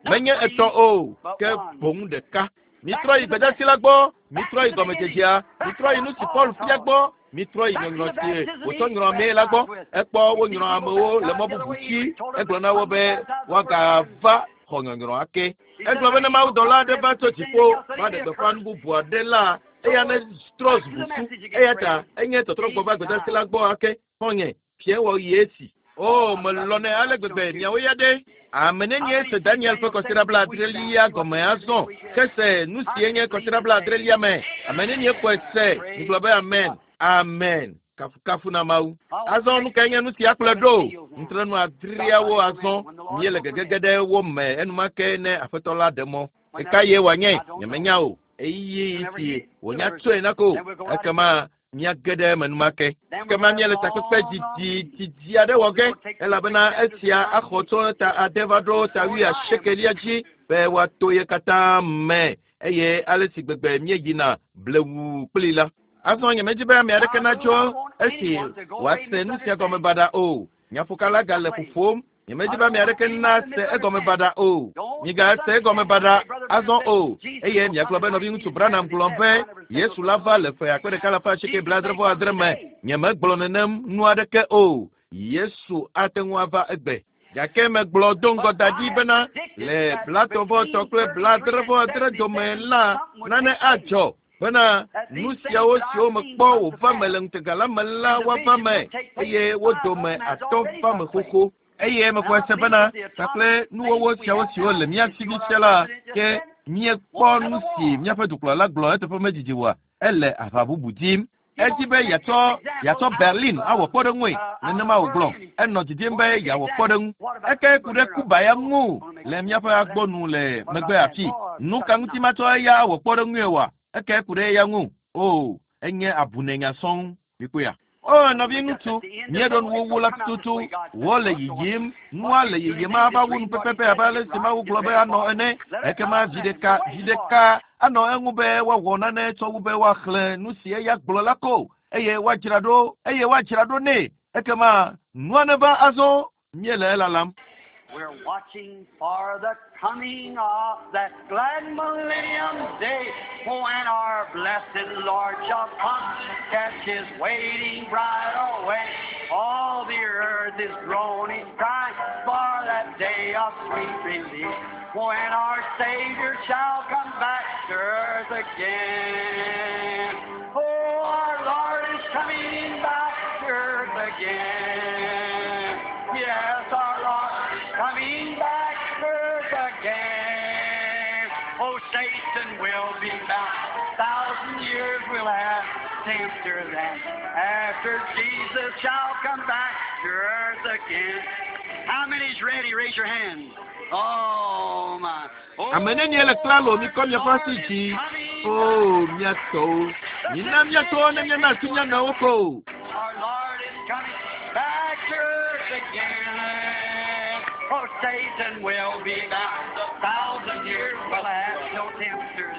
Menye etɔ̃ o, ke boŋ ɖeka. Mitrɔ yi gbedasi la gbɔ, mitrɔ yi gɔmedzedzea, mitrɔ yi nu si Paul fia gbɔ, mitrɔ yi nyɔnyrɔ si wòtsɔ nyrɔ amee la gbɔ. Ekpɔ wonyrɔ amewo le mɔ bubu dzi. Egblɔ na wo be woagava xɔ nyɔnyrɔ ake. Egblɔ be ne mawudɔla aɖe va tso dziƒo va ɖe gbeƒã nu bubu aɖe la, eya ne trɔ zu busu. Eya ta enye tɔtrɔgbɔ va gbedasi la gbɔ ake. Xɔ̃nye, fia wɔɣi esi. O, melɔ̃nɛ ale gbegbe miawo ya ɖe. Ame nenie se Daniel ƒe kɔsiɖa blaadrelia gɔme azɔ ke se nu si enye kɔsiɖa blaadrelia me. Ame nenie xɔe se migblɔ be amen. Amen. Kafukafu na Mawu. Azɔ nu kae nye nu sia kplɔe ɖo? Nutrenu adreawo azɔ míele gegege ɖe wo me enumake ne Aƒetɔ la ɖe mɔ. Ɣeka ye wòanye? Nyemenya o. Ɣeyiɣi si wònya tsoe na ko. Ekema míage ɖe eme enumake. Ekema míele takpekpe didi didi aɖe wɔ ge elabena esia axɔ tso ta ade va ɖo ta wuiasiekelia dzi be woato ye katã me eye ale si gbegbe míeyina blewu kplii la. Azɔ nyemedi be ame aɖeke natso esi wòase nu sia gɔme baɖa o. Nyaƒoka la gale ƒoƒom. Nyemedi be ame aɖeke nase egɔme baɖa o. Migase egɔme baɖa azɔ o. Eye miagblɔ be nɔviŋutsu Branham gblɔ be Yesu la va le ƒe akpe ɖeka alafa asieke blaadre-vɔ-adre me. Nyemegblɔ nenem nu aɖeke o. Yesu ate ŋu ava egbe. Gake megblɔ do ŋgɔ da ɖi bena le blatɔ̃-vɔ-etɔ̃ kple blaadre-vɔ-adre dome la, nane adzɔ bena nu siawo siwo mekpɔ wòva me le ŋutega la me la woava me, eye wo dome atɔ̃ va me xoxo. Eye mexɔe se bena kpakple nuwɔwɔ siawo siwo le mía si fifia la, ke míekpɔ nu si míaƒe dukplɔla gblɔ eteƒe medidi oa? Ele aʋa bubu dim. Edi be yeatsɔ yeatsɔ Berlin awɔ kpɔɖeŋue, nenema wògblɔ. Enɔ didim be yeawɔ kpɔɖeŋu. Eke ku ɖe Cuba ya ŋu le míaƒe agbo nu le megbe afii. Nuka ŋuti matsɔ eya awɔ kpɔɖeŋue oa? Eke ku ɖe eya ŋu. Oo, enye abunɛnya sɔŋ. Mikpɔea? O, nɔviŋutsu, míeɖo nuwuwu la tututu. Wole yiyim. Nua le yiyim ava wu nu pɛpɛpɛ abe ale si Mawu gblɔ be anɔ ene. Ekema vi ɖeka, vi ɖeka anɔ eŋu be woawɔ nane tsɔ wu be woaxlẽ nu si eya gblɔ la ko, eye woadzra ɖo, eye woadzra ɖo nɛ. Ekema nua neva azɔ. Míele elalam. We're watching for the coming of that glad millennium day when our blessed Lord shall come, catch his waiting bride away. All the earth is groaning, crying for that day of sweet release when our Savior shall come back to earth again. Oh, our Lord is coming back to earth again. Yes, our Lord is coming back to earth again. Oh, Satan will be bound. Thousand years will have tempter then. After Jesus shall come back to earth again. How many's ready? Raise your hand. Oh, my. Oh, Ame nenie le klalo mikɔ miaƒe Lord asi is dzi. coming O, back. mía tɔwo. Mina mía tɔwo ne míana asi mía nɔewo ko. Our Lord is coming back to earth again. Oh, Satan will be bound. A thousand years will have no tempter.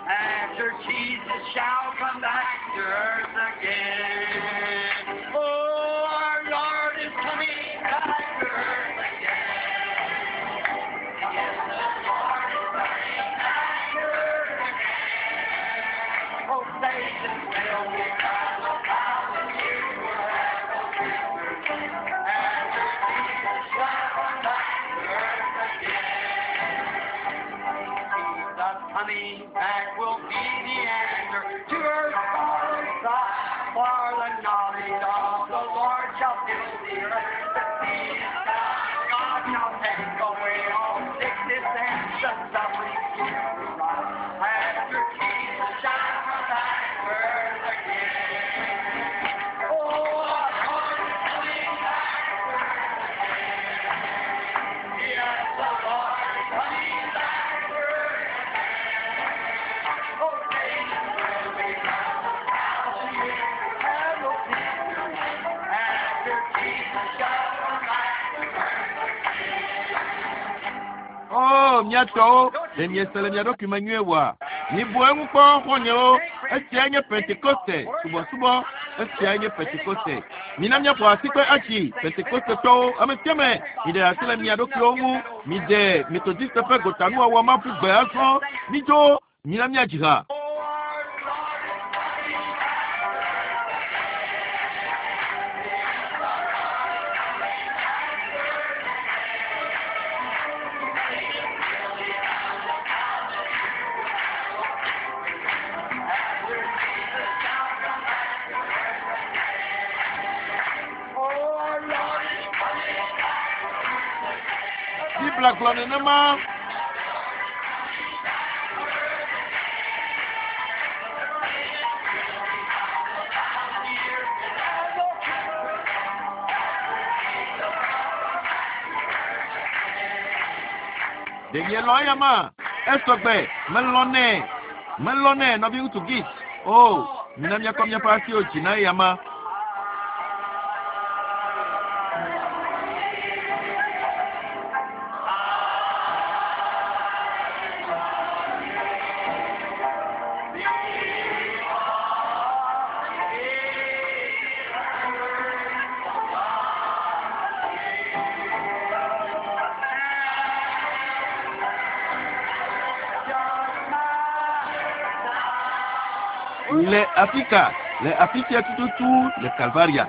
After Jesus shall come back to earth again. Oh, our Lord is coming back to earth again. Yes, the Lord is coming back to earth again. Oh, Satan will be bound. A thousand years will have no tempter. After Jesus shall come back to earth again. Jesus coming back will be the answer to earth's sorrow's cry. For the knowledge of the Lord shall fill the earth. The sea is down. God shall take away all sickness and the suffering will rise. After Jesus shall come back to earth again. Oh, our Lord is coming back to earth again. Yes, the Lord is coming back to earth again. Oh, Satan will be bound a thousand years and no tempter. After Jesus shall come back to earth O, mía tɔwo, ɖe miese le mia ɖokui me nyuie oa? Mibu eŋu kpɔ xɔ̃nyewo. Esiae nye Pentekoste subɔsubɔ. Esiae nye Pentekoste. Mina míaƒo asikpe atsi Pentekostetɔwo. Ame sia ame, miɖe asi le mia ɖokuiwo ŋu. Miɖe Metodiste ƒe gotanuwɔwɔ ma ƒu gbe azɔ. Midzo, mina míadzi ha. Oh, our Lord is coming back to earth again. Yes, the Lord is coming back to earth again. Satan will be bound a thousand years will have no tempter. After Jesus shall come back to earth again. Oh, our Lord is coming back to earth again. Biblia gblɔ nenema. Ɖe mielɔ̃ eyama? Esɔgbe, melɔ̃nɛ. Melɔ̃nɛ, nɔviŋutsu Gis. O, mina míakɔ míaƒe asiwo dzi na eyama. Le afika, le afi sia tututu le Kalvaria.